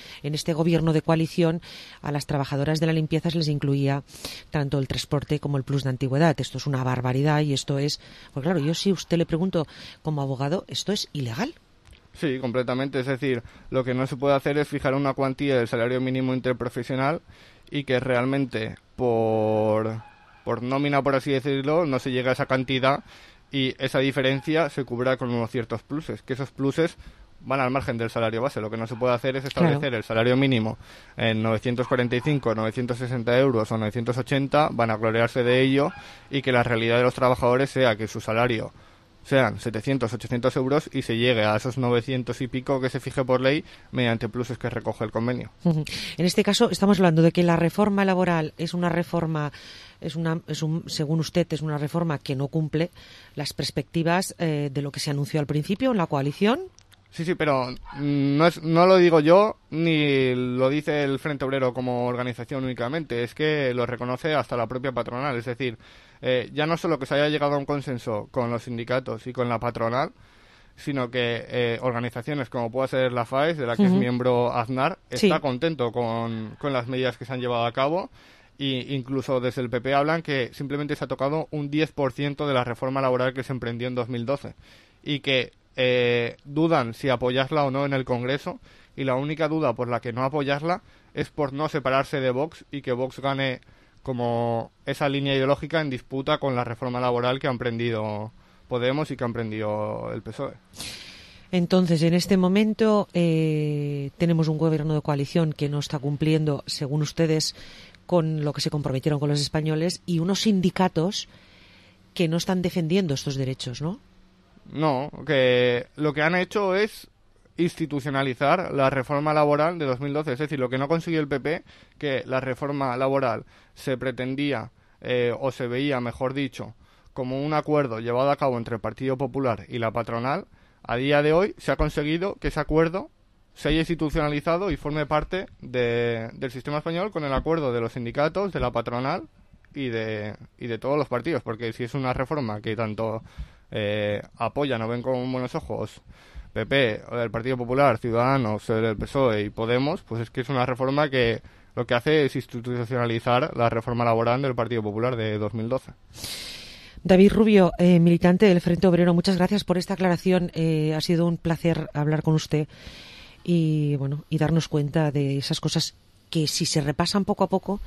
gobierno de coalición, a las trabajadoras de la limpieza se les incluía tanto el transporte como el plus de antigüedad. Esto es una barbaridad, y esto es, pues claro, yo si usted le pregunto como abogado, esto es ilegal. Sí, completamente. Es decir, lo que no se puede hacer es fijar una cuantía del salario mínimo interprofesional y que realmente por nómina, por así decirlo, no se llegue a esa cantidad, y esa diferencia se cubra con unos ciertos pluses, que esos pluses van al margen del salario base. Lo que no se puede hacer es establecer el salario mínimo en 945, 960 euros o 980, van a gloriarse de ello, y que la realidad de los trabajadores sea que su salario sean 700, 800 euros y se llegue a esos 900 y pico que se fije por ley mediante pluses que recoge el convenio. En este caso estamos hablando de que la reforma laboral es una reforma, según usted, es una reforma que no cumple las perspectivas de lo que se anunció al principio en la coalición. Sí, pero no lo digo yo, ni lo dice el Frente Obrero como organización únicamente, es que lo reconoce hasta la propia patronal. Es decir, ya no solo que se haya llegado a un consenso con los sindicatos y con la patronal, sino que organizaciones como pueda ser la FAES, de la que es miembro Aznar, está contento con las medidas que se han llevado a cabo, e incluso desde el PP hablan que simplemente se ha tocado un 10% de la reforma laboral que se emprendió en 2012, y que dudan si apoyarla o no en el Congreso, y la única duda por la que no apoyarla es por no separarse de Vox y que Vox gane como esa línea ideológica en disputa con la reforma laboral que ha emprendido Podemos y que ha emprendido el PSOE. Entonces, en este momento tenemos un gobierno de coalición que no está cumpliendo, según ustedes, con lo que se comprometieron con los españoles, y unos sindicatos que no están defendiendo estos derechos, ¿no? No, que lo que han hecho es institucionalizar la reforma laboral de 2012. Es decir, lo que no consiguió el PP, que la reforma laboral se pretendía, o se veía, mejor dicho, como un acuerdo llevado a cabo entre el Partido Popular y la patronal, a día de hoy se ha conseguido que ese acuerdo se haya institucionalizado y forme parte del sistema español, con el acuerdo de los sindicatos, de la patronal y de todos los partidos. Porque si es una reforma que tanto apoyan o ven con buenos ojos PP, el Partido Popular, Ciudadanos, el PSOE y Podemos, pues es que es una reforma que lo que hace es institucionalizar la reforma laboral del Partido Popular de 2012. David Rubio, militante del Frente Obrero, muchas gracias por esta aclaración. Ha sido un placer hablar con usted y darnos cuenta de esas cosas que, si se repasan poco a poco,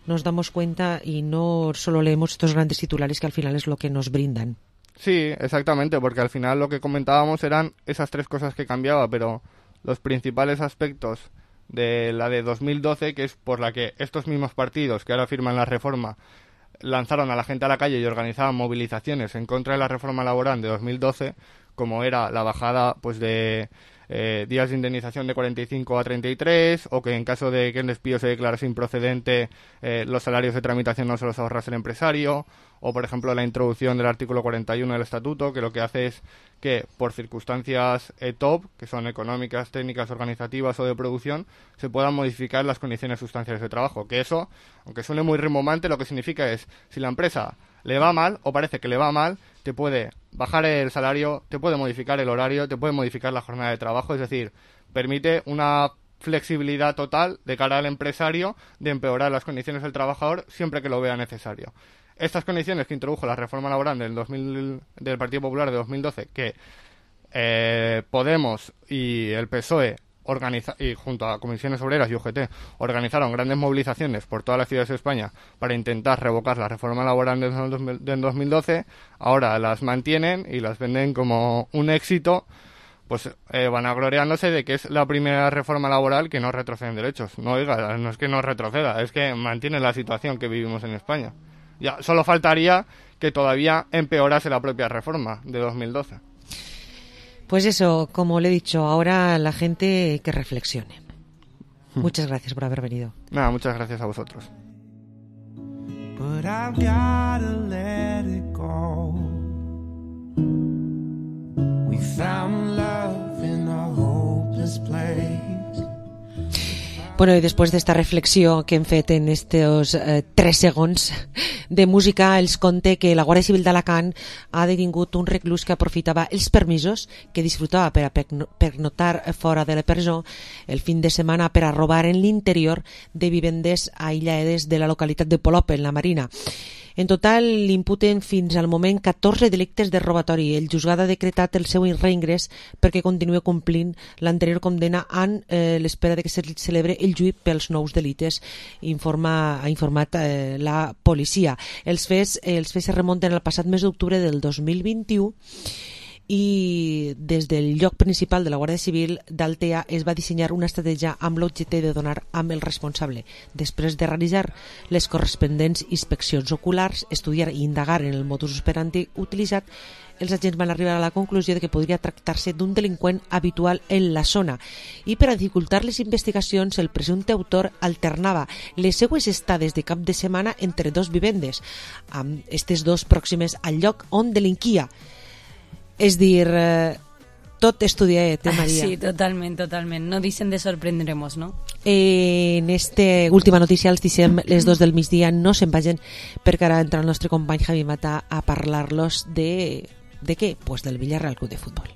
nos damos cuenta y no solo leemos estos grandes titulares que al final es lo que nos brindan. Sí, exactamente, porque al final lo que comentábamos eran esas tres cosas que cambiaba, pero los principales aspectos de la de 2012, que es por la que estos mismos partidos que ahora firman la reforma lanzaron a la gente a la calle y organizaban movilizaciones en contra de la reforma laboral de 2012, como era la bajada pues de días de indemnización de 45 a 33, o que en caso de que el despido se declarase improcedente, los salarios de tramitación no se los ahorrase el empresario, o por ejemplo la introducción del artículo 41 del estatuto, que lo que hace es que por circunstancias top, que son económicas, técnicas, organizativas o de producción, se puedan modificar las condiciones sustanciales de trabajo. Que eso, aunque suene muy rimbombante, lo que significa es, si la empresa le va mal, o parece que le va mal, te puede bajar el salario, te puede modificar el horario, te puede modificar la jornada de trabajo. Es decir, permite una flexibilidad total de cara al empresario de empeorar las condiciones del trabajador siempre que lo vea necesario. Estas condiciones que introdujo la reforma laboral del Partido Popular de 2012, que Podemos y el PSOE y junto a Comisiones Obreras y UGT organizaron grandes movilizaciones por todas las ciudades de España para intentar revocar la reforma laboral del 2012, ahora las mantienen y las venden como un éxito, pues vanagloriándose de que es la primera reforma laboral que no retrocede en derechos. No, oiga, no es que no retroceda, es que mantiene la situación que vivimos en España. Ya solo faltaría que todavía empeorase la propia reforma de 2012. Pues eso, como le he dicho, ahora la gente que reflexione. Muchas gracias por haber venido. Nada, muchas gracias a vosotros. But I've gotta let it go. We found love in a hopeless place. Bueno, i després d'esta reflexió que hem fet en estos 3 segons de música, els conte que la Guàrdia Civil d'Alacant ha detingut un reclús que aprofitava els permisos que disfrutava per a pernoctar fora de la presó el fin de setmana per a robar en l'interior de vivendes aïllades de la localitat de Polop, en la Marina. En total, l'imputen fins al moment 14 delictes de robatori. El juzgat ha decretat el seu reingrés perquè continua complint l'anterior condena en l'espera de que se celebre el juí pels nous delites, ha informat la policia. Els fets se remunten al passat mes d'octubre del 2021 i des del lloc principal de la Guàrdia Civil d'Altea es va dissenyar una estratègia amb l'objecte de donar amb el responsable. Després de realitzar les corresponents inspeccions oculars, estudiar i indagar en el modus operandi utilitzat, els agents van arribar a la conclusió de que podria tractar-se d'un delinqüent habitual en la zona i per a dificultar les investigacions el presumpte autor alternava les seues estades de cap de setmana entre 2 vivendes, amb aquestes 2 pròximes al lloc on delinquia. És dir, tot estudiat, Maria. Sí, totalment. No deixen de sorprendremos, no? En esta última notícia els deixem les 2 del migdia, no se'n vagin, perquè ara entra el nostre company Javi Mata a parlar-los de què? Pues del Villarreal Club de Futbol.